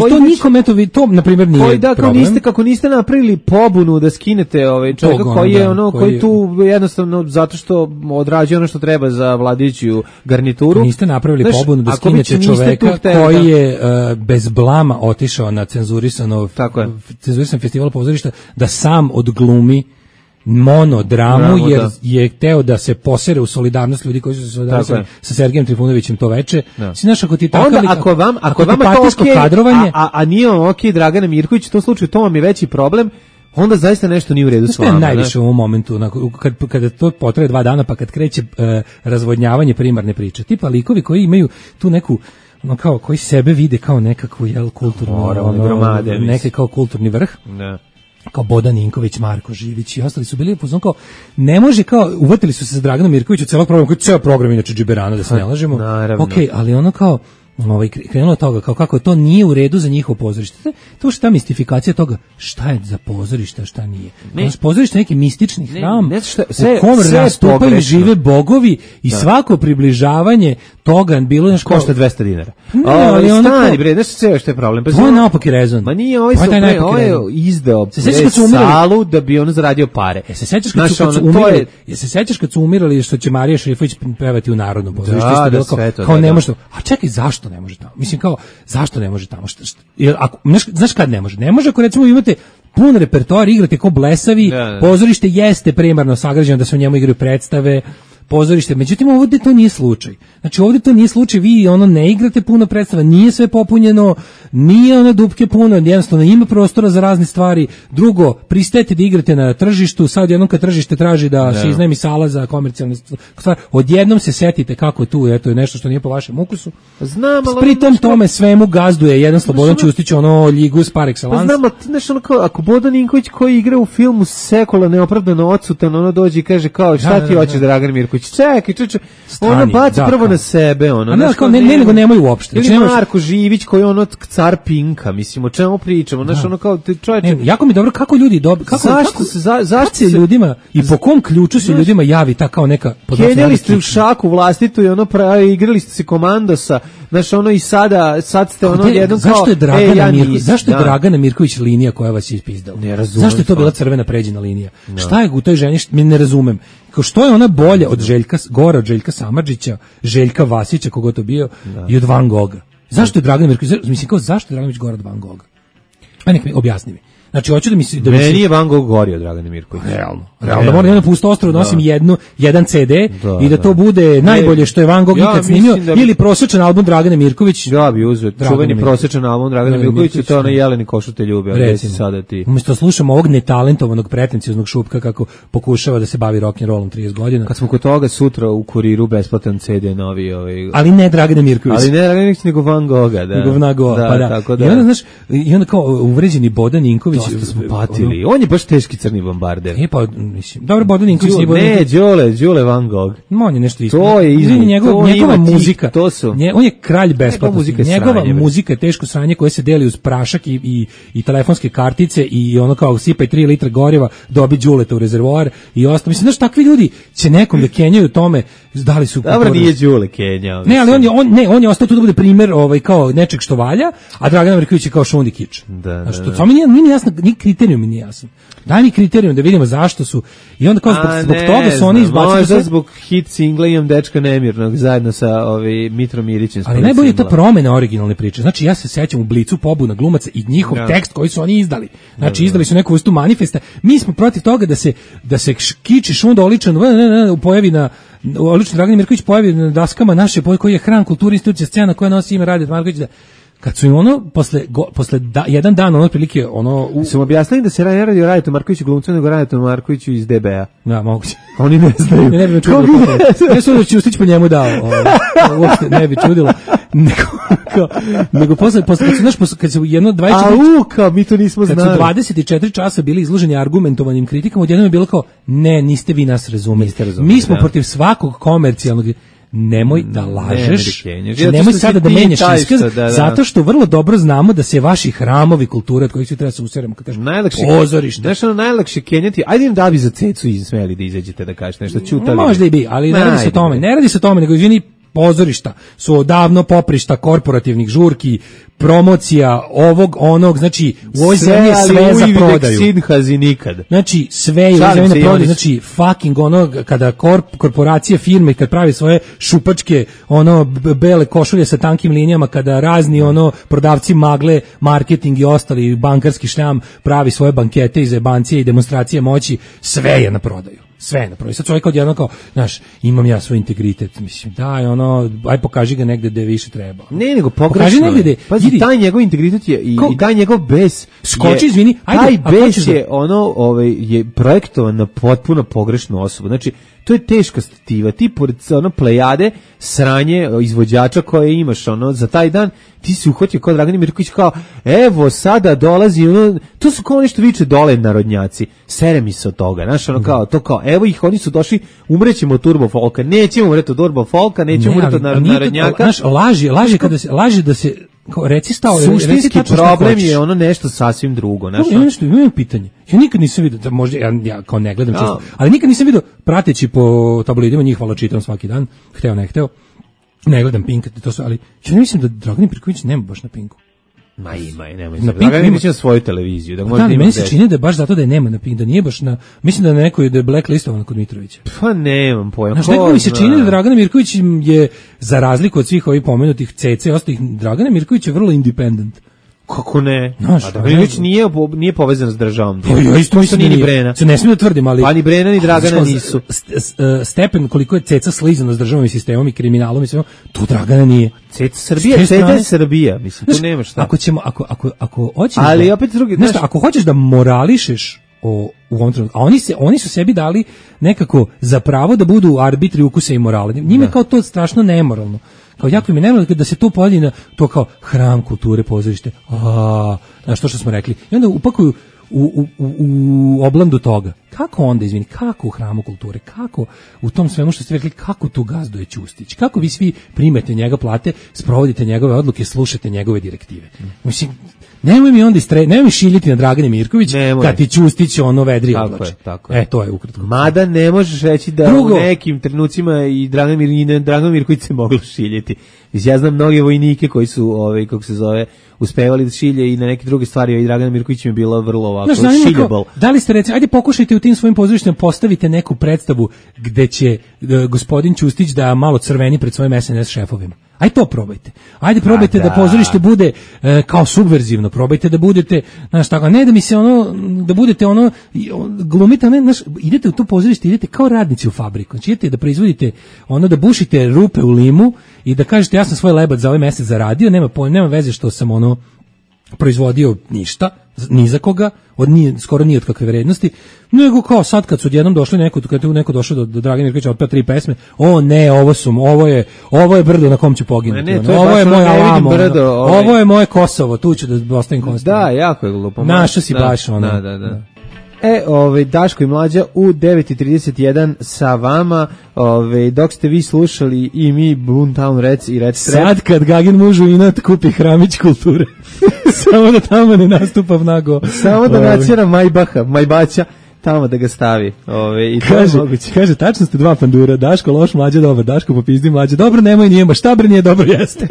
To nikome, to na primjer nije problem. Kako niste napravili pobunu da skinete čovjeka koji je koji tu jednostavno zato što odrađuje ono što treba za vladajuću garnituru. Niste napravili pobunu da skinete čoveka koji je bez blama otišao na cenzurisan festival pozorišta da sam odglumi monodramu jer je hteo da se posere u solidarnost ljudi koji su se solidarisali sa Sergejem Trifunovićem to veče. Znaš, ako ti takav ako vama to okej, kadrovanje, a nije okej Dragana Mirković, u tom slučaju to vam je veći problem, onda zaista nešto nije u redu s vama. Najviše u ovom momentu, kada to potraje 2 dana, pa kad kreće razvodnjavanje primarne priče. Tipa likovi koji imaju tu neku kao koji sebe vide kao nekakvu kulturnu neki kao kulturni vrh. Ne. Kao Bodan Ninković, Marko Živić i ostali su bili upoznan kao ne može kao uvatili su se za Dragana Mirkovića u celog programa, koji ceo program inače džiberana da se ne lažemo. Okej, ali ono kao krenulo od toga, kao kako to nije u redu za njihovo pozorište. To što ta mistifikacija toga, šta je za pozorište, šta nije. Pozorište je neki mistični hram u kom rastupaju žive bogovi i svako približavanje toga bilo nešto košta 200 dinara. Ali ono stani bre, nešto sve što je problem. To je naopaki rezon. Ma nije ovaj izdeo salu da bi on zaradio pare. Se sećaš kad su umirali što će Marija Šrifović pevati u Narodnom pozorištu, kao ne može. A čekaj, zašto ne može tamo? Mislim kao, zašto ne može tamo? Znaš kad ne može? Ne može ako recimo imate pun repertoar, igrate kao blesavi, pozorište jeste primarno sagrađeno da se u njemu igraju predstave, pozorište, međutim ovdje to nije slučaj. Znači ovdje to nije slučaj, vi ne igrate puno predstava, nije sve popunjeno, nije dupke puno, jednostavno ima prostora za razne stvari. Drugo, pristajete da igrate na tržištu, sad jednom kad tržište traži da se iznajmi sala za komercijalne stvari, odjednom se setite kako tu, eto je nešto što nije po vašem ukusu. Znam, ali pritom tome svemu gazduje jedan Slobodan Ćustić, ligus par excellence. Znam, ali ako Bodan Ninković koji igra u filmu Sekula neopravdano odsutan, dođe i kaže kao šta ti hoćeš Dragan Mirković? Čekaj, ono baci prvo na sebe, nego nemaju uopšte. Ili Marko Živić koji je car Pinka, mislim, o čemu pričamo, kao čovječe. Jako mi dobro, kako ljudi zašto se ljudima i po kom ključu se ljudima javi ta kao neka kenjali ste u šaku vlastitu i igrali ste se komandosa, i sad ste jednom kao zašto je Dragana Mirković linija koja vas je ispizdala? Zašto je to bila crvena pređena linija? Šta je u toj ženi, ne razumem. Što je ona bolja od Željka Samardžića, Željka Vasića, kogo to bio, i od Van Gogha? Zašto je Dragan Mirković, zašto je Dragan Mirković gora od Van Gogha? Nek mi objasni mi. Znači, hoću da mi se... Meni je Van Gogh gorio, Dragane Mirković. Realno. Da moram jedno pusto ostrvo da nosim jedan CD i da to bude najbolje što je Van Gogh ikad snimio, ili prosječan album Dragane Mirković. Ja bi uzeo čuveni prosječan album Dragane Mirković i to je ono Jeleni košu te ljubi. Umjesto slušamo ovog netalentovanog pretencioznog šupka kako pokušava da se bavi rock'n'rollom 30 godina. Kad smo kod toga sutra u kuriru besplatan CD novi. Ali ne Dragane Mirković. Ali ne Dragane Mirković, nego Van Gogha. Nego Van Gogha, pa da. I onda, znaš, i onda kao uvređeni Bodan Ninković. Dosta smo patili. On je baš teški crni bombarder. Pa, mislim, dobro, Bodan Ninković. Ne, Đule Van Gogh. On je nešto isto. To je njegova muzika. On je kralj besplatnosti. Njegova muzika je teško sranje koje se deli uz prašak i telefonske kartice i ono kao sipaj 3 litra goriva, dobi Đuleta u rezervoar i ostalo. Mislim, znaš, takvi ljudi će nekom da kenjaju tome, da li su... Dobro, nije Đule kenjao. Ne, ali on je ostao tu da bude primer kao nečeg što valja, a Dragan Mirković je kao šundi kič. To mi nije jasno, ni kriterijum mi nije jasan. Daj mi kriterijum da vidimo zašto su, i onda kao zbog toga su oni izbacili... Možda zbog hit singla Imam dečka nemirnog zajedno sa Mitrom Mirićem. Ali najbolje je ta promena originalne priče. Znači, ja se sećam u Blicu pobuna glumaca i njihov tekst koji su oni izdali. Znači, izdali su neku vrstu manifesta. Mi smo protiv toga da se kiči šunda oličan pojavi na oličan Dragan Mirković pojavi na daskama naše koji je hram kulture institucija scena koja nosi ime Radeta Markovića. Kad su im posle jedan dan otprilike su objasnili da se ne radi o Radetu Markoviću glumcu, nego Radetu Markoviću iz DB-a. Da, moguće. Oni ne znaju. Ne bi me čudilo. Ne su da Ćustić po njemu dao. Uopšte ne bi čudilo. nego posle kad se jedno 24 kao mi to nismo znali. Kad su 24 časa bili izloženi argumentovanim kritikama, odjednom je bilo kao ne, niste vi nas razumeli. Mi smo protiv svakog komercijalnog. Nemoj da lažeš, nemoj sada da menjaš iskaz, zato što vrlo dobro znamo da se vaši hramovi kulture od kojih se treba se useremo, kad kažem pozorište. Znaš, najlakše kenjati, ajde im da bi za cecu smeli da izađete da kažete nešto, čutali. Možda i bi, ali ne radi se o tome, nego izvini, pozorišta su odavno poprišta korporativnih žurki, promocija ovog, onog, znači u ovoj zemlji je sve za prodaju. Nikad. Znači sve je u zemlji na prodaju, znači fucking ono, kada korporacije, firme, kad pravi svoje šupačke, ono, bele košulje sa tankim linijama, kada razni, ono, prodavci magle, marketing i ostali bankarski šljam pravi svoje bankete i zebancije i demonstracije moći, sve je na prodaju. Sve napravi. Sad čovjek odjedno kao, znaš, imam ja svoj integritet, mislim, daj, ono, aj pokaži ga negde gde više treba. Ne, nego pokaži negde. Pazi, taj njegov integritet je i taj njegov bes. Skoči, izvini, ajde. Taj bes je, ono, je projektovan na potpuno pogrešnu osobu. Znači, to je teška stativa. Ti pored ono plejade sranje izvođača koje imaš ono za taj dan, ti si uhvatio kao Dragan Mirković kao evo sada dolazi ono, to su kao nešto viče dole narodnjaci. Sere mi se od toga, znaš, ono kao to kao evo ih, oni su došli, umrećemo od turbo folka. Nećemo umreti od turbo folka, nećemo umreti od narodnjaka. Znaš, laži da se reci stao, suštinski problem je ono nešto sasvim drugo, znaš. Imam pitanje. Ja nikad nisam vidio, možda ja kao ne gledam često, ali nikad nisam vidio prateći po tabloidima, njih hvala čitam svaki dan, hteo ne hteo. Ne gledam Pink, to su, ali ja ne mislim da Dragan Pirković nema baš na Pinku. Ma ima, nemoj se. Dragan Pirković ima svoju televiziju, da može da ima. Meni se čini da je baš zato da je nema na Pinku, da nije baš na, mislim da je neko da je blacklistovan kod Mitrovića. Pa nemam pojma. Znaš, neko mi se čini da Dragan Mirković je, za razliku od svih ovih pomenutih CC i ostalih, Dragan Mirković je vrlo independent. Kako ne? A Draganović nije povezan s državom. Ja isto mislim nije ni Brena. Se ne smijem da tvrdim, ali... Pa ni Brena ni Dragana nisu. Stepen koliko je Ceca slizano s državom i sistemom i kriminalom i sve, tu Dragana nije. Ceca Srbija, Ceca je Srbija. Mislim, tu nema šta. Ako hoćeš... Ali opet drugi... Znaš, ako hoćeš da morališeš u ovom trenutku, a oni su sebi dali nekako za pravo da budu arbitri ukusa i morala. Njime kao to strašno nemoralno. Kao jako mi nemoralno da se to podijeli na to kao hram kulture, pozorište. Znaš to što smo rekli. I onda upakuju u oblandu toga. Kako onda, izvini, kako u hramu kulture, kako u tom svemu što ste rekli, kako tu gazduje Ćustić, kako vi svi primete njega plate, sprovodite njegove odluke, slušate njegove direktive. Mislim, nemoj mi onda nemoj mi šiljiti na Dragane Mirković kad ti Ćustić ono vedri oblači. Tako je. To je ukratko. Mada ne možeš reći da u nekim trenucima i Dragan Mirković se moglo šiljiti. Ja znam mnoge vojnike koji su, kako se zove, uspevali da šilje i na neke druge stvari, i Dragan Mirković mi je bilo vrlo ovako šiljable. Da li ste recimo, ajde pokušajte u tim svojim pozorištima postavite neku predstavu gde će gospodin Ćustić da malo crveni pred svojim SNS šefovima. Ajde to probajte. Ajde probajte da pozorište bude kao subverzivno, probajte da budete, znaš tako, ne da mi se ono, da budete ono, glumite, ne, znaš, idete u to pozorište, idete kao radnici u fabriku, znači idete da proizvodite ono, da bušite rupe u limu i da kažete ja sam svoj lebac za ovaj mesec zaradio, nema veze što sam ono proizvodio ništa, ni za koga, skoro ni od kakve vrednosti, nego kao sad kad su odjednom došli kad je neko došao do Dragana Mirkovića otpeo 3 pesme, ovo je brdo na kom ću poginuti, ovo je moj Alamo, ovo je moje Kosovo, tu ću da ostavim Kosovo. Da, jako je glupo. Našo si baš ono. Da. Daško i Mlađa u 9:31 sa vama, dok ste vi slušali i mi Boomtown Reds i Red Strap. Sad kad Gagin mužu inat kupi hramić kulture, samo da tamo ne nastupa nago. Samo da nacijera Majbaća, tamo da ga stavi. I kaže, tačno ste dva pandura, Daško loš, Mlađa dobar, Daško popizdi, Mlađa dobro, nemoj nijema, šta bre nije dobro jeste.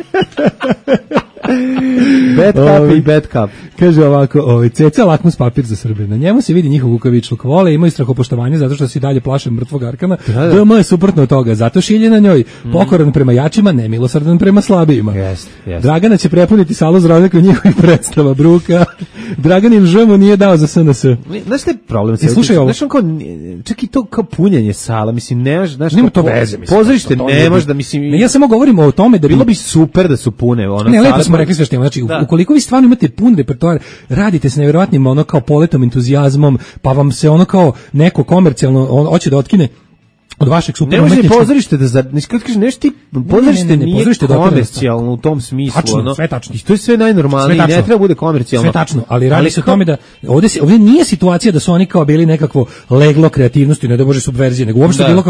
Bad cup i bad cup. Kaže ovako, Ceca lakmus papir za Srbe. Na njemu se vidi njihov kukavičluk. Vole, imaju strahopoštovanje zato što se dalje plaše mrtvog Arkana. DM je suprotno od toga. Zato šilje na njoj. Pokoran prema jačima, nemilosrdan prema slabijima. Yes. Dragana će prepuniti salu za razliku njihovih predstava bruka. Draganin žemu nije dao za SNS. Znaš šta je problem? Slušaj ovo. Čak i to kao punjenje sala. Mislim, nema to veze. Pozorište nemaš da, mislim... Ja samo govorim o tome da bilo bi super da su pune. Ne, lepo smo rekli sve što ima. Znači, ukoliko vi stvarno imate pun repertoar, radite s nevjerovatnim ono kao poletom, entuzijazmom, pa vam se ono kao neko komercijalno hoće da otkine od vašeg super ne može umetničkog... pozorište da nešto ti pozorište nije komercijalno u tom smislu, tačno, sve tačno. I to je sve najnormalnije, ne treba bude komercijalno. Sve tačno, ali radi se o tome da ovdje nije situacija da su oni kao bili nekakvo leglo kreativnosti, ne da može subverzije, nego uopšte bilo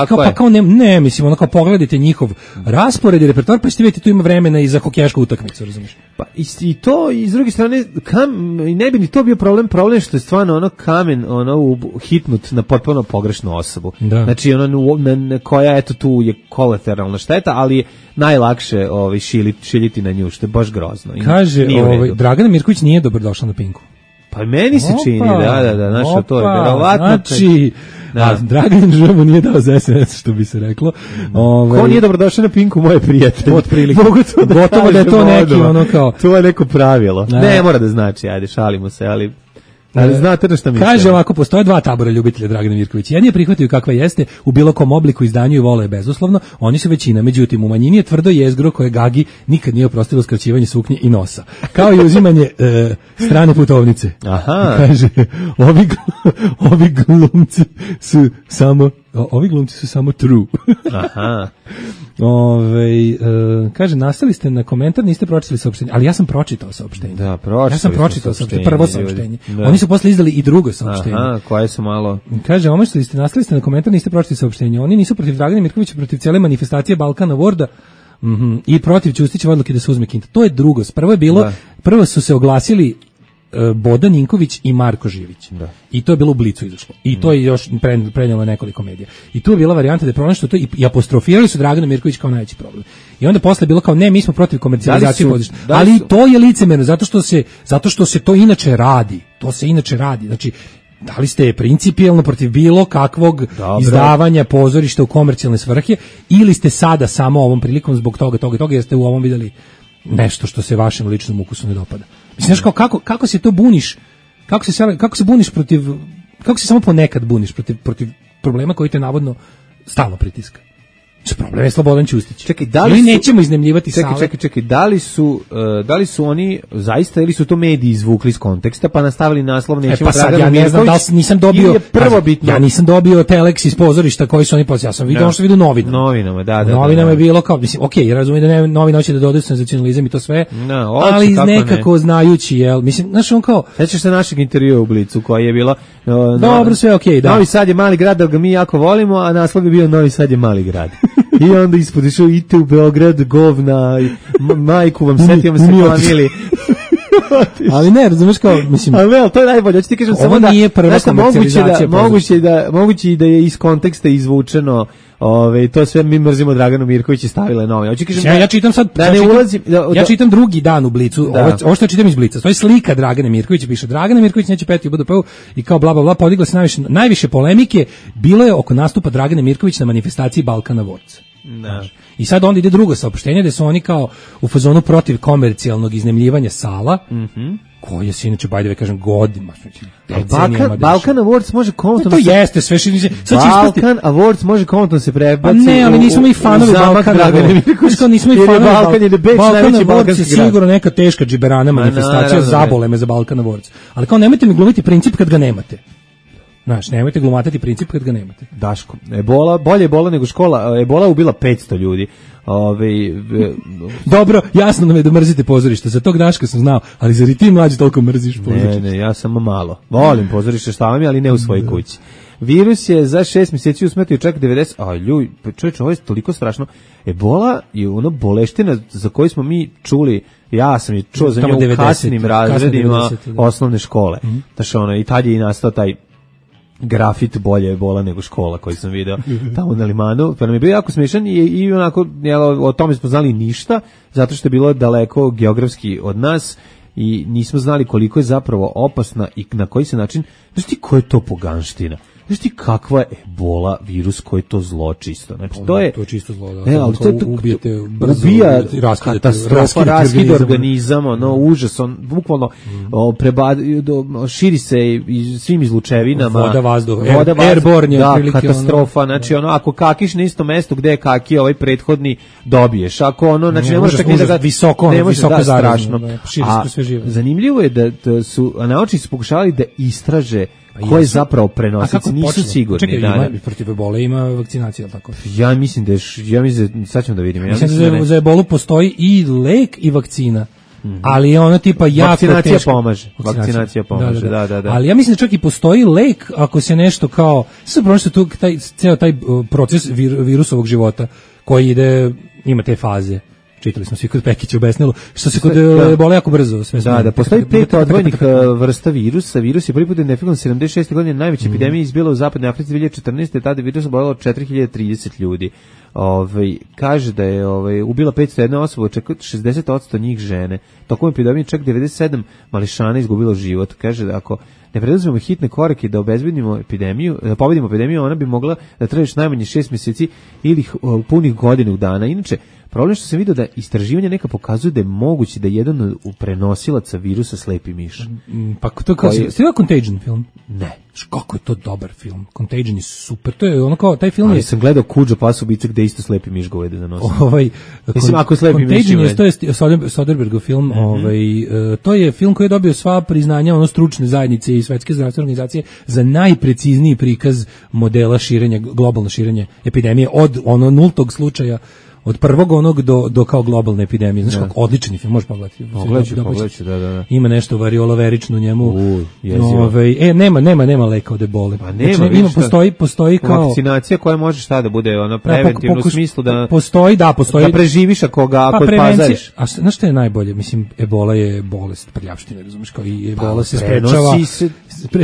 kao kao ne, mislim, ono kao pogledajte njihov raspored i repertoar, pa ćete vidjeti tu ima vremena i za hokejašku utakmicu, razumiješ? Pa i to, i s druge strane, ne bi ni to bio problem što je stvarno ono kamen hitnut na potpuno pogrešnu osobu. Da. Znači, koja, eto, tu je kolateralna šteta, ali je najlakše šiljiti na nju, što je baš grozno. Kaže, Dragana Mirković nije dobrodošla na Pinku. Pa meni se čini, da, znaš, to je verovatno. Znači, Dragan Žabu nije dao za SNS, što bi se reklo. Ko nije dobrodošao na Pinku, moje prijatelje? Otprilike. Gotovo da je to neki ono kao... To je neko pravilo. Ne mora da znači, ajde, šalimo se, ali znate na šta mislim. Kaže ovako, postoje dva tabora ljubitelja Dragana Mirkovića. Jedni je prihvataju kakva jeste, u bilo kom obliku, izdanju i vole je bezuslovno, oni su većina. Međutim, u manjini je tvrdo jezgro koje Gagi nikad nije oprostilo skraćivanje suknje i nosa. Kao i uzimanje strane putovnice. Aha. Kaže, ovi glumci su samo true. Aha. Kaže, nastali ste na komentar, niste pročitali saopštenje, ali ja sam pročitao saopštenje. Da, ja sam pročitao saopštenje, prvo saopštenje. Oni su posle izdali i drugo saopštenje. Aha, koje su malo... Kaže, nastali ste na komentar, niste pročitali saopštenje. Oni nisu protiv Dragana Mirkovića, protiv cijele manifestacije Balkana Worda i protiv Ćustićeve odluke da se uzme Kinta. To je drugo. Prvo su se oglasili Boda Ninković i Marko Živić. Da. I to je bilo u Blicu izašlo. I to je još prenijelo nekoliko medija. I tu je bila varijanta da je pronašlo to i apostrofirali su Dragana Mirković kao najveći problem. I onda posle je bilo kao ne, mi smo protiv komercijalizacije pozorišta. Ali to je licemerno zato što se to inače radi. To se inače radi. Znači, da li ste principijelno protiv bilo kakvog izdavanja pozorišta u komercijalne svrhe ili ste sada samo ovom prilikom zbog toga jer ste u ovom vidjeli nešto što se vašem ličnom ukusu ne dopada. Mislim, znaš, kako se to buniš, kako se buniš protiv, kako se samo ponekad buniš protiv problema koji te navodno stalno pritiska. Problem je Slobodan Ćustić. Čekaj, nećemo iznemljivati sale. Čekaj, da li su oni zaista ili su to mediji izvukli iz konteksta pa nastavili naslov nećemo Dragana Mirković? Ja ne znam da li nisam dobio ja nisam dobio telex iz pozorišta koji su oni poslali. Ja sam vidio ono što vidio novinama. Novinama je bilo kao, mislim, okej, ja razumijem da novine hoće da dodaju senzacionalizam i to sve, ali nekako znajući, mislim, znaš, on kao... Sećaš se našeg intervjua u Blicu koji je bilo... Dobro, sve okej, da. Novi Sad je mali grad, da ga mi jako volimo, a naslov je bio Novi Sad je mali grad. I onda ispod išao, idite u Beograd, govna, majku vam setimo se planili. Ali ne, razumeš kao, mislim... Ali to je najbolje, hoću ti kažem samo da... nije prva komercijalizacija. Moguće da je iz konteksta izvučeno, to sve mi mrzimo Draganu Mirković i stavile nove. Ja čitam sad, ja čitam drugi dan u Blicu, ovo što čitam iz Blica, to je slika Dragane Mirković, piše Dragana Mirković neće peti u BDP-u i kao bla bla bla, podigla se najviše polemike, bilo je oko nastupa Dragane Mirković na manifestaciji Balkana Words. Da. I sad onda ide drugo saopštenje gde su oni kao u fazonu protiv komercijalnog iznemljivanja sala, koje se inače, by the way, kažem, godima. Balkan Awards može kontno... To jeste sve što... Balkan Awards može kontno se prebaci u... Ne, ali nismo i fanovi Balkana Awards. Nismo i fanovi Balkan Awards je sigurno neka teška džiberana manifestacija, zabole me za Balkan Awards. Ali kao nemojte mi glumiti princip kad ga nemate. Znaš, nemojte glumatati princip kad ga nemate. Daško, bolje Ebola nego škola. Ebola ubila 500 ljudi. Dobro, jasno nam je da mrzite pozorište. Za tog Daška sam znao, ali zar i ti mlađi toliko mrziš pozorište? Ne, ja samo malo. Volim pozorište, šta vam je, ali ne u svojoj kući. Virus je za 6 mjeseci usmetio čak 90... čovječe, ovo je toliko strašno. Ebola je ono boleština za koju smo mi čuli, ja sam je čuo za nju u kasnim razredima osnovne škole. Znači, i tad je i nastao taj grafit bolje Ebola nego škola koji sam video tamo na Limanu, pa nam je bio jako smiješan i onako, o tome smo znali ništa, zato što je bilo daleko geografski od nas i nismo znali koliko je zapravo opasna i na koji se način, znaš ti ko je to poganština? Znaš ti kakva je Ebola virus, koji je to zlo čisto? Znači, to je čisto zlo, da. Ali to ubijete brzo, ubija katastrofa, raskid organizam, užas, on bukvalno širi se i svim izlučevinama. Voda, vazduh, airborne, da, katastrofa, znači ako kakiš na isto mesto gde je kaki ovaj prethodni, dobiješ. Ako znači ne možeš tako da ga visoko strašno. Širi se sve živo. Zanimljivo je da su naučnici pokušavali da istraže ko je zapravo prenosilac. Nisu sigurni. Čekaj, da. protiv ebole ima vakcinacija, tako? Ja mislim da sad ćemo da vidimo. Mislim da za ebolu postoji i lek i vakcina. Ali je ono tipa jako vakcinacija teško. Vakcinacija pomaže. Da. Ali ja mislim da čak i postoji lek ako se nešto kao sve prosto tu ceo taj proces virusovog života koji ima te faze. Čitali smo svi kod Pekića u Besnelu, što se kod ebole jako brzo sve. Da, postoji 5 odvojenih vrsta virusa. Virus je prvi put identifikovan 76. godine, najveća epidemija izbila u zapadnoj Africi 2014. Tada virus oboljelo 4030 ljudi. Kaže da je ubila 501 osoba, čak 60% njih žene. Tokom epidemije čak 97 mališana izgubilo život. Kaže da ako ne preduzmemo hitne korake da obezbedimo epidemiju, da pobedimo epidemiju, ona bi mogla da traje još najmanje 6 mjeseci ili punih godinu dana. Inače, problem što sam vidio da istraživanja neka pokazuju da je moguće da jedan od prenosilaca virusa slepi miš. Pa to kao ste vidjeli Contagion film? Ne. Kako je to dobar film. Contagion je super. To je ono kao taj film. Ali sam gledao Kuđo pas ubice gde isto slepi miš govede da nosi. Mislim ako slepi miš. Contagion je to je Soderbergov film, to je film koji je dobio sva priznanja stručne zajednice i Svetske zdravstvene organizacije za najprecizniji prikaz modela širenja, globalno širenje epidemije od nultog slučaja, od prvog onog do kao globalne epidemije. Znaš kako odlični film, možeš pogledati. Pogledati, da. Ima nešto varioloverično u njemu. Nema leka od ebole. Pa nema, znači, postoji kao vakcinacija koja može šta da bude preventivno u smislu da postoji. Da preživiš ako pazariš. A znaš što je najbolje? Mislim, ebola je bolest prljavštine, razumiješ, kao i ebola se sprečava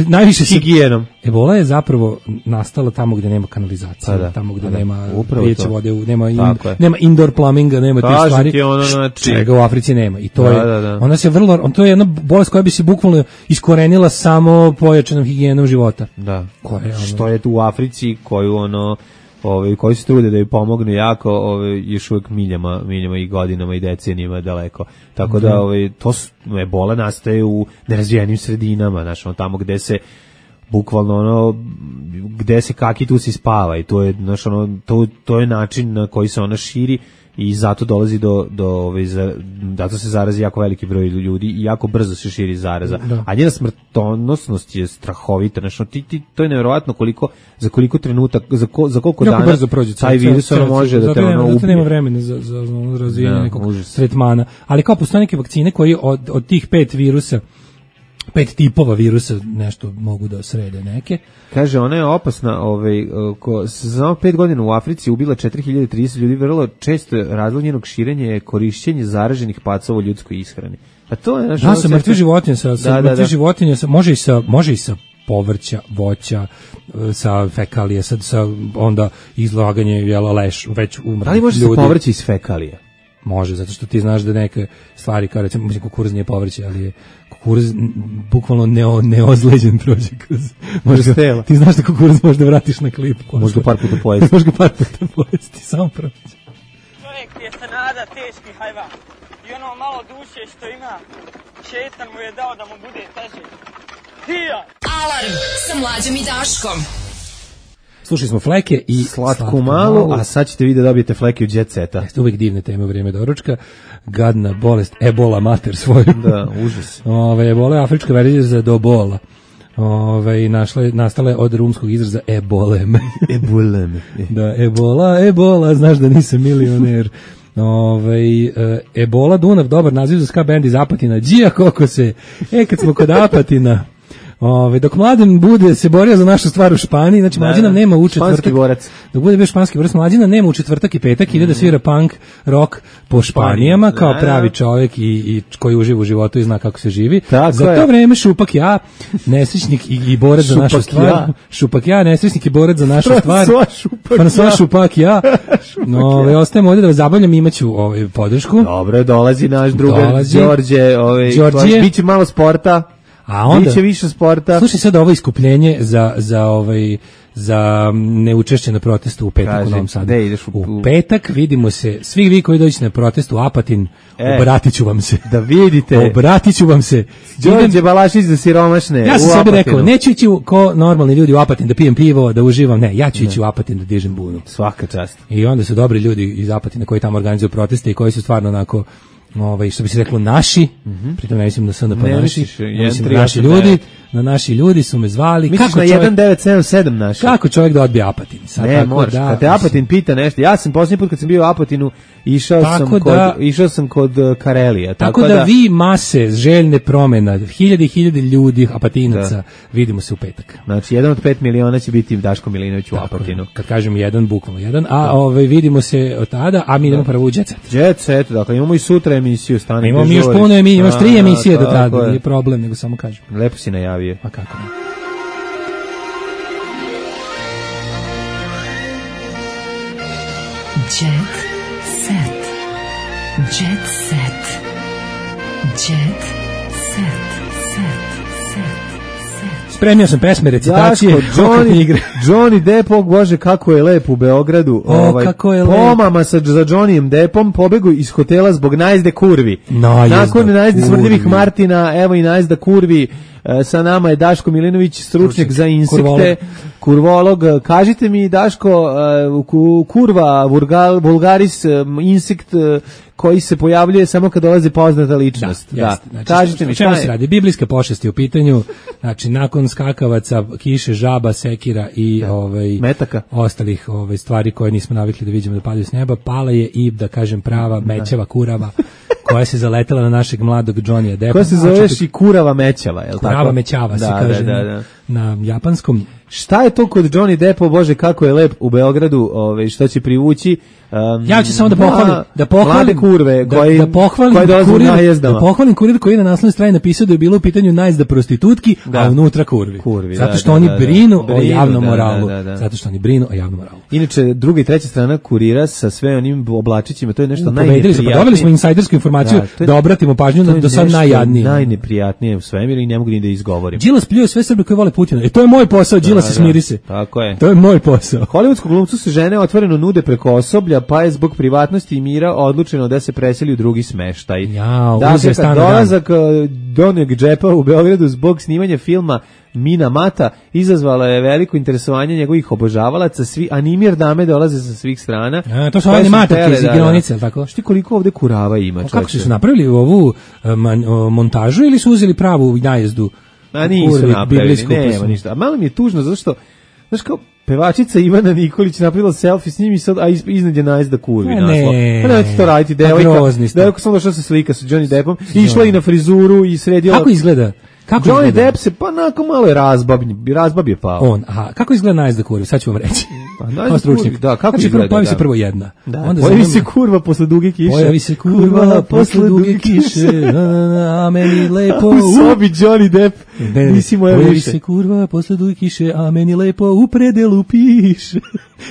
najviše higijenom. Ebola je zapravo nastala tamo gdje nema kanalizacije, tamo gdje nema pijeće vode, nema indoor plumbinga, nema tih stvari, čega u Africi nema. I to je, ona se to je jedna bolest koja bi se bukvalno iskorenila samo pojačanom higijenom života. Da. Što je tu u Africi koju koji se trude da joj pomognu jako, još uvijek miljama i godinama i decenijama daleko. Tako da to ebola nastaje u nerazvijenim sredinama, znači tamo gde se bukvalno gde se kaki tu se spava i to je to je način na koji se ona širi i zato dolazi zato se zarazi jako veliki broj ljudi i jako brzo se širi zaraza. A njena smrtonosnost je strahovita. Znači to je nevjerovatno za koliko trenutak, za koliko dana brzo prođe taj virus može da te ubije. Nema vremena za razvijanje nekog tretmana. Ali kao postoje neke vakcine koji od tih 5 tipova virusa nešto mogu da srede neke. Kaže, ona je opasna, za 5 godina u Africi ubila 4030 ljudi, vrlo često razlog njenog širenja je korišćenje zaraženih pacova u ljudskoj ishrani. A to je sa mrtve životinje, životinje, može i sa povrća, voća, sa fekalije, sa onda izlaganje leš već umrlih ljudi. Da li može sa povrća iz fekalije? Može, zato što ti znaš da neke stvari, kao recimo, kukuruz nije povrće, ali je kukuruz bukvalno neozleđen prođe kroz... Ti znaš da kukuruz možda vratiš na klip. Možda par puta pojesti. Možda par puta pojesti, samo prođe. Čovjek je se nada teški hajvan. I ono malo duše što ima, šetan mu je dao da mu bude teže. Alarm sa Mlađom i Daškom. Slušali smo Fleke i Slatku malu, a sad ćete vidjeti da dobijete Fleke u Jet Seta. Jeste uvijek divne teme u vrijeme doručka. Gadna bolest, ebola mater svoju. Da, užas. Ebola je afrička verzija za dobola. Nastala je od rumskog izraza ebolem. Ebolem. Da, ebola, znaš da nisam milioner. Ebola Dunav, dobar naziv za ska band iz Apatina. Đija koliko se. Kad smo kod Apatina. Dok Mladen bude se borio za našu stvar u Španiji, znači Mlađina nema u četvrtak. Španski borac. Dok bude bio španski borac, Mlađina nema u četvrtak i petak, ide da svira punk rock po Španijama, kao pravi čovjek i koji uživa u životu i zna kako se živi. Za to vreme Šupak ja, nesrećnik i borac za našu stvar. Šupak ja, nesrećnik i borac za našu stvar. François Šupak ja. Ostajemo ovdje da vas zabavljam, imaću podršku. Dobro, dolazi naš drugar Đorđe, biće malo sporta. A onda biće više sporta. Slušaj sad ovo iskupljenje za neučešće na protestu u petak u Novom Sadu. U petak vidimo se, svi vi koji dođete na protest u Apatin, obratit ću vam se. Da vidite. Obratit ću vam se. Đorđe Balašić za siromašne. Ja sam sebi rekao, neću ići ko normalni ljudi u Apatin da pijem pivo, da uživam, ne, ja ću ići u Apatin da dižem bunu. Svaka čast. I onda su dobri ljudi iz Apatina koji tamo organizuju proteste i koji su stvarno onako što bi se reklo naši, pritom ne mislim da sam da pa naši, mislim naši ljudi, naši ljudi su me zvali. Misliš na 1977 naš? Kako čovjek da odbije Apatin? Sad, ne, moraš, kad te Apatin pita nešto, ja sam posljednji put kad sam bio u Apatinu, išao sam kod Karelija. Tako da vi mase željne promjena, hiljade ljudi Apatinaca, vidimo se u petak. Znači, 1 od 5 miliona će biti Daško Milinović u Apatinu. Kad kažem jedan, bukvalno jedan, a vidimo se od tada, a mi idemo prvo u Jet Set. Jet Set, dakle, imamo i sutra emisiju, stane. Imamo još puno emisije, imaš 3 emisije do tada, nije problem, nego samo kažem. Lepo si najavio. A kako ne? Jet Set. Jet Set. Jet Set. Spremio sam pesme, recitacije, Johnny Depp, bože, kako je lep u Beogradu. Kako je pomama za Johnnyjem Deppom pobegu iz hotela zbog najezde kurvi. Nakon najezde smrdljivih Martina, evo i najezda kurvi. Sa nama je Daško Milinović, stručnjak za insekte, kurvolog. Kažite mi, Daško, kurva, vulgaris, insekt koji se pojavljuje samo kad dolazi poznata ličnost. Da. Znači, kažite mi, šta se radi? Biblijske pošasti u pitanju, znači nakon skakavaca, kiše, žaba, sekira i metaka, ostalih stvari koje nismo navikli da vidimo da padaju s neba, pala je i, da kažem, prava mećava kurava koja se zaletela na našeg mladog Johnnyja Deppa. Koja se zoveš i kurava mećava, je li tako? Kurava mećava se kaže na japanskom. Šta je to kod Johnny Deppa, bože, kako je lep u Beogradu, što će privući? Ja ću samo da pohvalim mlade kurve koje dolaze u najezdama. Da pohvalim kurir koji je na naslovnoj strani napisao da je bilo u pitanju najezda prostitutki, a unutra kurvi. Zato što oni brinu o javnom moralu. Zato što oni brinu o javnom moralu. Inače, druga i treća strana kurira sa sve onim oblačićima, to je nešto najneprijatnije. Dobili smo insajdersku informaciju da obratimo pažnju na do sad najjadnije. Najneprijatnije u svemiru i ne mogu ni da izgovorim. Đilas pljuje sve Srbe koji vole Putina. To je moj posao, Đilas, smiri se. Tako je. To je moj posao. Hollywoodskom glumcu se žene otvoreno nude preko osoblja, pa je zbog privatnosti i mira odlučeno da se preseli u drugi smeštaj. Dakle, dolazak Johnnyjeg Deppa u Beogradu zbog snimanja filma Mina Mata izazvala je veliko interesovanje njegovih obožavalaca, svi animir dame dolaze sa svih strana. To su animatorke iz igronice, tako? Šti koliko ovde kurava ima, čovječe? Kako su napravili ovu montažu ili su uzeli pravu najezdu? Nisu napravili, nema ništa. A malo mi je tužno, zato što, znaš kao, pevačica Ivana Nikolić napravila selfie s njim i sad, a iznad je najezda kurvi naslov. Pa nemojte to raditi, devojka sam došla se slika sa Johnny Deppom, išla i na frizuru i sredila. Kako izgleda? Johnny Depp se pa onako malo je razbab je pao. Kako izgleda najezda kurvi? Sad ću vam reći. Kako izgleda? Pojavi se prvo jedna. Pojavi se kurva posle duge kiše. Pojavi se kurva posle duge kiše, a meni lepo. U sobi Johnny Depp, nisi moja više. Pojavi se kurva posle duge kiše, a meni lepo u predelu piše.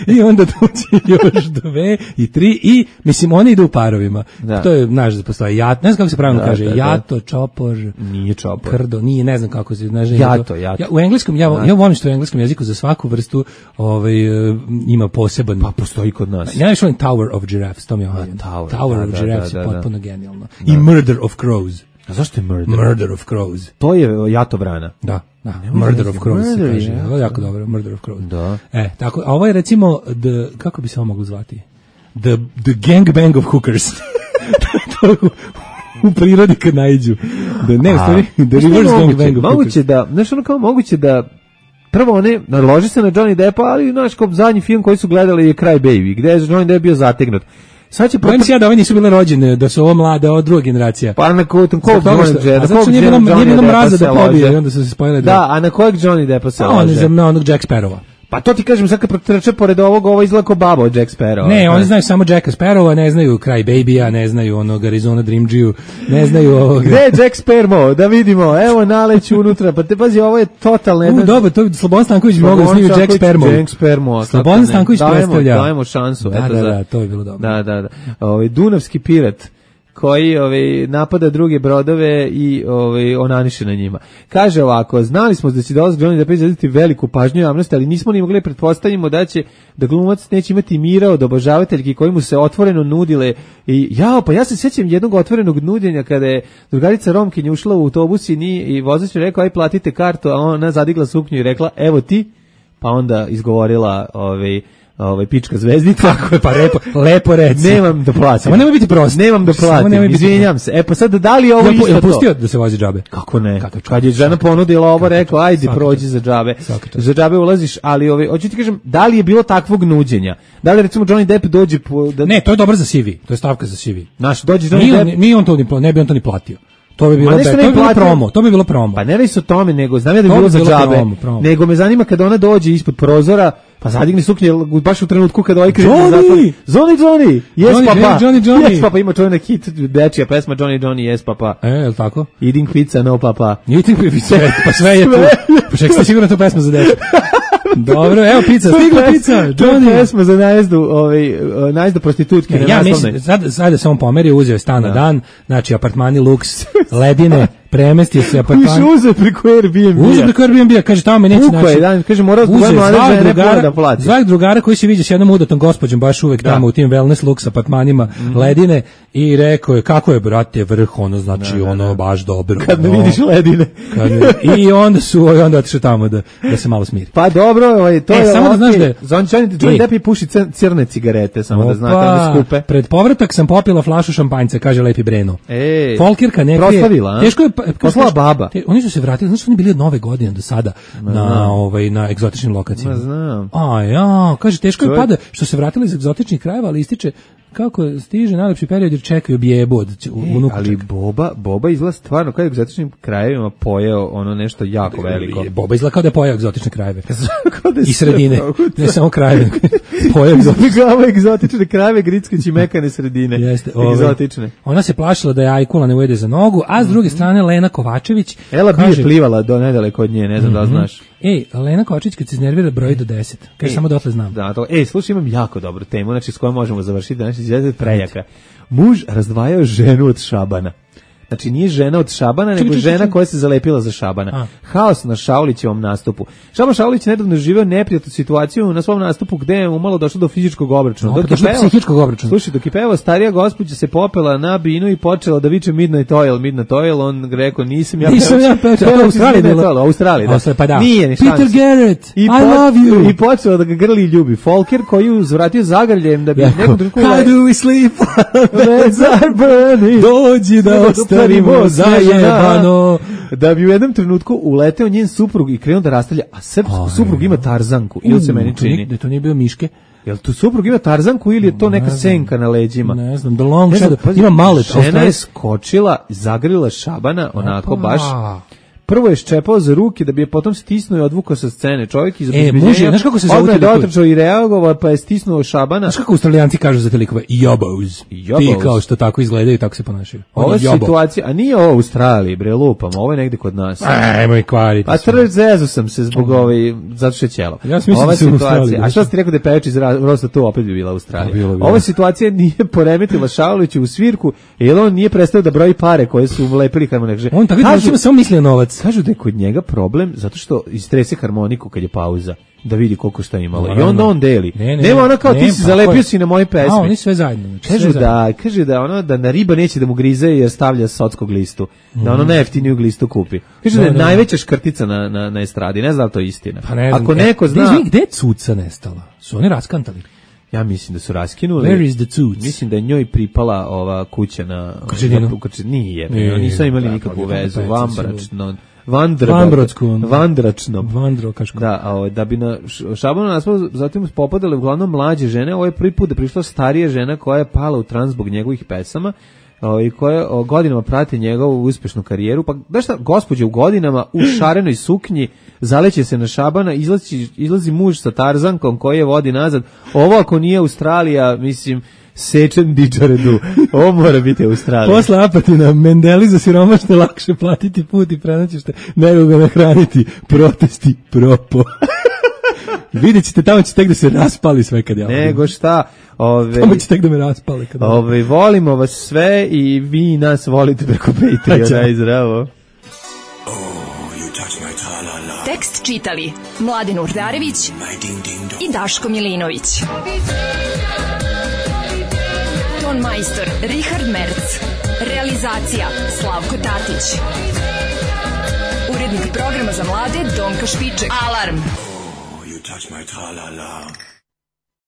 I onda dođe još 2 i 3 i, mislim, oni idu u parovima. To je, znaš, da postoji jat, ne znam kako se pravilno kaže, jato, čopor. Nije čopor. Krdo, nije, ne znam kako se, znaš. Jato. U engleskom, ja volim što u engleskom jeziku za svaku vrstu ima poseban. Pa postoji kod nas. Ja nešto volim Tower of Giraffes, to mi je omiljeno. Tower of Giraffes je potpuno genijalno. I Murder of Crows. A zašto je Murder? Murder of Crows. To je jato vrana. Da. Murder of Crows se kaže. Ovo je jako dobro, Murder of Crows. Da. Tako, a ovo je recimo, kako bi se ovo moglo zvati? The gangbang of hookers. U prirodi kad najđu. The reverse gangbang of hookers. Moguće da prvo one naloži se na Johnny Deppa, ali znaš, kao zadnji film koji su gledali je Cry Baby, gde je Johnny Depp bio zategnut. Bojim se ja da ovi nisu bile rođene, da su ovo mlade, ovo druga generacija. Pa na kojeg nije bilo mraza da pobije i onda su se spojile. Da, a na kojeg Johnny Deppa se lože? Na onog Jack Sparrowa. Pa to ti kažem, sad kad protrče pored ovog, ovo izgleda kao baba od Jack Sparrowa. Ne, oni znaju samo Jacka Sparrowa, ne znaju Cry Baby-a, ne znaju onog Arizona Dreamgiju, ne znaju ovog... Gde je Jack Sparrow? Da vidimo, evo naleću unutra, pa te pazi, ovo je totalno... Dobro, to Slobodan Stanković bi mogao da snimio Jack Sparrow. Slobodan Stanković predstavlja. Dajemo šansu. Da, to je bilo dobro. Da. Dunavski pirat koji napada druge brodove i onaniše na njima. Kaže ovako, znali smo da će dolazak Johnny Depp izazvati veliku pažnju javnosti, ali nismo ni mogli pretpostavimo da glumac neće imati mira od obožavateljki koji mu se otvoreno nudile i pa ja se sjećam jednog otvorenog nuđenja kada je drugarica Romkinja ušla u autobus i vozač je rekao aj platite kartu, a ona zadigla suknju i rekla evo ti, pa onda izgovorila pička zvezdica. Tako je, pa lepo reci. Nemam da platim. Samo nemoj biti prost. Nemam da platim, izvinjam se. Pa sad da li je ovo isto to? Pustio da se vozi džabe? Kako ne? Kad je žena ponudila ovo, rekao, ajde, prođi za džabe. Za džabe ulaziš, ali hoću ti kažem, da li je bilo takvog nuđenja? Da li recimo Johnny Depp dođe... Ne, to je dobro za CV, to je stavka za CV. Naš, dođe Johnny Depp... Ne bi on to ni platio. To bi bilo promo. Pa ne radi se o tome, nego znam ja da bi bilo za džabe. Nego me zanima kada ona dođe ispod prozora, pa zadigne suknje baš u trenutku kada ovaj križe na zatvor. Johnny! Yes, papa! Yes, papa, ima čovjek hit, dečija pesma Johnny, yes, papa. Je li tako? Eating pizza, no, papa. Eating pizza, pa sve je tu. Pa ček ste sigurno tu pesmu za dečiju. Dobro, evo pizza, stigla pizza, Johnny. Pesma za najezdu prostitutke. Ja mislim, sad da se on pomerio, uzeo je stan na dan, znači apartmani Lux, ledine, premestio se apartman. Uzeo preko Airbnb-a. Kaže, tamo me neće naći. Kaže, mora da plati. Zvak drugara koji se viđa s jednom udatom gospođom, baš uvek tamo u tim wellness Lux apartmanima, ledine, i rekao je, kako je, brate, vrh, ono, znači, ono, baš dobro. Kad ne vidiš ledine. I onda otišao tamo da se malo smiri. Pa dobro, to je... Samo da znaš da je... Johnny Depp puši crne cigarete, samo da znate, onda skupe. Pred povratak sam popila flašu šampanjca, kaže Lepi Breno. Folkirka ne krije. Proslavila, a? Teško je... Poslala baba. Oni su se vratili, znači su oni bili od Nove godine do sada na egzotičnim lokacijama. Znam. Kaže, teško je pada što se vratili iz egzotičnih krajeva, ali ističe kako stiže najlepši period jer čekaju bijebu od unuka. Ali Boba izgleda stvarno kao egzotičnim krajevima pojeo ono nešto jako veliko. Boba izgleda kao da je pojeo egzotične krajeve. I sredine, ne samo krajeve. Pojeo egzotične krajeve, grickeći mekane sredine. Jeste, egzotične. Ona se plašila da je ajkula ne ujede za nogu, a s druge strane Lena Kovačević... Ela bi plivala do nedaleko od nje, ne znam da znaš. Lena Kovačević kad se iznervira broji do 10. Kaže, samo dotle znam. Da, slušaj, imam jako dobru temu, znači s kojom možemo završiti danas izgleda prejaka. Muž razdvajao ženu od Šabana. Znači nije žena od Šabana, nego žena koja se zalepila za Šabana. Haos na Šaulićevom nastupu. Šaban Šaulić nedavno živeo neprijatnu situaciju na svom nastupu gde je umalo došlo do fizičkog obračuna. Psihičkog obračuna. Slušaj, dok je pevao, starija gospođa se popela na binu i počela da viče Midnight Oil, on rekao nisam ja pevao. To je Australija, da. Pa da. Nije ni Peter Garrett, I love you. I počela da ga grli i ljubi. Folker koji uzvratio zagrljem da bi nekom trenutku... How do we sleep? Reds are burning. Dođi da starimo zajebano. Da bi u jednom trenutku uleteo njen suprug i krenuo da rastavlja, a suprug ima tarzanku, ili se meni čini. Da to nije bio Miške. Jel tu suprug ima tarzanku ili je to neka senka na leđima? Ne znam, ima malet. Žena je skočila, zagrlila Šabana, onako baš... Prvo je ščepao za ruke da bi je potom stisnuo i odvukao sa scene. Čovjek iz obezbeđenja znaš kako se zove odmah dotrčao i reagovao, pa je stisnuo Šabana. Znaš kako Australijanci kažu za te likove? Jobos. Ti kao što tako izgledaju i tako se ponašaju. Ova situacija, a nije ovo u Australiji, bre, lupam, ovo je negde kod nas. Ajmo i kvariti. A zezu sam se zbog zato što je ćelo. Ja mislim da se u Australiji. A što si ti rekao da je pevač iz Rosta, to opet bi bila Australija. Ova situacija nije poremetila Šauliću u svirku, jer on nije prestao da broji pare koje su ulepili harmonike. On tako da samo mislio novac. Kažu da je kod njega problem zato što istrese harmoniku kad je pauza da vidi koliko šta imalo. I onda on deli. Nema ona kao ti si zalepio si na moje pesme. Oni sve zajedno. Kaže da ono da na riba neće da mu grize jer stavlja sockog listu. Da ono najjeftiniju glistu kupi. Kaže da je najveća škrtica na estradi. Ne znam da to je istina. Ako neko zna... Gde je cuca nestala? Su oni raskantali? Ja mislim da su raskinuli. Where is the tooth? Mislim da je njoj pripala ova kuća na... Krčedinu? Nije. Nisu imali nikakvu vezu. Vandračnom. Da bi na Šabanu naspolu zatim popadale uglavnom mlađe žene. Ovo je prvi put da prišla starija žena koja je pala u trans zbog njegovih pesama i koja godinama prati njegovu uspešnu karijeru. Pa da šta, gospođa u godinama u šarenoj suknji zaleće se na Šabana, izlazi muž sa tarzankom koji je vodi nazad. Ovo ako nije Australija, mislim... Sečen dičaredu. Ovo mora biti Australija. Posle Apatina, Mendeli za siromašne lakše platiti put i prenaćište nego ga nahraniti. Protesti propo. Vidjet ćete, tamo će tek da se raspali sve kad ja... Nego šta? Tamo će tek da me raspali. Volimo vas sve i vi nas volite preko Patreona. Zdravo. Tekst čitali Mladen Urdarević i Daško Milinović. Ton majstor Richard Merc. Realizacija Slavko Tatić. Urednik programa za mlade Donka Špiček. Alarm! You touch my tra-la-la.